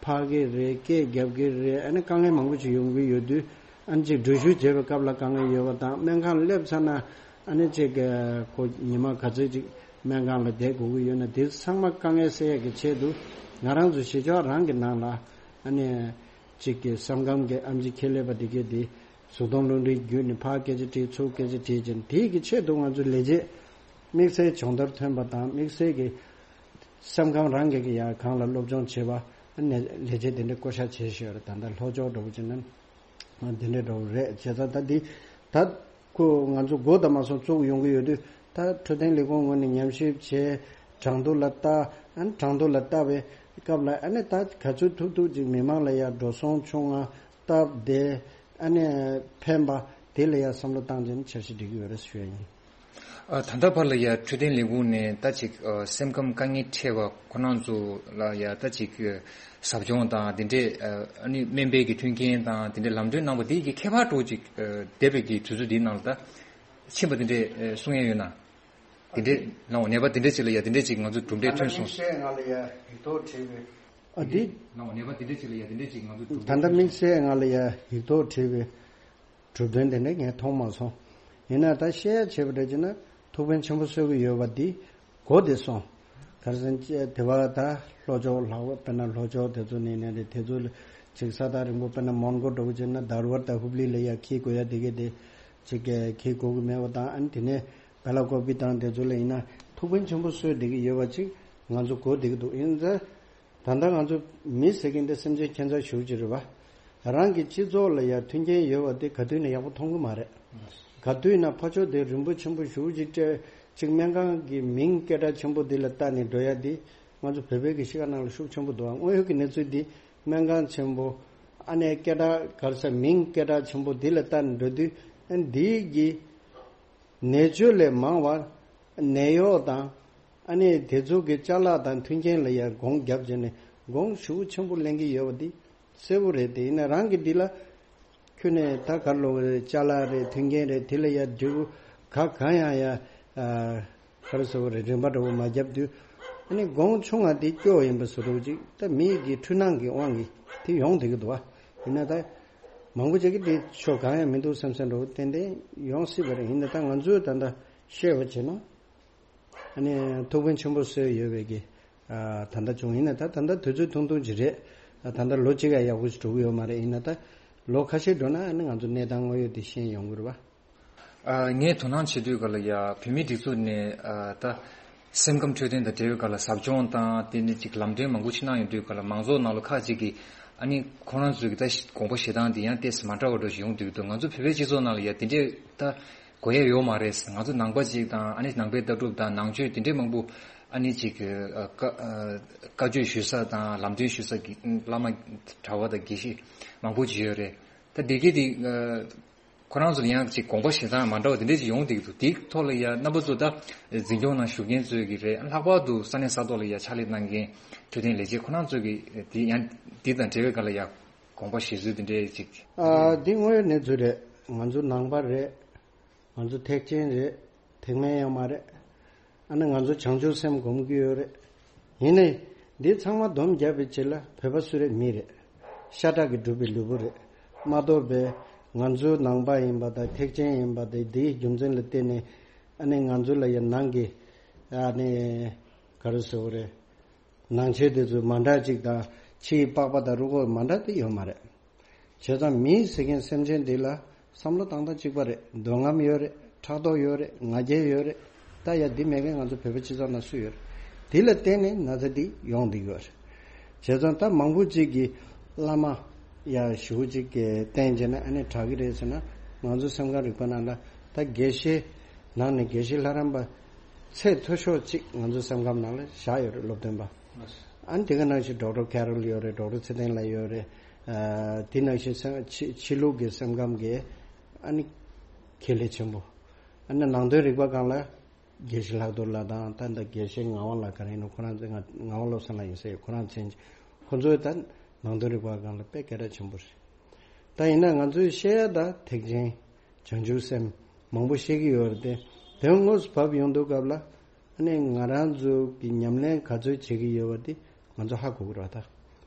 ཕར་གི་རེད། སྐད་རྒྱབ་གི་རེད། ཨ་ནི་དཀའ་ངལ་མང་པོ་ཅིག་ཡོང་གི་ཡོད་དུས། ཨ་ནི་ཅིག་འགྲུལ་བཞུད་བྱེད་པའི་སྐབས་ལ་དཀའ་ངལ་ཡོད་པ་དང་། སྨན་ཁང་སླེབས་ཚར་ན་ཨ་ནི་ཅིག་ཁོ་ཉི་མ་ག་ཚོད་ཅིག་སྨན་ཁང་ལ་བསྡད་དགོས་ཀྱི་ཡོད་ན། དེ་ཚང་མ་དཀའ་ངལ་སེལ་ཡག་གི་ཆེད་དུ་ང་རང་ཚོ་གཞིས་ཆགས་རང་གི་ནང་ལ་ཨ་ནི་ཅིག་གི་སེམས་ཁམས་ཀྱི་ཨེམ་ཆི་ཁེ་ལས་པ་དེ་གས་དེ་གཟུགས་མཐོང་རླུང་འཕྲིན་བརྒྱུད་ནས་ཕར་སྐད་ཆ་དྲིས་ཚུར་སྐད་ཆ་དྲིས་བྱས་ནས། དེའི་གི་ཆེད་དུ་ང་ཚོ་ལས་བྱེད་དམིགས་བསལ་སྦྱོང་བརྡར་ཐོན་པ་དང་། དམིགས་བསལ་གྱི་སེམས་ཁམས་རང་སྒེར་གྱི་ཡང་སྒང་ལ་སློབ་སྦྱོང་བྱེད་པ་ནས་ལས་བྱེད་དེ་འདྲའི་བསྐོ་བཞག་བྱས་བཞག་ཡོད་རེད། ད་ལྟ་ལྷོ་ཕྱོགས་འདྲ་བོ་བྱས་ན་དེ་འདྲའི་འདྲ་བོ་རེད། བྱས་ཙང་ད་འདི་ད་ཁོ་ང་ཚོ་འགོ་དང་མ་སོང་བཙུགས་ཡོང་གི་ཡོད་དུས། ད་འཕྲོད་བསྟེན་ལས་ཁུངས་ངོས་ནས་ཉམས་ཞིབ་བྱས། གྲངས་ཐོ་ལ་ལྟ། ཨ་ནི་གྲངས་ཐོ་ལ་ལྟ་བའི་སྐབས་ལ་ཨ་ནི་ད་ག་ཚོད་ཐུབ་ཐུབ་ཅིག་མི་མང་ལ་ཡང་འགྲོ་སོང་ཆུང་ང་སྟབས་བདེ། ཨ་ནི་ཕན་པ་དེ་ལ་ཡང་བསམ་བློ་བཏང་བྱས་ནས་འཆར་གཞི་སྒྲིག་གི་ཡོད་རེད་ཞུ་ཡ་ཡིན། ཨ། ད་ལྟ་བར་ལ་ཡ་འཕྲོད་བསྟེན་ལས་ཁུངས་ནས་ད་ཅིག་ཨ། སེམས་ཁམས་དཀའ་ངལ་འཕྲད་པ་ཁོ་རང་ཚོ་ལ་ཡ་ད་ཅིག་ཟབ་སྦྱོང་དང་དེ་འདྲས། ཨ་ནི་སྨན་པའི་གི་མཐུན་རྐྱེན་དང་དེ་འདྲས་ལམ་སྟོན་གནང་བ་དེ་གི་ཁྱད་པར་འདྲ་བོ་ཅིག་ཨ། འདས་པའི་གི་དུས་ཚོད་འདིའི་ནང་ལ་ད་ཕྱིན་པ་དེ་འདྲས་ཨ། གསུང་ཡ་ཡོད་ན། དེ་འདྲས་ལའང་ནད་པ་དེ་འདྲས་ཅིག་ལ་ཡ་དེ་འདྲས་ཅིག་ང་ཚོ་གྲུབ་འབྲས་ཐོན་སོང་། དམིགས་བསལ་ང་ལ་ཡ་ཡིག་ཐོག་བྲིས་པའི། ཨ། འདི་ལའང་ནད་པ་དེ་འདྲས་ཅིག་ལ་ཡ་དེ་འདྲས་ཅིག་ང་ཚོ་གྲུབ་ད་ལྟ་འབྲས་ཐོན་དམིགས་བསལ་ང་ལ་ཡ་ཡིག་ཐོག་བྲིས་པའི་གྲུབ་དོན་དེ་འདྲ་ངས་མཐོང་མ་སོང་། ཡིན་ན་ད་བཤད་ཡ་བྱས་པ་འདྲ་བྱས་ན་ཐུགས་ཕན་ཆེན་པོ་གསོས་ཀྱི་ཡོད་པ་འདི་གོ་བདེ་སོང་། ག་རེ་ཟེར་ན་དེ་བ་ད་ལྷོ་ཕྱོགས་ལྷག་པ་དཔེར་ན་ལྷོ་ཕྱོགས་དེ་ཚོ་ནས་ནས་རེད། དེ་ཚོ་ལ་ཅིག་ས་ཐག་རིང་པོ་དཔེར་ན་མོན་གྷོ་འདྲ་བོ་བྱས་ན་དར་བར་ད་ཧུབ་ལི་ལ་ཡ་འཁྱེར་དགོས་ཡ་དེ་གས་དེ་ཅིག་གས་འཁྱེར་དགོས་ཀྱི་མེད་པ་དང་། ཨ་ནི་དེ་ནས་བེ་ལ་ཀོ་པི་དང་དེ་ཚོ་ལ་ཡིན་ན་ཐུགས་ཕན་ཆེན་པོ་གསོས་བསྡད་ཀྱི་ཡོད་པ་ཅིག་ང་ཚོ་གོ་བསྡད་ཀྱི་འདུག་ཡིན་ཙང་། ད་ལྟ་ང་ཚོ་མི་ཟེར་མཁན་དེ་སེམས་ཅན་ཁྱད་མཚར་ཞེ་པོ་ཅིག་རེད་པ། རང་གི་སྤྱི་ཚོགས་ལ་ཡང་མཐུན་རྐྱེན་ཡོད་པ་དེ་ག་དུས་ནས་ཡག་པོ་མཐོང་གི་མ་རེད། ག་དུས་ན་ཕ་ཕྱོགས་དེ་རིན་པོ་ཆེན་པོ་ཞེ་པོ་ཅིག་སྤྲད་ཅིག་སྨན་ཁང་གི་མིང་སྐད་གྲགས་ཆེན་པོ་དེ་ལ་བལྟས་ནས་འགྲོ་ཡ་དེ་ང་ཚོ་བོད་པའི་གི་གཤིས་ཀ་ནང་ལ་ཤུགས་ཆེན་པོ་འདུག་ཨ། དངོས་ཡོད་ཀྱི་གནས་ཚུལ་འདི་སྨན་ཁང་ཆེན་པོ་ཨ་ནི་སྐད་གྲགས་ག་རེ་ཟེར་མིང་སྐད་གྲགས་ཆེན་པོ་དེ་ལ་བལྟས་ནས་འགྲོ་དུས། ཨ། འདིའི་གི་ནད་བཅོས་ལས་མང་བ་ནད་གཡོག་དང་། ཨ་ནི་དེ་ཚོ་གི་ཅ་ལག་དང་མཐུན་རྐྱེན་ལ་ཡང་དགོངས་བརྒྱབ་བྱས་ནས་དགོངས་ཞེ་པོ་ཆེན་པོ་ལེན་གྱི་ཡོད་པ་འདི་གསལ་པོ་རེད། དེ་ཡིན་ན་རང་གི་འདི་ལ་ཁྱོན་ནས་ད་ག་རེ་ལབ་དགོས་རེད། ཅ་ལག་རེད། མཐུན་རྐྱེན་རེད། དེ་ལ་ཡང་འབྲས་བུ་ག་གང་ཡང་ཡང་། ཨ། ག་རེ་ཟེར་དགོས་རེད། རིན་པ་འདྲ་བོ་མ་བརྒྱབ་དུས། ཨ་ནི་དགོངས་ཆུང་བ་འདི་སྐྱོ་ཡིན་པ་བཟོ་འདྲ་བོ་ཅིག་ད་མི་གི་འཁྲུལ་སྣང་གི་དབང་གིས་དེ་ཡོང་བསྡད་ཀྱི་འདུག་པ། ཡིན་ན་ད་མང་པོ་ཅིག་གིས་འདི་ཕྱོགས་གང་ཡང་མི་འདུག་བསམ་བསམ་འདྲ་བོ་ཏན་ཏན་ཡོང་སྲིད་པ་རེད། ཡིན་ན་ད་ང་ཚོས་ད་ལྟ་བཤད་པ་བྱས་ན། ཨ་ནི་ཐུགས་ཕན་ཆེན་པོ་གསོས་ཡོད་པའི་གི། ཨ། ད་ལྟ་བྱུང་། ཡིན་ན་ད་ད་ལྟ་དུས་ཚོད་ཐུང་ཐུང་ཅིག་རེད། ད་ལྟ་ལོ་གཅིག་ཡང་ཡག་པོ་ཞིག་འགྲོ་གི་ཡོད་མ་རེད། ཡིན་ན་ད་ལོ་ཁ་ཤས་འགྲོ་ན་ཨ་ནི་ང་ཚོ་གནས་སྟངས་དངོས་ཡོད་དེ་ཤེས་ཡོང་གི་རེད་པ། ཨ། ངས་དོ་སྣང་བྱེད་དུས་ག་ལ་ཡ་བོད་མིའི་སྒྲིག་འཛུགས་ནས། ཨ། ད་སེམས་ཁམས་འཕྲོད་བསྟེན་དང་འབྲེལ་བའི་ག་ལ་ཟབ་སྦྱོང་དང་དེ་ནས་ཅིག་ལམ་སྟོན་མང་པོ་ཞིག་གནང་ཡོང་དུས་ག་ལ་མང་ཚོགས་ནང་ལ་ཁག་ཅིག་གིས་ཨ་ནི་ཁོ་རང་ཚོའི་གི་ད་དགོངས་པ་བཞེས་སྟངས་དེ་ཡང་ཏོག་ཙམ་མ་འདྲ་བ་འདྲ་ཞིག་ཡོང་དུས་འདུག་ང་ཚོ་བོད་པའི་སྤྱི་ཚོགས་ནང་ལ་ཡ་དེ་འདྲས་ད་དགོས་ཡ་ཡོད་མ་རེད། ང་ཚོ་ནང་པ་ཅིག་དང་ཨ་ནི་ནང་པའི་ལྟ་གྲུབ་དང་ནང་ཆོས་དེ་འདྲས་མང་པོ་ཨ་ནི་ཅིག་གི། ཨ། བཀའ་ཨ། བཀའ་ཆོས་ཞུ་ས་དང་ལམ་སྟོན་ཞུ་ས་གི་བླ་མ་གྲྭ་པ་དང་དགེ་བཤེས་མང་པོ་ཅིག་ཡོད་རེད། ད་དེ་གས་དེ། ཨ། ཁོ་རང་ཚོ་ལ་ཡང་ཅིག་དགོངས་པ་བཞེས་སྟངས་མ་འདྲ་བ་དེ་འདྲས་ཅིག་ཡོང་བསྡད་ཀྱི་འདུག་དེའི་ཐོག་ལ་ཡ་རྣམ་པ་ཚོ་ད་འཛིན་སྐྱོང་ནང་ཞུགས་མཁན་ཚོས་ཀྱི་རེད། ལྷག་པར་དུ་ས་གནས་ས་ཐོག་ལ་ཡ་ཕྱག་ལས་གནང་མཁན་འཕྲོད་བསྟེན་ལས་བྱེད་ཁོ་རང་ཚོས་ཀྱི་དེ་ཡང་དེ་དང་འབྲེལ་བའི་སྒང་ལ་ཡ་དགོངས་པ་བཞེས་ཚུལ་དེ་འདྲས་ཅིག་ཨ། འདི་དངོས་ཡོད་གནས་ཚུལ་རེད། ང་ཚོ་ནང་པ་རེད། ང་ཚོ་ཐེག་ཆེན་རེད། ཐེག་དམན་ཡང་མ་རེད། ཨ་ནི་ང་ཚོ་བྱང་ཆུབ་སེམས་སྒོམ་གྱི་ཡོད་རེད། ཡིན་ནའི་འདི་ཚང་མ་སྡོམ་བརྒྱབ་པའི་རྗེས་ལ་བོད་པ་སུ་རེད། མི་རེད། ཤ་ཁྲག་གིས་གྲུབ་པའི་ལུས་པོ་རེད། མ་གཏོགས་པའི་ང་ཚོའི་ནང་པ་ཡིན་པ་དང་ཐེག་ཆེན་ཡིན་པ་དང་འདིའི་རྒྱུ་མཚན་ལ་བརྟེན་ནས་ཨ་ནི་ང་ཚོ་ལ་ཡང་ནང་གི་ཨ་ནི་ག་རེ་ཟེར་དགོས་རེད། ནང་ཆོས་དེ་ཚོ་མ་འདྲ་ཅིག་དང་ཕྱིའི་པགས་པ་དང་རུས་ཁོག་མ་འདྲ་དེ་ཡོད་མ་རེད། བྱས་ཙང་མི་ཟེར་མཁན་སེམས་ཅན་འདི་ལ་བསམ་བློ་བཏང་སྟངས་གཅིག་པ་རེད། འདོད་རྔམ་ཡོད་རེད། ཕྲག་དོག་ཡོད་རེད། ང་རྒྱལ་ཡོད་རེད། ད་ཡ་འདི་མེད་མཁན་ང་ཚོ་བོད་པའི་སྤྱི་ཚོགས་ནང་སུ་ཡོད་རེད། དེ་ལ་བརྟེན་ནས་ན་ཚ་འདི་ཡོང་བསྡད་ཡོད་རེད། བྱས་ཙང་ད་མང་པོ་ཅིག་གིས་བླ་མ་ཡ་ཞུ་ཅིག་གི་བསྟེན་བྱས་ན་ཨ་ནི་དྲག་གི་རེད་ཟེར་ན། ང་ཚོ་སེམས་ཁམས་རིག་པ་ནང་ལ་ད་དགེ་བཤེས་ནང་ནས་དགེ་བཤེས་ལྷ་རམས་པ་ཚད་མཐོ་ཤོས་ཅིག་ང་ཚོ་སེམས་ཁམས་ནང་ལ་བཞག་ཡོད་རེད། སློབ་སྟོན་པ། ཨ་ནི་དེ་ག་ནང་བཞིན་ཌོག་ཊར་ཁེ་རོལ་ཡོད་རེད། ཌོག་ཊར་ཚེ་བརྟན་ལགས་ཡོད་རེད། ཨ། དེ་ནང་བཞིན་སེམས་ཕྱི་ཕྱི་ལུགས་ཀྱི་སེམས་ཁམས་ཀྱི་ཨ་ནི་ཁེ་ལས་ཆེན་པོ། ཨ་ནི་ནང་དོན་རིག་པ་སྒང་ལ་དགེ་བཤེས་ལྷག་རྡོར་ལགས་དང་ད་ལྟ་དགེ་བཤེས་ངག་དབང་ལགས་ག་རེ་ཡིན་ནོ། ཁོ་རང་ཚོ་ང་ངག་དབང་བློ་བཟང་ལགས་ཡིན་ཟེར། ཁོ་རང་མཚན་ཁོ་ཚོའི་ད་ནང་དོན་རིག་པ་སྒང་ལ་དཔེ་སྐད་གྲགས་ཆེན་པོ་རེད། ད་ཡིན་ན་ང་ཚོས་བཤད་ཡ་ད་ཐེག་ཆེན་བྱང་ཆུབ་སེམས་མང་པོ་བཤད་ཀྱི་ཡོད་རེད་དེ། དོན་དངོས་སུ་བབས་ཡོང་དུས་སྐབས་ལ་ཨ་ནི་ང་རང་ཚོ་གི་ཉམས་ལེན་ག་ཚོད་བྱེད་ཀྱི་ཡོད་པ་དེ་ང་ཚོ་ཧ་གོ་གི་རེད་ད།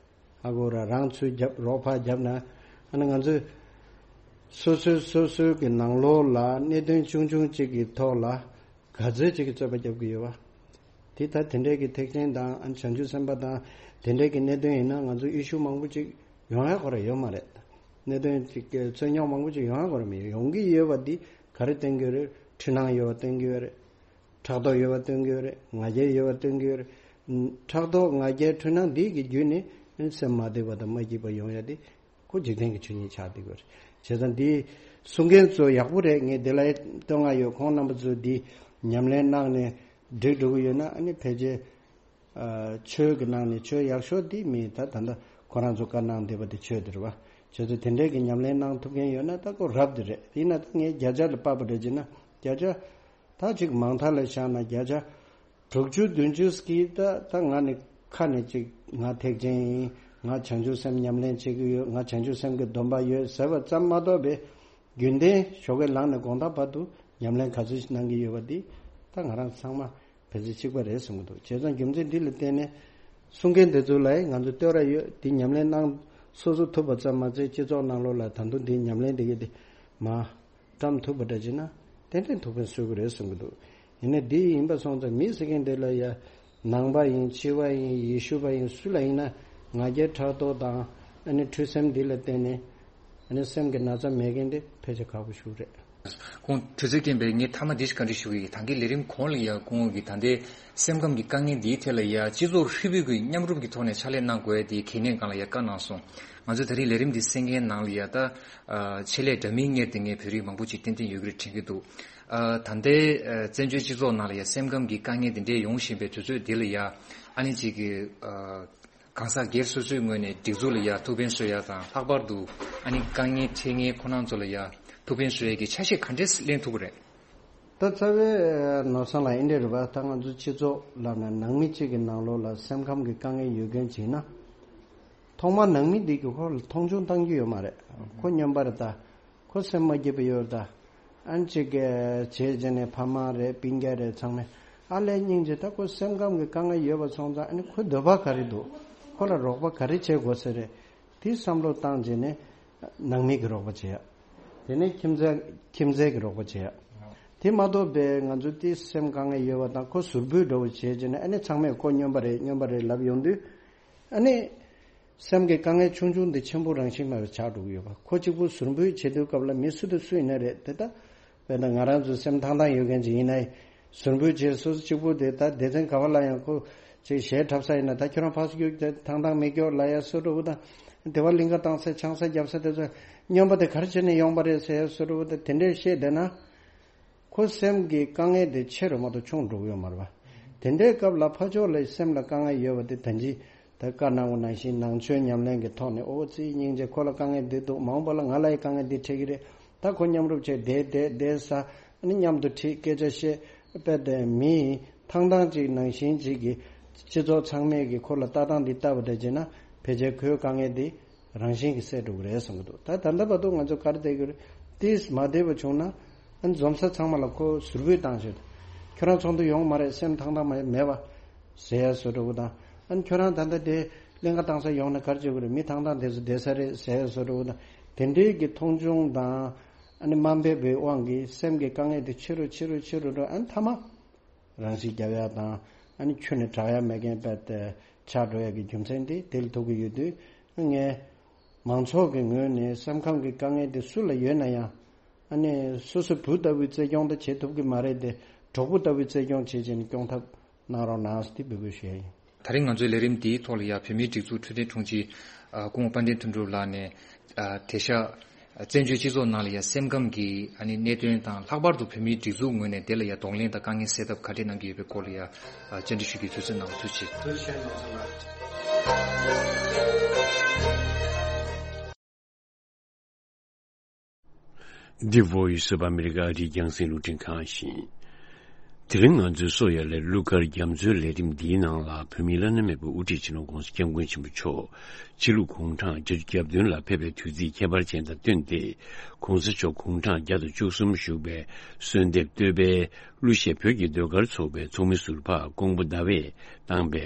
ཧ་གོ་ར་རང་ཚུར་རྒྱབ་རོགས་ཕར་རྒྱབ་ན་ཨ་ནི་ང་ཚོས་སོ་སོའི་སོ་སོའི་གི་ནང་ལོགས་ལ་གནད་དོན་ཆུང་ཆུང་གཅིག་གི་ཐོག་ལ་ག་ཚོད་ཅིག་གི་རྩོད་པ་རྒྱབ་ཀྱི་ཡོད་པ། དེ་ལྟར་དེ་འདྲའི་གི་ཐེག་ཆེན་དང་ཨ་བྱང་ཆུབ་སེམས་དཔའ་དང་དེ་འདྲའི་གི་གནད་དོན་ཡིན་ན་ང་ཚོ་ཨི་ཤུ་མང་པོ་ཅིག་ཡོང་ཡ་ཁོ་ར་ཡོད་མ་རེད། གནད་དོན་ཅིག་གི་རྩོད་རྙོག་མང་པོ་ཅིག་ཡོང་ཡ་ཁོ་ར་མི་ཡོང་གི་ཡོད་པ་འདི་ག་རེ་སྟོན་གྱི་ཡོད་རེད། འཁྲུལ་སྣང་ཡོད་པ་སྟོན་གྱི་ཡོད་རེད། ཕྲག་དོག་ཡོད་པ་སྟོན་གྱི་ཡོད་རེད། ང་རྒྱལ་ཡོད་པ་སྟོན་གྱི་ཡོད་རེད། ཕྲག་དོག་ང་རྒྱལ་འཁྲུལ་སྣང་འདི་གི་བརྒྱུད་ནས་སེམས་མ་བདེ་བ་དང་མ་སྐྱིད་པ་ཡོང་ཡ་འདི། ཁོ་འཇིག་རྟེན་གྱི་ཆོས་ཉིད་ཆགས་བསྡད་ཡོད་རེད། བྱས་ཙང་འདི་གསུང་མཁན་ཚོ་ཡག་པོ་རེད། ངས་འདི་ལ་བསྟོད་བསྔགས་ཡོད། ཁོང་རྣམ་པ་ཚོས་འདི་ཉམས་ལེན་གནང་ནས་འགྲིག་འགྲོ་གི་ཡོད་ན་ཨ་ནི་ཕལ་ཆེར་ཨ་ཆོས་ཀྱི་ནང་ནས་ཆོས་ཡག་ཤོས་འདི་མི་ད་ད་ལྟ་ཁོ་རང་ཚོ་བཀའ་གནང་བསྡད་པ་འདི་ཆོས་འདི་རེད་བ། བྱས་ཙང་དེ་འདྲའི་གི་ཉམས་ལེན་གནང་ཐུབ་མཁན་ཡོད་ན་ད་ཁོ་རབ་འདི་རེད། ཡིན་ན་ད་ངས་བརྒྱ་ཆ་ལ་དཔག་པ་འདྲ་བྱས་ན་བརྒྱ་ཆ་ད་ཅིག་མང་མཐའ་ལ་བཞག་ན་བརྒྱ་ཆ་དྲུག་ཅུ་བདུན་ཅུ་ཟིག་གིས་ད་ད་ང་ནི་ཁ་ནས་ཅིག་ང་ཐེག་ཆེན་ཡིན། ང་བྱང་ཆུབ་སེམས་ཉམས་ལེན་བྱེད་ཀྱི་ཡོད། ང་བྱང་ཆུབ་སེམས་ཀྱི་སྡོམ་པ་ཡོད་ཟེར་བ་ཙམ་མ་གཏོགས་པའི་རྒྱུན་ལྡན་ཞོགས་ཀས་ལངས་ནས་དགོང་དག་བར་དུ་ཉམས་ལེན་ག་ཚོད་ཞིག་གནང་གི་ཡོད་པ་འདི་ད་ང་རང་ཚང་མ་ཕལ་ཆེར་གཅིག་པ་རེད་བསམ་གྱི་འདུག་བྱས་ཙང་རྒྱུ་མཚན་འདི་ལ་བརྟེན་ནས་གསུང་མཁན་དེ་ཚོ་ལ་ང་ཚོ་བསྟོད་ར་ཡོད། འདི་ཉམས་ལེན་གནང་སོ་སོ་ཐུབ་པ་ཙམ་མ་ཟད་སྤྱི་ཚོགས་ནང་ལོགས་ལ་ད་དུང་འདི་ཉམས་ལེན་འདི་གི་འདི་མ་བཀྲམ་ཐུབ་པ་འདྲ་བྱས་ན་ཏན་ཏན་ཐུགས་ཕན་གསོས་ཀྱི་རེད་བསམ་གྱི་འདུག་ཡིན་ནའི་འདི་ཡིན་པ་སོང་ཙང་མི་ཟེར་མཁན་དེ་ལ་ཡ་ནང་པ་ཡིན་ཕྱི་པ་ཡིན་ཡེ་ཤུ་པ་ཡིན་སུ་ལ་ཡིན་ན་ང་རྒྱལ་ཕྲག་དོག་དང་ཨ་ནི་འཁྲུལ་སེམས་འདི་ལ་བརྟེན་ནས་ཨ་ནི་སེམས་ཀྱི་ན་ཚ་མེད་མཁན་དེ་ཕལ་ཆེར་ཁག་པོ་ཞིག་རེད། ཁོང་དུས་ཚོད་རྐྱེན་པས་ངས་མཐའ་མ་འདི་ཞིག་བཀའ་འདྲི་ཞུ་གི་ཡིན། ད་གིན་ལས་རིམ་གོང་ལ་ཡ་ཁོང་གིས་ད་ལྟའི་སེམས་ཁམས་ཀྱི་དཀའ་ངལ་འདིའི་ཐད་ལ་ཡ་སྤྱི་ཚོགས་ཧྲིལ་པོའི་གི་མཉམ་རུབ་ཀྱི་ཐོག་ནས་ཕྱག་ལས་གནང་དགོས་ཡ་དེའི་གལ་གནད་སྒང་ལ་ཡ་བཀའ་གནང་སོང་། ང་ཚོས་ད་རིང་ལས་རིམ་འདི་གསན་མཁན་ནང་ལ་ཡ་ད་ཨ་ཆེད་ལས་འདྲ་མིན་གཉེར་ཏེ་ངས་བོད་རིགས་མང་པོ་ཅིག་ཏན་ཏན་ཡོད་ཀྱི་རེད་དྲན་གྱི་འདུག་ཨ་ད་ལྟའི་ཨ་བཙན་བྱོལ་སྤྱི་ཚོགས་ནང་ལ་ཡ་སེམས་ཁམས་ཀྱི་དཀའ་ངལ་འདི་འདྲའི་ཡོང་བཞིན་པའི་དུས་ཚོད་འདི་ལ་ཡ་ཨ་ནི་ཅིག་གི་ཨ་གང་ཟག་སྒེར་སོ་སོའི་ངོས་ནས་སྒྲིག་འཛུགས་ལ་ཡ་ཐུགས་ཕན་གསོས་ཡ་དང་ལྷག་པར་དུ་ཨ་ནི་དཀའ་ངལ་འཕྲད་མཁན་ཁོ་རང་ཚོ་ལ་ཡ་ཐུགས་ཕན་གསོས་ཡ་གི་ཆ་ཤས་ག་འདྲས་ལེན་ཐུབ་ཀྱི་རེད། ད་རྩ་བའི་ནོར་བཟང་ལགས་འདི་འདྲ་རེད་པ། ད་ང་ཚོ་སྤྱི་ཚོགས་ལབ་ན་ནང་མི་གཅིག་གི་ནང་ལོགས་ལ་སེམས་ཁམས་ཀྱི་དཀའ་ངལ་ཡོད་མཁན་ཅིག་ཡིན་ན། ཐོག་མར་ནང་མི་འདི་གི་ཁོ་ལ་མཐོང་ཆུང་བཏང་རྒྱུ་ཡོད་མ་རེད། ཁོ་སྨྱོན་པ་རེད་ད། ཁོ་སེམས་མ་སྐྱིད་པ་ཡོད་རེད་ད། ཨ་ནི་གཅིག་གིས་བྱས་རྗེས་ནས་ཕ་མ་རེད་སྤུན་ཀྱག་རེད་ཚང་མས་ཨ་ལས་སྙིང་རྗེ། ད་ཁོ་སེམས་ཁམས་ཀྱི་དཀའ་ངལ་ཡོད་པ་སོང་ཙང་ཨ་ནི་ཁོའི་འདོད་པ་ག་རེ་འདུག་ཁོ་ལ་རོགས་པ་ག་རེ་བྱེད་དགོས་ས་རེད། དེ་བསམ་བློ་བཏང་རྗེས་ནས་ནང་མི་གི་རོགས་པ་བྱེད་ཡ། དེ་ནས་ཁྱིམ་མཚེས་ཁྱིམ་མཚེས་ཀྱི་རོགས་པ་བྱེད་ཡ། དེ་མ་གཏོགས་པའི་ང་ཚོ་དེ་སེམས་དཀའ་ངལ་ཡོད་པ་དང་ཁོ་ཟུར་འབུད་འདྲ་བོ་བྱས་རྗེས་ནས་ཨ་ནི་ཚང་མས་ཁོ་སྨྱོན་པ་རེད་སྨྱོན་པ་རེད་ལབ་ཡོང་དུས། ཨ་ནི་སེམས་ཀྱི་དཀའ་ངལ་ཆུང་ཆུང་འདི་ཆེན་པོ་རང་བཞིན་མེད་པ་ཆགས་འགྲོ་གི་ཡོད་པ། ཁོ་གཅིག་པུ་ཟུར་འབུད་བྱེད་དུས་སྐབས་ལ་མི་སུ་དང་སུ་ཡིན་ན་རེད་དེ་ལྟ། དཔེར་ན་ང་རང་ཚོ་སེམས་ཐང་ཐང་ཡོད་མཁན་ཅིག་ཡིན་ན་ཟུར་འབུད་བྱས་སོ་སོ་གཅིག་པུ་དེ་ད་སྡེ་ཚན་ག་བ་ལ་ཡང་ཁོ་ཅིག་གཞས་འཁྲབ་ས་ཡིན་ན་ད་ཁྱོད་རང་ཕར་ཚུར་རྒྱུགས་དེ་ཐང་ཐང་མི་རྒྱུགས་ལ་ཡ་སོ་འགྲོ་བོ་དང་། དེ་བ་གླིང་ག་བཏང་ས་ཆང་ས་རྒྱབ་ས་དེ་ཚོ་སྨྱོན་པ་དེ་ག་རེ་བྱས་ནས་ཡོང་པ་རེད་ཟེར་ཡ་སོ་འགྲོ་བོ་དང་དེ་འདྲས་བཤད་བསྡད་ན། ཁོ་སེམས་ཀྱི་དཀའ་ངལ་དེ་ཆེ་རུ་མ་གཏོགས་ཆུང་འགྲོ་གི་ཡོད་མ་རེད་པ། དེ་འདྲའི་སྐབས་ལ་ཕར་ཕྱོགས་ལ་སེམས་ལ་དཀའ་ངལ་ཡོད་པ་དེ་ད་ཅི་ད་བཀའ་གནང་བ་ནང་བཞིན་ནང་ཆོས་ཉམས་ལེན་གྱི་ཐོག་ནས་ཨོ་ཙི་སྙིང་རྗེ་ཁོ་ལ་དཀའ་ངལ་འདི་འདུག་མ་འོངས་པ་ལ་ང་ལ་ཡི་དཀའ་ངལ་འདི་འཕྲད་ཀྱི་རེད། ད་ཁོ་མཉམ་རུབ་བྱས་བསྡད་བསྡད་བསྡད་ས་ཨ་ནི་མཉམ་དུ་ཁྲིད་སྐད་ཆ་བཤད་དཔེ་དེ་མི་ཐང་ཐང་ཅིག་ནང་བཞིན་ཅིག་གི་སྤྱི་ཚོགས་ཚང་མས་ཀྱི་ཁོ་ལ་ལྟ་སྟངས་འདི་ལྟ་བ་འདྲ་བྱས་ན་ཕལ་ཆེར་ཁོའི་དཀའ་ངལ་འདི་རང་བཞིན་གྱིས་སེལ་འགྲོ་གི་རེད་བསམ་གྱི་འདུག་ད་ད་ལྟ་བར་དུ་ང་ཚོ་ག་རེ་བསྡད་ཀྱི་རེད། ཏིས་མ་བསྡད་པ་བྱུང་ན་ཨ་ནི་འཛོམས་ས་ཚང་མ་ལ་ཁོ་ཟུར་འབུད་བཏང་ཤོད། ཁྱོད་རང་ཚོགས་འདུ་ཡོང་མ་རེད་སེམས་ཐང་ཐང་མ་མེད་པ་ཟེར་ཡ་བཟོ་འདྲ་བོ་དང་ཨ་ནི་ཁྱོད་རང་ད་ལྟ་དེ་གླིང་ག་བཏང་ས་ཡོང་ན་ག་རེ་བྱེད་དགོས་རེད་མི་ཐང་ཐང་དེ་ཚོ་བསྡད་ས་རེད་ཟེར་ཡ་བཟོ་འདྲ་བོ་དང་དེ་འདྲའི་གི་མཐོང་ཆུང་དང་ཨ་ནི་དམའ་འབེབས་པའི་དབང་གིས་སེམས་ཀྱི་དཀའ་ངལ་དེ་ཆེ་རུ་ཆེ་རུ་ཆེ་རུ་འགྲོ་ཨ་ནི་མཐའ་མ། རང་ཤི་རྒྱབ་ཡ་དང་ཨ་ནི་ཁྱོན་ནས་དྲག་ཡ་མེད་མཁན་དཔེ་དེ་ཆགས་འགྲོ་ཡ་གི་རྒྱུ་མཚན་དེ་དེ་ལ་ཐུག་གི་ཡོད་དུས་ངས་མང་ཚོགས་ཀྱི་ངོས་ནས་སེམས་ཁམས་ཀྱི་དཀའ་ངལ་དེ་སུ་ལ་ཡོད་ན་ཡང་ཨ་ནི་སོ་སོ་བུ་ལྟ་བུའི་བརྩེ་སྐྱོང་དེ་བྱེད་ཐུབ་ཀྱི་མ་རེད་དེ་གྲོགས་པོ་ལྟ་བུའི་བརྩེ་སྐྱོང་བྱེད་བྱས་ནས་སྐྱོང་ཐབས་གནང་རོགས་གནང་ཟེར་དེ་འབོད་སྐུལ་ཞུ་ཡ་ཡིན། ད་རིང་ང་ཚོའི་ལས་རིམ་འདིའི་ཐོག་ལ་ཡ་བོད་མིའི་སྒྲིག་འཛུགས་འཕྲོད་བསྟེན་དྲུང་ཆེ་ཨ་སྐུ་ངོ་དཔལ་ལྡན་དོན་གྲུབ་ལགས་ནས་ཨ་དེ་ཤ་བཙན་བྱོལ་སྤྱི་ཚོགས་ནང་ལ་ཡ་སེམས་ཁམས་ཀྱི་ཨ་ནི་གནད་དོན་དང་ལྷག་པར་དུ་བོད་མིའི་སྒྲིག་འཛུགས་ངོས་ནས་དེ་ལ་ཡ་གདོང་ལེན་དང་དཀའ་ངལ་སེལ་ཐབས་ག་འདྲས་གནང་གི་ཡོད་པའི་སྐོར་ལ་ཡ་བཅར་འདྲི་ཞུ་རྒྱུའི་དུས་ཚོད་གནང་བ་ཐུགས་རྗེ་ཆེ། ཐུགས་རྗེ་ཆེ་ནོར་བཟང་ལགས། འདི་Voice of America ཨ་རིའི་རྒྱང་སྲིང་རླུང་འཕྲིན་ཁང་ཡིན། དེ་རིང་ང་ཚོའི་སོ་ཡ་ལའི་གླུ་གར་རྒྱ་མཚོའི་ལས་རིམ་འདིའི་ནང་ལ། བོད་མིའི་བླ་ན་མེད་པའི་དབུ་ཁྲིད་སྤྱི་ནོར་༧གོང་ས་༧སྐྱབས་མགོན་ཆེན་པོ་མཆོག་ཕྱི་ལུགས་གུང་ཁྲན་བརྒྱད་ཅུ་གྱ་བདུན་ལ་ཕེབས་པའི་དུས་ཚིགས་ཁྱད་པར་ཅན་དང་བསྟུན་ཏེ། ༧གོང་ས་མཆོག་གུང་ཁྲན་བརྒྱ་དང་བཅུ་གསུམ་བཞུགས་པའི་གསོལ་འདེབས་བསྟོད་པའི་གླུ་གཞས་བོད་ཀྱི་ཟློས་གར་ཚོགས་པའི་ཚོགས་མི་ཟུར་པ་ཀོང་པོ་ཟླ་བས་བཏང་པའི་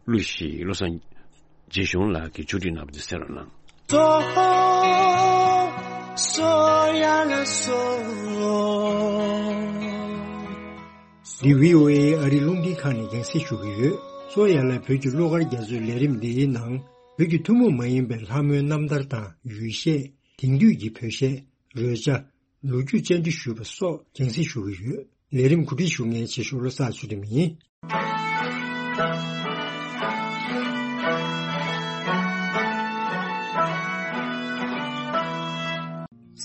གླུ་ཞིག་བློ་བཟང་རྗེ་གཞུང་ལགས་ཀྱིས་ཕྱོགས་སྒྲིག་གནང་བ་དེ་གསན་རོགས་གནང་། སོ་སོ་ཡ་ལ་སོ། འདི་བྷི་ཨོ་ཨེ་ཨ་རིའི་རླུང་འཕྲིན་ཁང་ནས་རྒྱང་སྲིང་ཞུ་གི་ཡོད། སོ་ཡ་ལ་བོད་ཀྱི་གླུ་གར་རྒྱ་མཚོའི་ལས་རིམ་འདིའི་ནང་། བོད་ཀྱི་ཐུན་མོང་མ་ཡིན་པའི་ལྷ་མོའི་རྣམ་ཐར་དང་ཡུལ་གཞས། དེང་དུས་ཀྱི་བོད་གཞས། རོལ་ཆ། ལོ་རྒྱུས་བཅར་འདྲི་ཞུས་པ་སོགས་རྒྱང་སྲིང་ཞུ་གི་ཡོད། ལས་རིམ་གོ་སྒྲིག་ཞུ་མཁན་ཆེ་ཤོས་བློ་བཟང་ཚུལ་ཁྲིམས་ཡིན།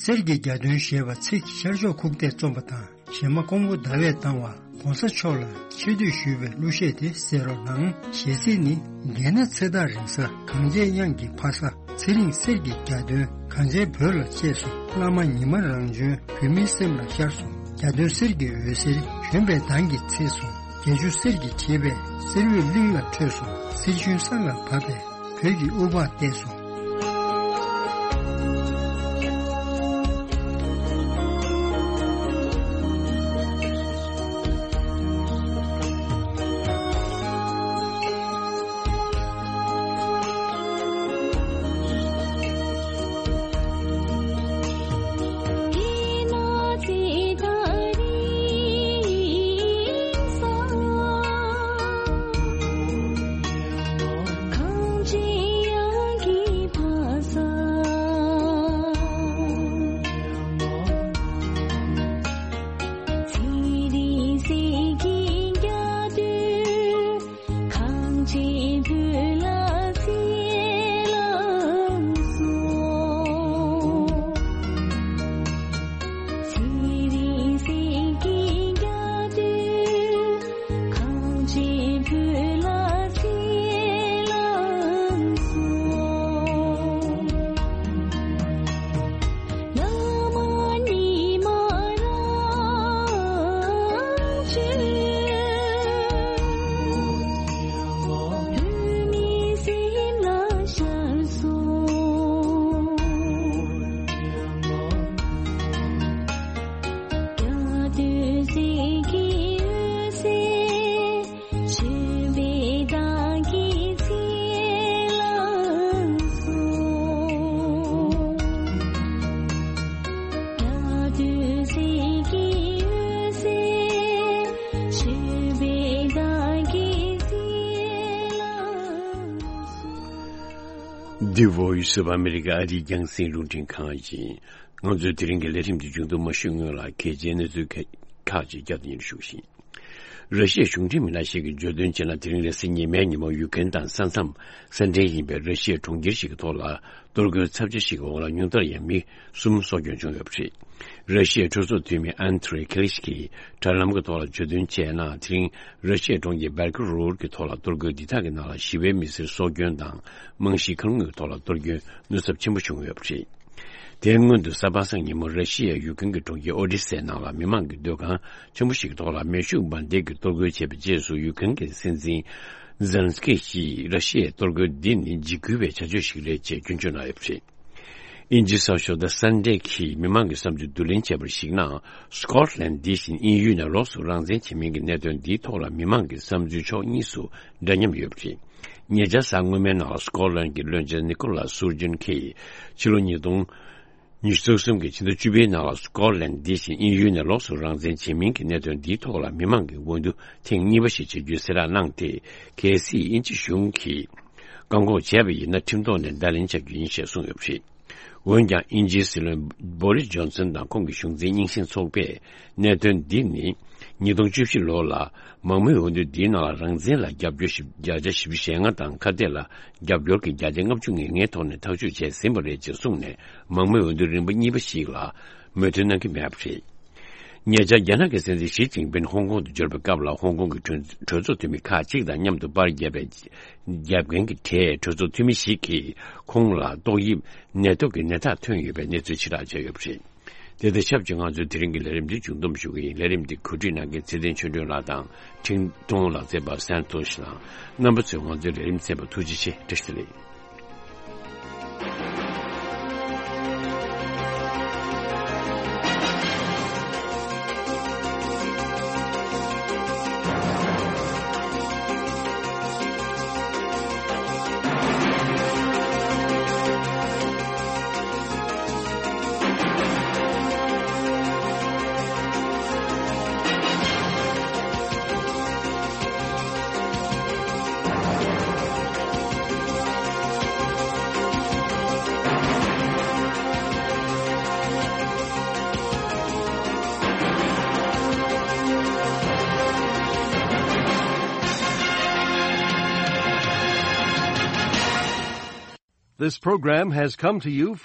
གསེར་གྱི་རྒྱ་སྟོན་ཞེས་པ་ཚེ་ཤར་ཕྱོགས་ཁུག་རྟས་རྩོམ་པ་དང་། གཞས་མ་ཀོང་པོ་ཟླ་བས་བཏང་བ། ༸གོང་ས་མཆོག་ལ་ཆེ་བསྟོད་ཞུས་པའི་གླུ་གཞས་དེ་གསན་རོགས་གནང་། གཞས་ཚིག་ནི། རྒྱལ་ན་ཚེ་ཐག་རིང་ས། གངས་ཅན་དབྱངས་ཀྱི་ཕ་ས། ཚེ་རིང་གསེར་གྱི་རྒྱ་སྟོན། གངས་ཅན་བོད་ལ་གཅེས་སོང་། བླ་མ་ཉི་མ་རང་བྱོན། བོད་མིའི་སེམས་ལ་ཤར་སོང་། རྒྱ་སྟོན་གསེར་གྱི་འོད་ཟེར། བྱོན་པའི་མདངས་ཀྱིས་ཚེས་སོང་། བརྒྱད་ཅུ་གསེར་གྱིས་བྲིས་པའི། གསེར་འོད་གླིང་ལ་འཕྲོས་སོང་། གསེར་ཞུན་ས་ལ་བབས་པའི། བོད་ཀྱི་དབུ་འཕང་བསྟོད་སོང་། གངས་ཅན་བོད་ལ་གསེར་ལ་སོགས། ཚེ་རིང་གསེར་གྱི་རྒྱ་སྟོན། གངས་ཅན་བོད་ལ་གསེར་ལ་སོགས། བླ་མ་ཉི་མ་རང་བྱོན། བོད་མིའི་སེམས་ལ་ཤར་སོང་། རྒྱ་སྟོན་གསེར་གྱི་འོད་ཟེར། བྱོན་པའི་མདངས་ཀྱིས་ཚེ་ལ་སོགས། རྒྱ་སྟོན་གསེར་གྱི་འོད་ཟེར། བྱོན་པའི་མདངས་ཀྱིས་ཚེ་ལ་སོགས། འདི་Voice of America ཨ་རིའི་རྒྱང་སྲིང་རླུང་འཕྲིན་ཁང་ཡིན། ང་ཚོའི་དེ་རིང་གི་ལས་རིམ་འདི་མཇུག་བསྡོམས་མ་ཞུས་སྔོན་ལ། གལ་ཆེའི་གནས་ཚུལ་ཁག་ཅིག་བསྐྱར་དུ་སྙན་ཞུ་ཞུ་གི་ཡིན། ར་ཤི་ཡའི་གཞུང་འབྲེལ་མི་སྣ་ཞིག་གིས་བརྗོད་དོན་བྱས་ན། དེ་རིང་རེས་གཟའ་ཉི་མའི་ཉིན་མོ་ཡུ་ཀེན་དང་ས་མཚམས་ས་འབྲེལ་ཡིན་པའི་ར་ཤི་ཡའི་གྲོང་ཁྱེར་ཞིག་གི་ཐོག་ལ་གཏོར་རྒོལ་ཚབས་ཆེ་ཞིག་གི་འོག་ལ་ཉུང་མཐར་ཡང་མི་གསུམ་སྲོག་སྐྱོན་བྱུང་ཡོད་པ་རེད། ར་ཤི་ཡའི་གྲོས་ཚོགས་འཐུས་མི་ཨན་ཐི་རེ་ཁེ་ལི་ཤི་གིས་དྲ་ལམ་གྱི་ཐོག་ལ་བརྗོད་དོན་བྱས་ན། དེ་རིང་ར་ཤི་ཡའི་གྲོང་ཁྱེར་བེལ་ཀོ་རོཌ་ཀྱི་ཐོག་ལ་གཏོར་རྒོལ་འདི་དག་གི་ནང་ལ་ཞི་བའི་མི་སེར་སྲོག་སྐྱོན་དང་། རྨང་གཞིའི་མཁའ་རླུང་གི་ཐོག་ལ་གཏོར་སྐྱོན་ནུས་ཚབས་ཆེན་པོ་བྱུང་ཡོད་པ་རེད། དེའི་སྔོན་དུ་གཟའ་པ་སངས་ཉིན་མོ་ར་ཤི་ཡའི་ཡུལ་ཁང་གི་གྲོང་ཁྱེར་ཨོ་ཌི་སའི་ནང་ལ་མི་མང་གི་སྡོད་ཁང་ཆེན་པོ་ཞིག་གི་ཐོག་ལ་མེ་ཤུགས་འབར་མདེལ་གྱིས་གཏོར་རྒོལ་བྱས་པའི་རྗེས་སུ། ཡུལ་ཁང་གི་སྲིད་འཛིན་ཛེ་ལན་སི་ཀི་ཞིས་ར་ཤི་ཡའི་གཏོར་རྒོལ་འདི་ནི་འཇིགས་སྐུལ་བའི་བྱ་སྤྱོད་ཞིག་རེད་ཅེས་སྐྱོན་བརྗོད་གནང་ཡོད་པ་རེད། དབྱིན་ཇིའི་གསར་ཤོག་The Sun་གིས་མི་མང་གི་བསམ་ཚུལ་བསྡུ་ལེན་བྱས་པར་གཞིགས་ན། སི་ཀོཊ་ལན་འདི་བཞིན་དབྱིན་ཡུལ་ནས་ལོགས་སུ་རང་བཙན་བྱེད་མིན་གྱི་གནད་དོན་འདིའི་ཐོག་ལ་མི་མང་གི་བསམ་ཚུལ་ཕྱོགས་གཉིས་སུ་འདྲ་མཉམ་ཡོད་པ་རེད། ཉེ་ཆར་གཟའ་སྔོན་མའི་ནང་ལ་སི་ཀོཊ་ལན་གྱི་བློན་ཆེན་ནི་ཀོ་ལ་སུར་ཇིན་གྱིས་ཕྱི་ལོ་ཉིས་སྟོང་ཉི་ཤུ་རྩ་གསུམ་གྱི་ཕྱི་ཟླ་བཅུ་པའི་ནང་ལ་སི་ཀོཊ་ལན་འདི་བཞིན་དབྱིན་ཡུལ་ནས་ལོགས་སུ་རང་བཙན་བྱེད་མིན་གྱི་གནད་དོན་འདིའི་ཐོག་ལ་མི་མང་གི་འོས་བསྡུ་ཐེངས་གཉིས་པ་ཞིག་བྱ་རྒྱུའི་གསལ་བསྒྲགས་གནང་སྟེ། གལ་སྲིད་དབྱིན་ཇི་གཞུང་གིས་བཀག་འགོག་བྱས་པ་ཡིན་ན། ཁྲིམས་ཐོག་ནས་བརྡ་ལན་འཇལ་རྒྱུ་ཡིན་ཞེས་གསུངས་ཡོད་པ་རེད། འོན་ཀྱང་། དབྱིན་ཇིའི་སྲིད་བློན་བྷོ་རིས་ཇོན་སན་དང་ཁོང་གི་གཞུང་འཛིན་རྙིང་ཞེན་ཚོགས་པས། གནད་དོན་འདི་ནི་ཉིས་སྟོང་བཅུ་བཞི་ལོ་ལ་མང་མོས་འོས་བསྡུ་འདིའི་ནང་ལ་རང་བཙན་ལ་རྒྱབ་སྐྱོར་བཞི་བརྒྱ་བཞི་བཅུ་ཞེ་ལྔ་དང་། ཁ་གཏད་ལ་རྒྱབ་སྐྱོར་གྱི་བརྒྱ་ཆ་ལྔ་བཅུ་ང་ལྔའི་ཐོག་ནས་ཐག་གཅོད་བྱས་ཟིན་པ་རེད་ཅེས་གསུངས་ནས། མང་མོས་འོས་བསྡུ་རིམ་པ་གཉིས་པ་ཞིག་ལ་མོས་མཐུན་གནང་གི་མེད་པ་རེད། ཉེ་ཆར་རྒྱ་ནག་གི་སྲིད་འཛིན་ཞི་ཅིན་ཕིན་ཧོང་ཀོང་དུ་འབྱོར་བའི་སྐབས་ལ། ཧོང་ཀོང་གི་གྲོས་གྲོས་ཚོགས་འཐུས་མི་ཁག་ཅིག་དང་མཉམ་དུ་པར་བརྒྱབ་པའི། རྒྱབ་མཁན་གྱི་གྲས་གྲོས་ཚོགས་འཐུས་མི་ཞིག་གིས་ཁོང་ལ་ཏོག་དབྱིབས་ནད་དུག་གི་ནད་རྟགས་ཐོན་ཡོད་པའི་གནས་ཚུལ་ཕྱིར་བསྒྲགས་བྱས་ཡོད་པ་རེད། དེ་དང་ཆབས་ཅིག་ང་ཚོའི་དེ་རིང་གི་ལས་རིམ་འདི་མཇུག་བསྡོམས་ཞུ་གི་ཡིན། ལས་རིམ་འདི་གོ་སྒྲིག་གནང་མཁན་ཚེ་བརྟན་ཆོས་སྒྲོན་ལགས་དང་འཕྲིན་གཏོང་ལག་རྩལ་པ་སན་ཏོ་ཤི་ལགས། རྣམ་པ་ཚོས་ང་ཚོའི་ལས་རིམ་གསན་པར་ཐུགས་རྗེ་ཆེ། བཀྲ་ཤིས་བདེ་ལེགས། This program has come to you from